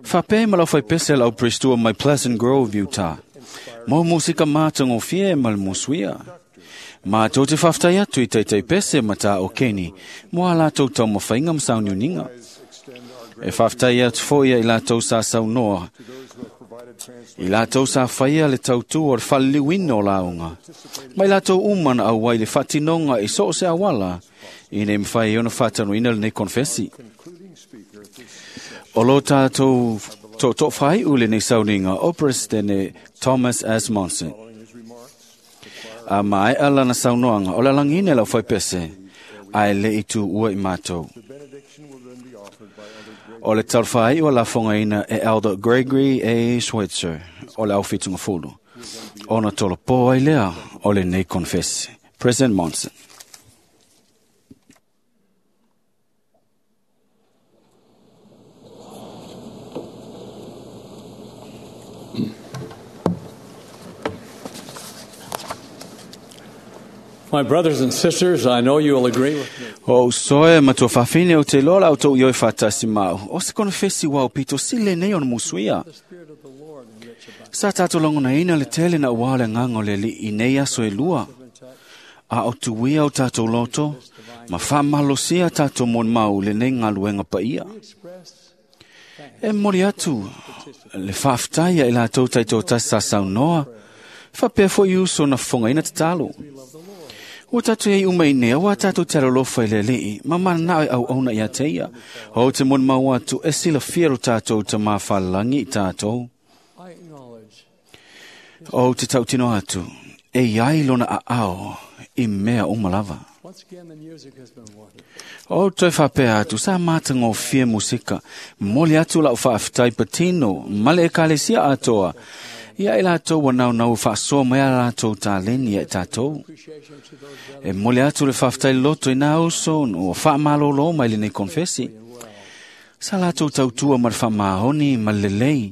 Whape ma lau whaipese lau Pristua mai Pleasant Grove, Utah. Mo musika mātango fie ma le musuia. Mātou te whaftai atu i teitei pese ma tā o Keni, mo a lātou tau mawhainga msauniuninga. E whaftai atu foia i lātou sa saunoa. I lātou sa whaia le tautu o le whaliliwina o launga. Mai lātou umana au wai le whatinonga i so o se awala, i ne mwhai ona whatanuina le nei konfesi. O lo tātou tō tō whai ule nei sauninga o Presidente Thomas S. Monson. A mai ala na saunoanga o la langine lau whaipese, ai le i tu ua i mātou. O le talwhai o la whangaina e Elder Gregory A. Schweitzer o le aufitunga fulu. Ona tolo pō ai lea o le nei confess. President Monson. My brothers and sisters, I know you will agree with me. O soe matua whawhine o te lola o tō ioi whatasi mau. O se konfesi wau pito sile nei ona musuia. Sa tātou longona ina le tele na wale ngango le li i nei aso e lua. A o tuia o tātou loto, ma whamalosia tātou mon mau le nei ngaluenga pa ia. E mori atu, le whaftaia i lātou taito tasa saunoa, whapea fo i uso na whonga ina te talo. Ua tātou ei uma i nea, ua tātou te aralofa i le lei, ma mana nao au auna ia te ia. O te mon mau atu, e sila fiero tātou te mawhalangi i tātou. O te tautino atu, e iai lona a ao i mea umalava. O toe whapea atu, sa mātanga o fie musika, moli atu lau whaaftai patino, male e kalesia atoa. Ia e lātou wa nau nau whaasoa mai a lātou tāleni e tātou. E moli atu le whaftai loto i nā uso o whaamalolo mai le nei konfesi. Sa lātou tautua ma le whaamahoni ma le lelei,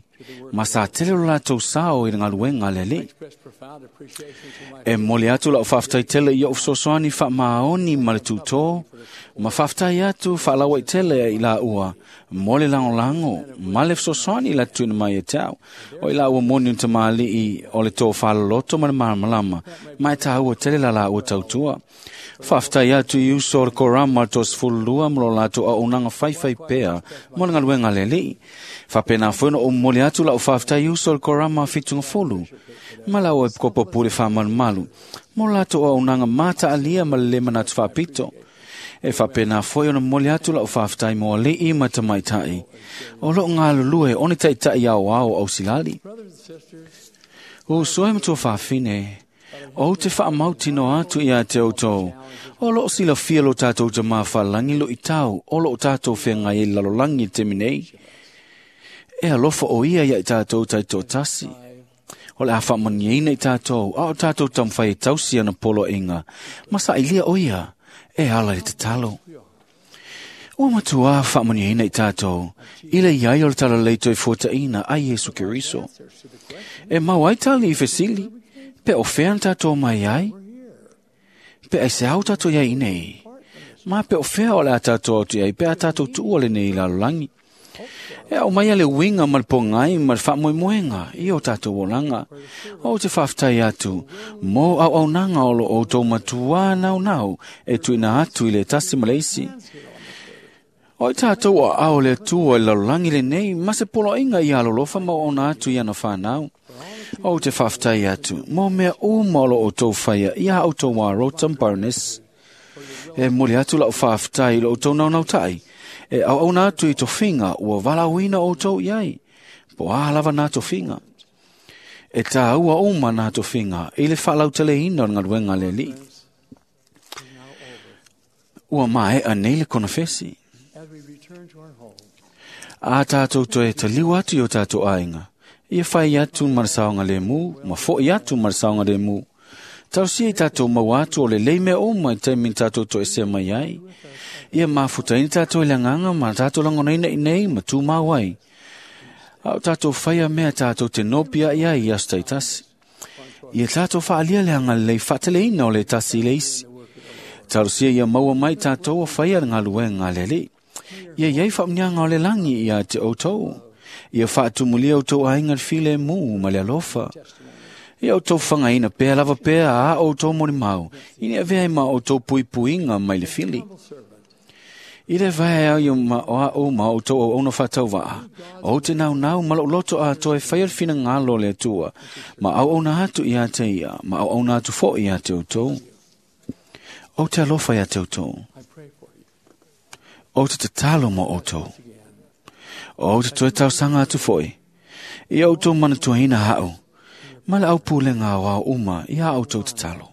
ma sa tele o lātou sao i ngaluenga le lei. E moli atu lau whaftai tele i o sosoani whaamahoni ma le tūtō, ma whaftai atu whaalawa i tele i la ua, mole lango lango, ma le sosoani la tuina mai e tau. O i la ua moni unta maali i o le tō whalaloto ma le malamalama, ma e tāua tele la la ua tautua. Whaftai atu i uso o le korama tō sfululua mo lo lātou au nanga whaiwhai pea mo le ngaluenga le lei. Whapena whena o mole atu lau whaftai uso o le korama whitunga folu. Ma lau e kopo pure whamalumalu. Mo lātou au nanga mata alia ma le manatu whapito. E whapena foi ona mole atu lau whaftai mo alii ma tamaitai. O lo ngā lulue one taitai au au au silali. O soe matua whawhine, o te whaamautino atu ia te autou. O lo sila fia lo tātou te mawhalangi lo i tau, o lo tātou whengai e lalolangi te minei. E alofa o ia ia i tātou taitoatasi. O le a faamanuiaina i tātou, a o tātou taumafai e tausi ana poloaiga, ma sailia o ia e ala i le tatalo. Ua matuā faamanuiaina i tātou, i le iai o le talalelei toe fuataina a Iesu Keriso. E mau ai tali i fesili, pe o fea na tātou mai ai? Pe aisea o tātou iai nei? Ma pe o fea o le a tātou atu ai, pe a tātou tuua lenei lalolagi? E aumaia le uiga ma le pogai ma le faamoemoega i o tātou olaga. O te faafetai atu mo auaunaga o lo outou matuā naunau e tuuina atu i le tasi ma le isi. O i tātou aao o le Atua i le lalolagi lenei ma se poloaiga ia alolofa ma auauna atu i ana whanau. O te faafetai atu mo mea uma o lo outou faia ia outou Arota ma Baroness. E momoli atu lau faafetai i lo outou naunautai. E auauna atu i tofiga ua valaauina outou i ai. Po a lava nā tofiga. E tāua uma nā tofiga i le faalauteleina o le galuega a le Alii. Ua maea nei le konofesi. A tātou toe taliu atu i o tātou aiga. Ia fai atu ma le saogalemu, ma fo'i atu ma le saogalemu. Tausia i tātou maua atu o le lei mea uma i taimi na tātou toesea mai ai. Ia mafutaina tātou i le agaga ma tātou lagonaina i nei ma tumau ai. A o tātou faia mea tātou te nopi ai ai i aso taitasi. Ia tātou faaalia le agalelei faateleina o le tasi i le isi. Talosia ia maua mai tātou o faia le galuega a le Alii. Ia iai faamanuiaga o le lagi ia te outou. Ia faatumulia outou aiga le filemu ma le alofa. Ia outou fagaina pea lava pea a outou molimau, ina ia avea ai ma outou puipuiga mai le fili. I le vae au ma o au ma outou auauna faatauvaa, ou te naunau ma lou loto atoa e faia le finagalo o le Atua, ma auauna atu ia te ia, ma auauna atu foi ia te outou. Ou te alofa ia te outou. Ou te tatalo mo outou. Ou te toe talosaga atu foi. Ia outou manatuaina ha'u, ma le aupulega aoao uma ia outou tatalo.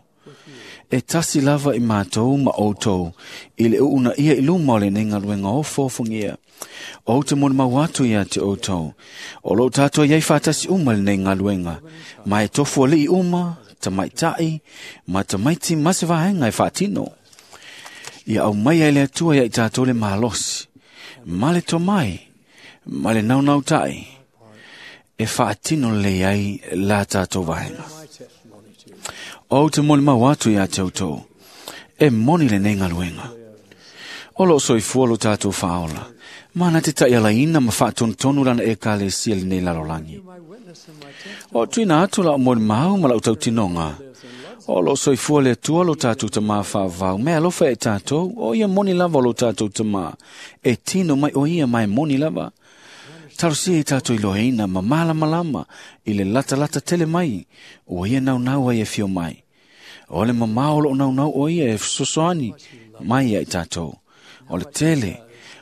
E tasi lava i mātou ma outou i le uunaia i luma o lenei galuega ofoofogia. Ou te molimau atu ia te outou. O loo tātou iai faatasi uma lenei galuega, ma e tofu alii uma, tamaitai, ma tamaiti ma se vaega e faatino. Ia aumaia e le Atua ia i tātou le malosi, ma le tomai, ma le naunautai, e faatino lelei ai la tātou vaega. Ou te molimau atu ia te outou, e moni lenei galuega. O loo soifua lo tātou faaola, ma na te taialaina ma faatonutonu lana ekalesia lenei lalolagi. O tuuina atu lau molimau ma lau tautinoga, o loo soifua le Atua lo tātou tamā faavavau, me alofa e tātou, o ia moni lava o lo tātou tamā, e tino mai o ia ma e moni lava. Talosia i tātou iloaina ma malamalama i le latalata tele mai, ua ia naunau ai e fio mai. O le mamao o loo naunau o ia e fesoasoani mai ia i tātou. O le tele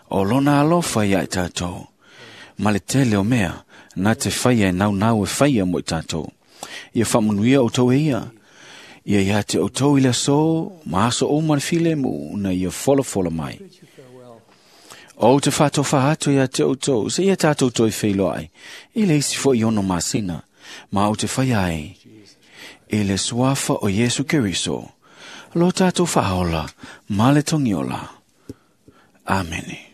o lona alofa ia i tātou. Ma le tele o mea na te faia e naunau e faia mo i tātou. Ia faamanuia outou e ia. Ia ia te outou i le aso, ma aso uma le filemu na ia folafola mai. Ou te faatofa atu ia te outou, se ia tātou toe feiloai, i le isi foi 6 masina, ma ou te fai ai, i le suafa o Iesu Keriso, lo tātou faaola, ma le togiola. Amene.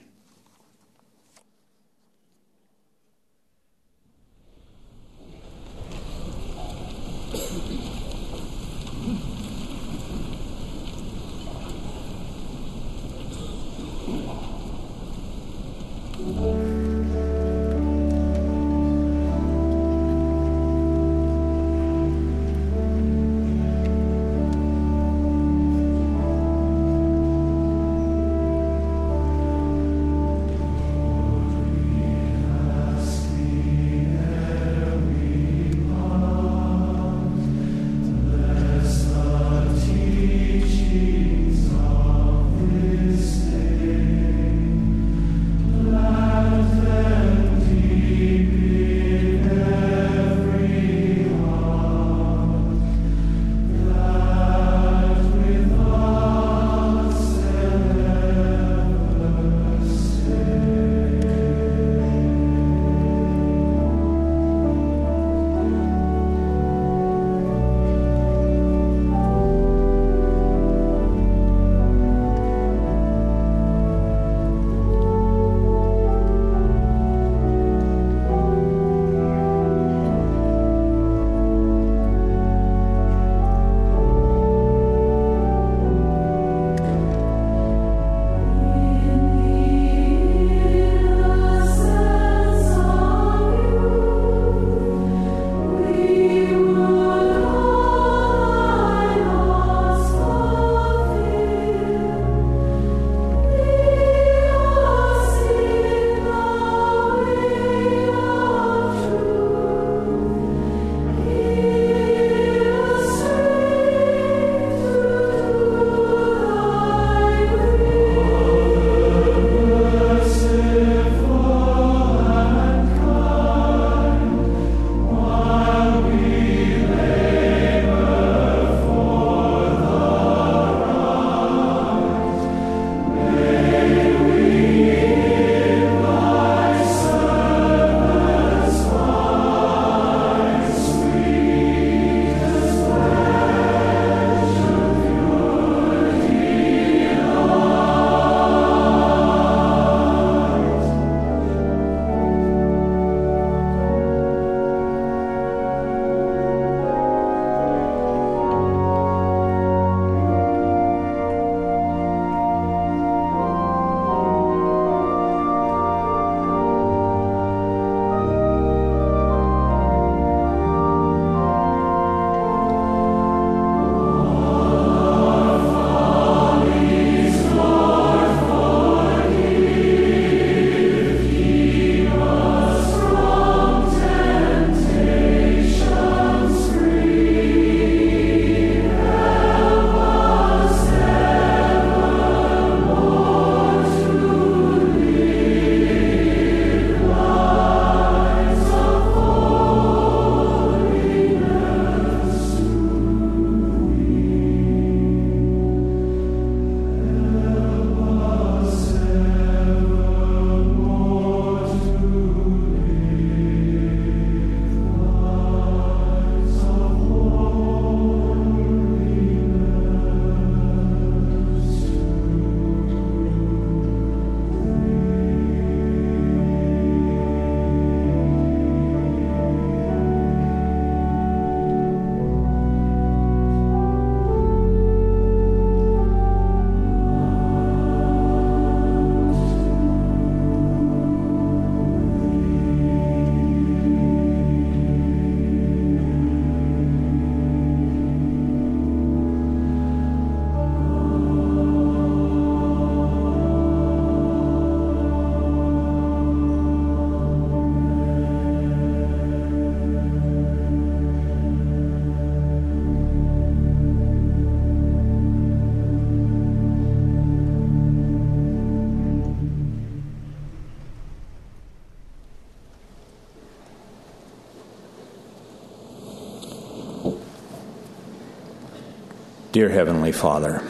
Dear Heavenly Father,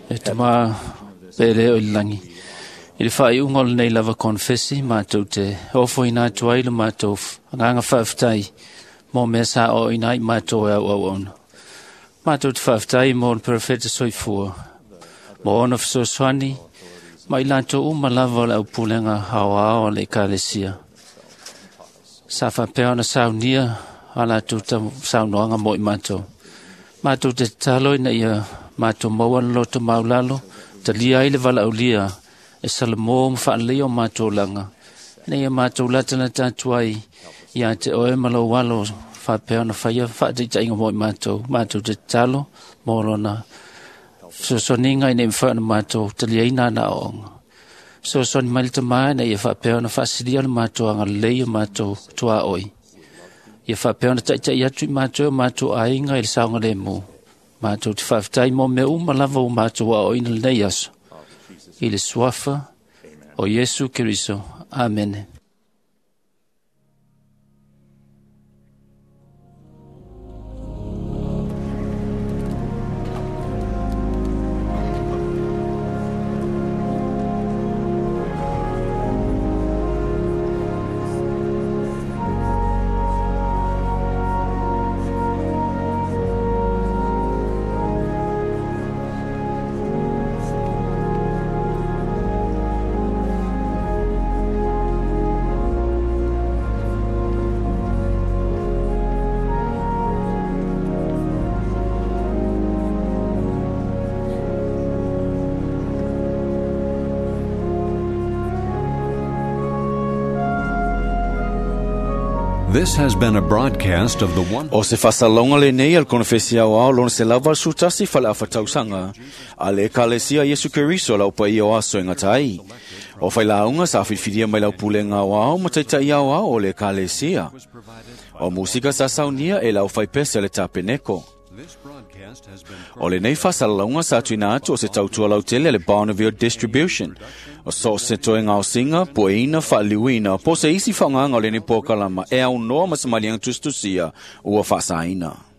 E tama pele o i langi. I le whaiunga o lenei lava konfesi, mātou te ofo ina atu ai le mātou anganga whaaftai mō mea sa o ina i mātou e au au ona. Mātou te whaaftai mō le perfeta soifua, mō ona whasoswani, ma i lātou uma lava o le aupulenga hao ao le ekalesia. Sa whapea ona saunia a lātou ta saunoanga mō i mātou. Mātou te talo ina ia mātou maua na loto maulalo, talia ai le valaulia, e salamo ma whaalei o mātou langa. Ina ia mātou latana tātu ai, ia te oe ma lau alo, whapea ona whaia whaataitainga mō i mātou, mātou te talo, mō lona. Fesoasoaniga ina ia mafai ona matou taliaina ana aoaoga. Fesoasoani mai le Tamā ina ia faapea ona faasilia le matou agalelei o matou tuaoi. Ia faapea ona taʻitaʻi atu i matou e o matou aiga i le saogalēmū. Matou te faafetai mo mea uma lava ua matou aoaoina lenei aso. I le suafa o Iesu Keriso. Amene. This has been a broadcast of the one. O se whasalonga le nei al konfesi au ao lona se lava sutasi whale a whatausanga. A le ekalesia Yesu Keriso lau pa ia o aso e ngatai. O whai launga sa whiwhiria mai lau pulenga au ao ma taitai au ao o le ekalesia. O musika sa saunia e lau whai pese le tapeneko. O le nei whasalonga sa tuina atu o se tautua lautele le Bonneville Distribution. O so se toe ngao singa, poeina, whaaliuina, po se isi whaanganga o le nei pōkalama e au noa masamaliang tustusia ua whaasaina.